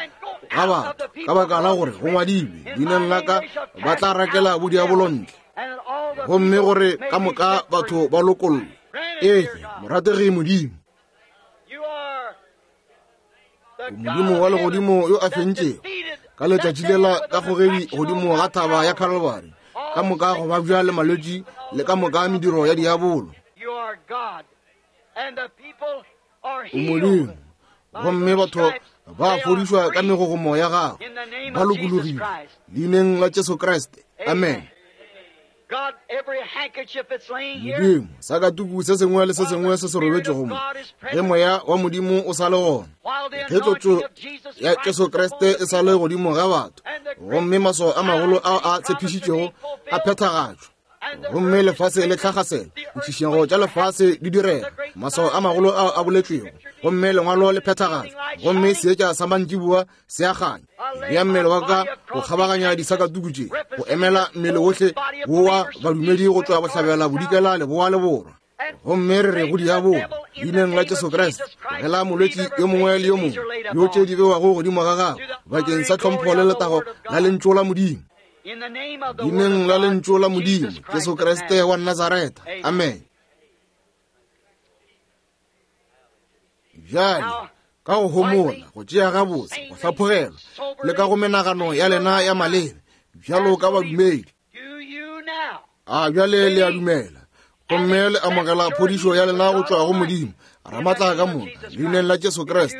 ga batho, ka baka la gore go ngwadilwe, leineng la ka ba tla rakela bodiabolo ntle, gomme gore ka moka batho ba lokollwe. Efe, morategi Modimo, Modimo wa legodimo yo a fentšego ka letšatši lela ka kgogedi godimo ga thaba ya Calvary, ka moka go babja le malwetši le ka moka mediro ya diabolo. O Modimo, gomme batho ba fodišwa ka megogomo ya gago, ba lokologile leineng la Jesu Kriste. Amen. Modimo, sakatuku se sengwe le se sengwe se se robetšego mo, ge moya wa Modimo o sa le gona, ge tlotšo ya Jesu Kriste e sa le godimo ga batho, gomme maswao a magolo ao a tshepišitšwego a phethagatšwa, gomme lefase le tlhagasela, ditšhišego tša lefase di direga, maswao a magolo ao a boletšwego, gomme lengwalo le phethagatšwa, gomme seetša sa mantšiboa se a kganya. Bea mmele wa ka go kgabaganya disakatuku tše, go emela mmele wohle wo wa badumedi go tšwa bohlabela, bodikela, leboa le borwa. Gomme re re go diabolo, leineng la Jesu Kriste, tlogela molwetši yo mongwe le yo mongwe yo tše di bewago godimo ga gagwe bakeng sa tlhompho le letago la lentšu la Modimo. Leineng la lentšu la Modimo, Jesu Kriste wa Nazaretha. Amen. Bjale, ka go homola, go tšea gabotse, go hlaphogelwa, le ka go menagano ya lena ya malebe, bjalo ka badumedi. A bjale le a dumela, gomme le amogela phodišo ya lena go tšwa go Modimo, Ramatla ka moka, leineng la Jesu Kriste.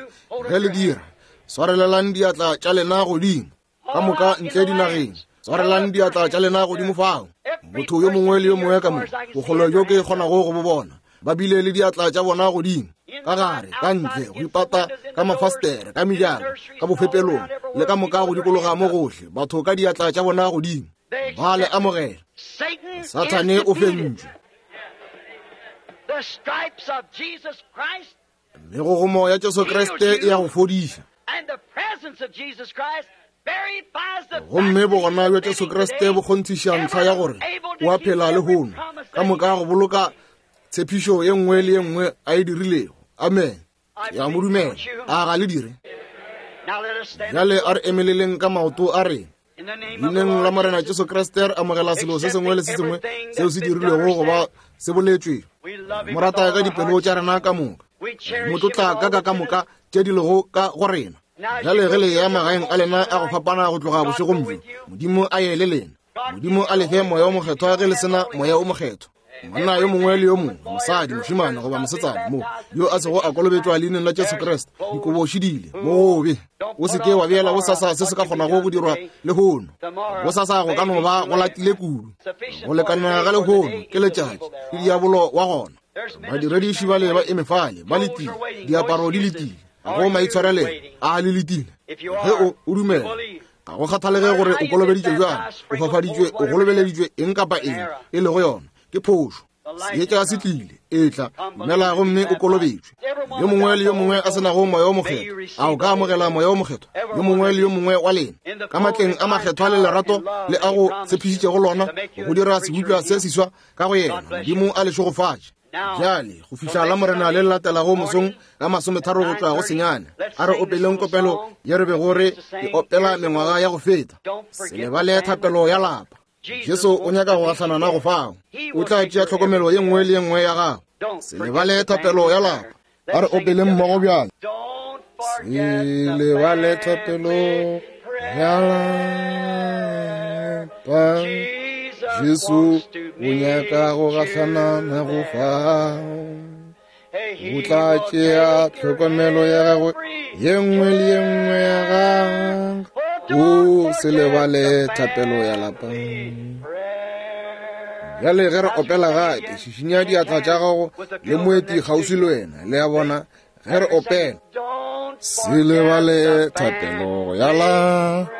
Ge le dira, swarelelang diatla tša lena godimo, ka moka ntle dinageng. Swarelang diatla tša lena godimo fao. Motho yo mongwe le yo mongwe ka mo, bokgole bjo ke kgonago go bo bona, ba bile le diatla tša bona godimo, ka gare, ka ntle, go ipata ka mafastere, ka mejako, ka bofepelong, le ka moka go dikologa mo gohle, batho ka diatla tša bona godimo. Ba le amogela. Sathane o fentšwe. Megogomo ya Jesu Kriste e ya go fodiša. Gomme bogona bja Jesu Kriste bo kgonthiša ntlha ya gore o a phela lehono, ka moka go boloka tshepišo ye nngwe le ye nngwe a e dirilego. Amen. Ke a mo dumela. A ga le dire? Bjale a re emeleleng ka maoto a rena. Leineng la Morena Jesu Kriste re amogela selo se sengwe le se sengwe seo se dirilwego goba se boletšwe. Mo rata ka dipelo tša rena ka moka. Mo tlotla ka ka ka moka tše di lego ka go rena. Bjale ge le ya magaeng a lena a go fapana go tloga bošegong bjo, Modimo a ye le lena. Modimo a le fe Moya o Mokgethwa ge le sena Moya o Mokgethwa. Monna yo mongwe le yo mongwe, mosadi, mošemane goba mosetsana mo, yo a sego a kolobetšwa leineng la Jesu Kriste, dikobo šidile, mo gobe. O se ke wa beela bosasa se se ka kgonago go dirwa lehono. Bosasa go ka no ba go latile kudu. Go lekana ga lehono ke letšatši, ke diabolo wa gona. Badirediši bale ba eme fale, ba letile, diaparo di letile, ga go maitshwarelelo, a le letile. Ge o o dumela, ga go kgathalege gore o kolobeditšwe bjang, o fafaditšwe, o golobeleditšwe eng kapa eng e lego yona, ke phošo. Seetša se tlile, etla, dumela gomme o kolobetšwe. Yo mongwe le yo mongwe a se nago Moya wo Mokgethwa, a o ka amogela Moya wo Mokgethwa? Yo mongwe le yo mongwe wa lena, ka matleng a makgethwa le lerato le a go tshepišitšego lona, go dira sebopša se seswa ka go yena. Modimo a le šegofatše. Bjale, go fihla la Morena le le latelago mosong ka masometharo go tšwa go senyane, a re opeleng kopelo ye re bego re e opela mengwaga ya go feta. Se lebale thapelo ya lapa. Jesu o nyaka go gahlana nago fao. O tla tšea tlhokomelo ye nngwe le ye nngwe ya gago. Se lebale thapelo ya lapa. A re opeleng mmogo bjale. Se lebale thapelo ya lapa. Jesu o nyaka go gahlana nago fao. O tla tšea tlhokomelo ya gagwe ye nngwe le ye nngwe ya gagwe. O se lebale thapelo ya lapa. Bjale ge re opela gape, šišinya diatla tša gago le moeti kgauswi le wena. Le a bona, ge re opela, se lebale thapelo ya lapa.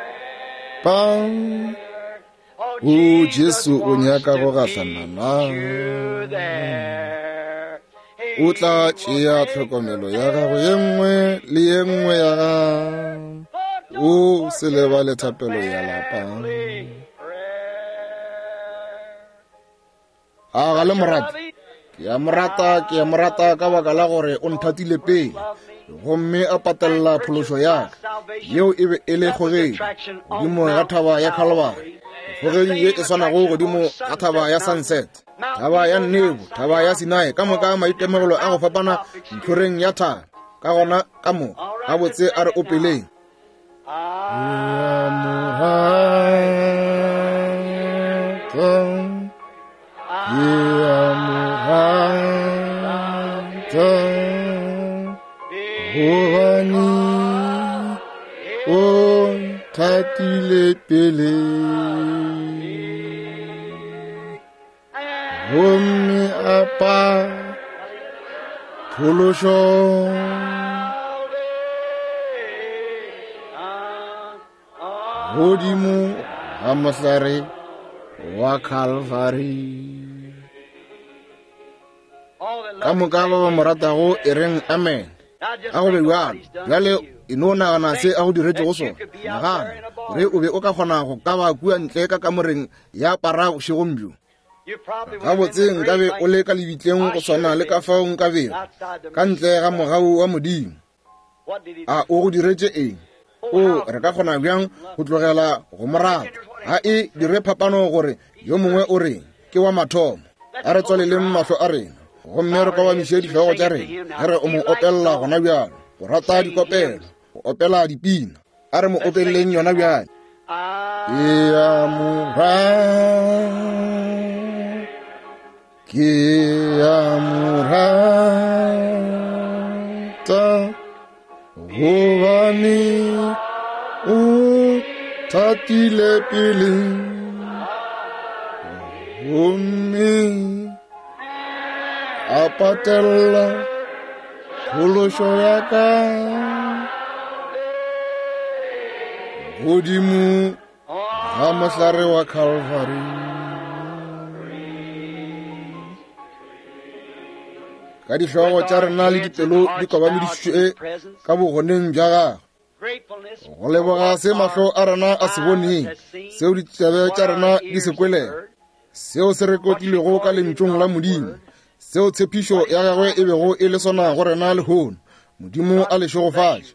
O Jesu o nyaka go gahlana na. O tla tšea tlhokomelo ya gago ye nngwe le ye nngwe ya gago. O se lebale thapelo ya lapa. A ga le morata? Ke a mo rata, ke a mo rata ka baka la gore o nthatile pele gomme a patelela phološo ya ka. Yeo e be e le kgogedi godimo ga thaba ya Calvary, kgogedi ye e swanago godimo ga thaba ya Sunset, thaba ya Nebo, thaba ya Sinai, ka moka maitemogelo a go fapana ntlhoreng ya thaba. Ka gona ka moka gabotse a re opeleng. Gobane o nthatile pele gomme a pa phološo godimo ga mohlare wa Calvary. Ka moka ba ba mo ratago e reng amen. A go be bjalo. Bjale e no nagana se a go diretšego sona. Nagana gore o be o ka kgona go ka ba kua ntle ka kamoreng ya para bošegong bjo. Gabotse nkabe o le ka lebitleng go swana le ka fao nkabego ka ntle ga mogau wa Modimo. A o go diretše eng? O re ka kgona bjang go tlogela go mo rata? Ga e dire phapano gore yo mongwe o reng, ke wa mathomo. A re tswaleleng mahlo a rena gomme re kobamiše dihlogo tša rena ge re o mo opelela gona bjalo. Go rata dikopelo, go opela dipina. A re mo opeleleng yona bjale. Ke a mo rata, ke a mo rata, gobane o Thatile pele gomme a patella phološo ya ka godimo ga mohlare wa Calvary. Ka dihlogo tša rena le dipelo di kobamedišitšwe ka bogoneng bja gagwe go leboga se mahlo a rena a se boneng, seo ditsebe tša rena di se kwelego, seo se rekotilwego ka lentšong la Modimo, seo tshepišo ya gagwe e bego e le sona go rena lehono. Modimo a le šegofatše.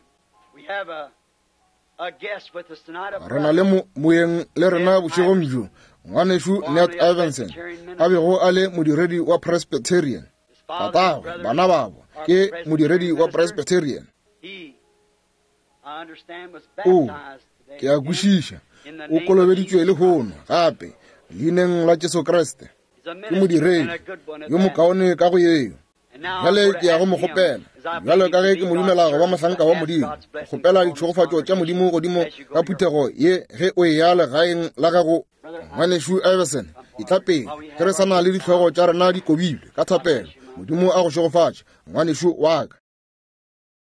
Re na le moeng le rena bošegong bjo, ngwanešu Ned Iverson, a bego a le modiredi wa Presbyterian. Tatagwe, bana babo, ke modiredi wa Presbyterian. O, ke a kwešiša, o kolobeditšwe lehono gape, leineng la Jesu Kriste. Ke modiredi yo mokaone ka go yeo. Bjale ke ya go mo kgopela, bjalo ka ge ke mo dumela go ba mohlanka wa Modimo, kgopela ditšhegofatšo tša Modimo godimo ga phuthego ye ge o eya legaeng la gago. Ngwanešu Iverson, etla pele, ge re sa na le dihlogo tša rena di kobilwe ka thapelo. Modimo a go šegofatše, ngwanešu wa ka.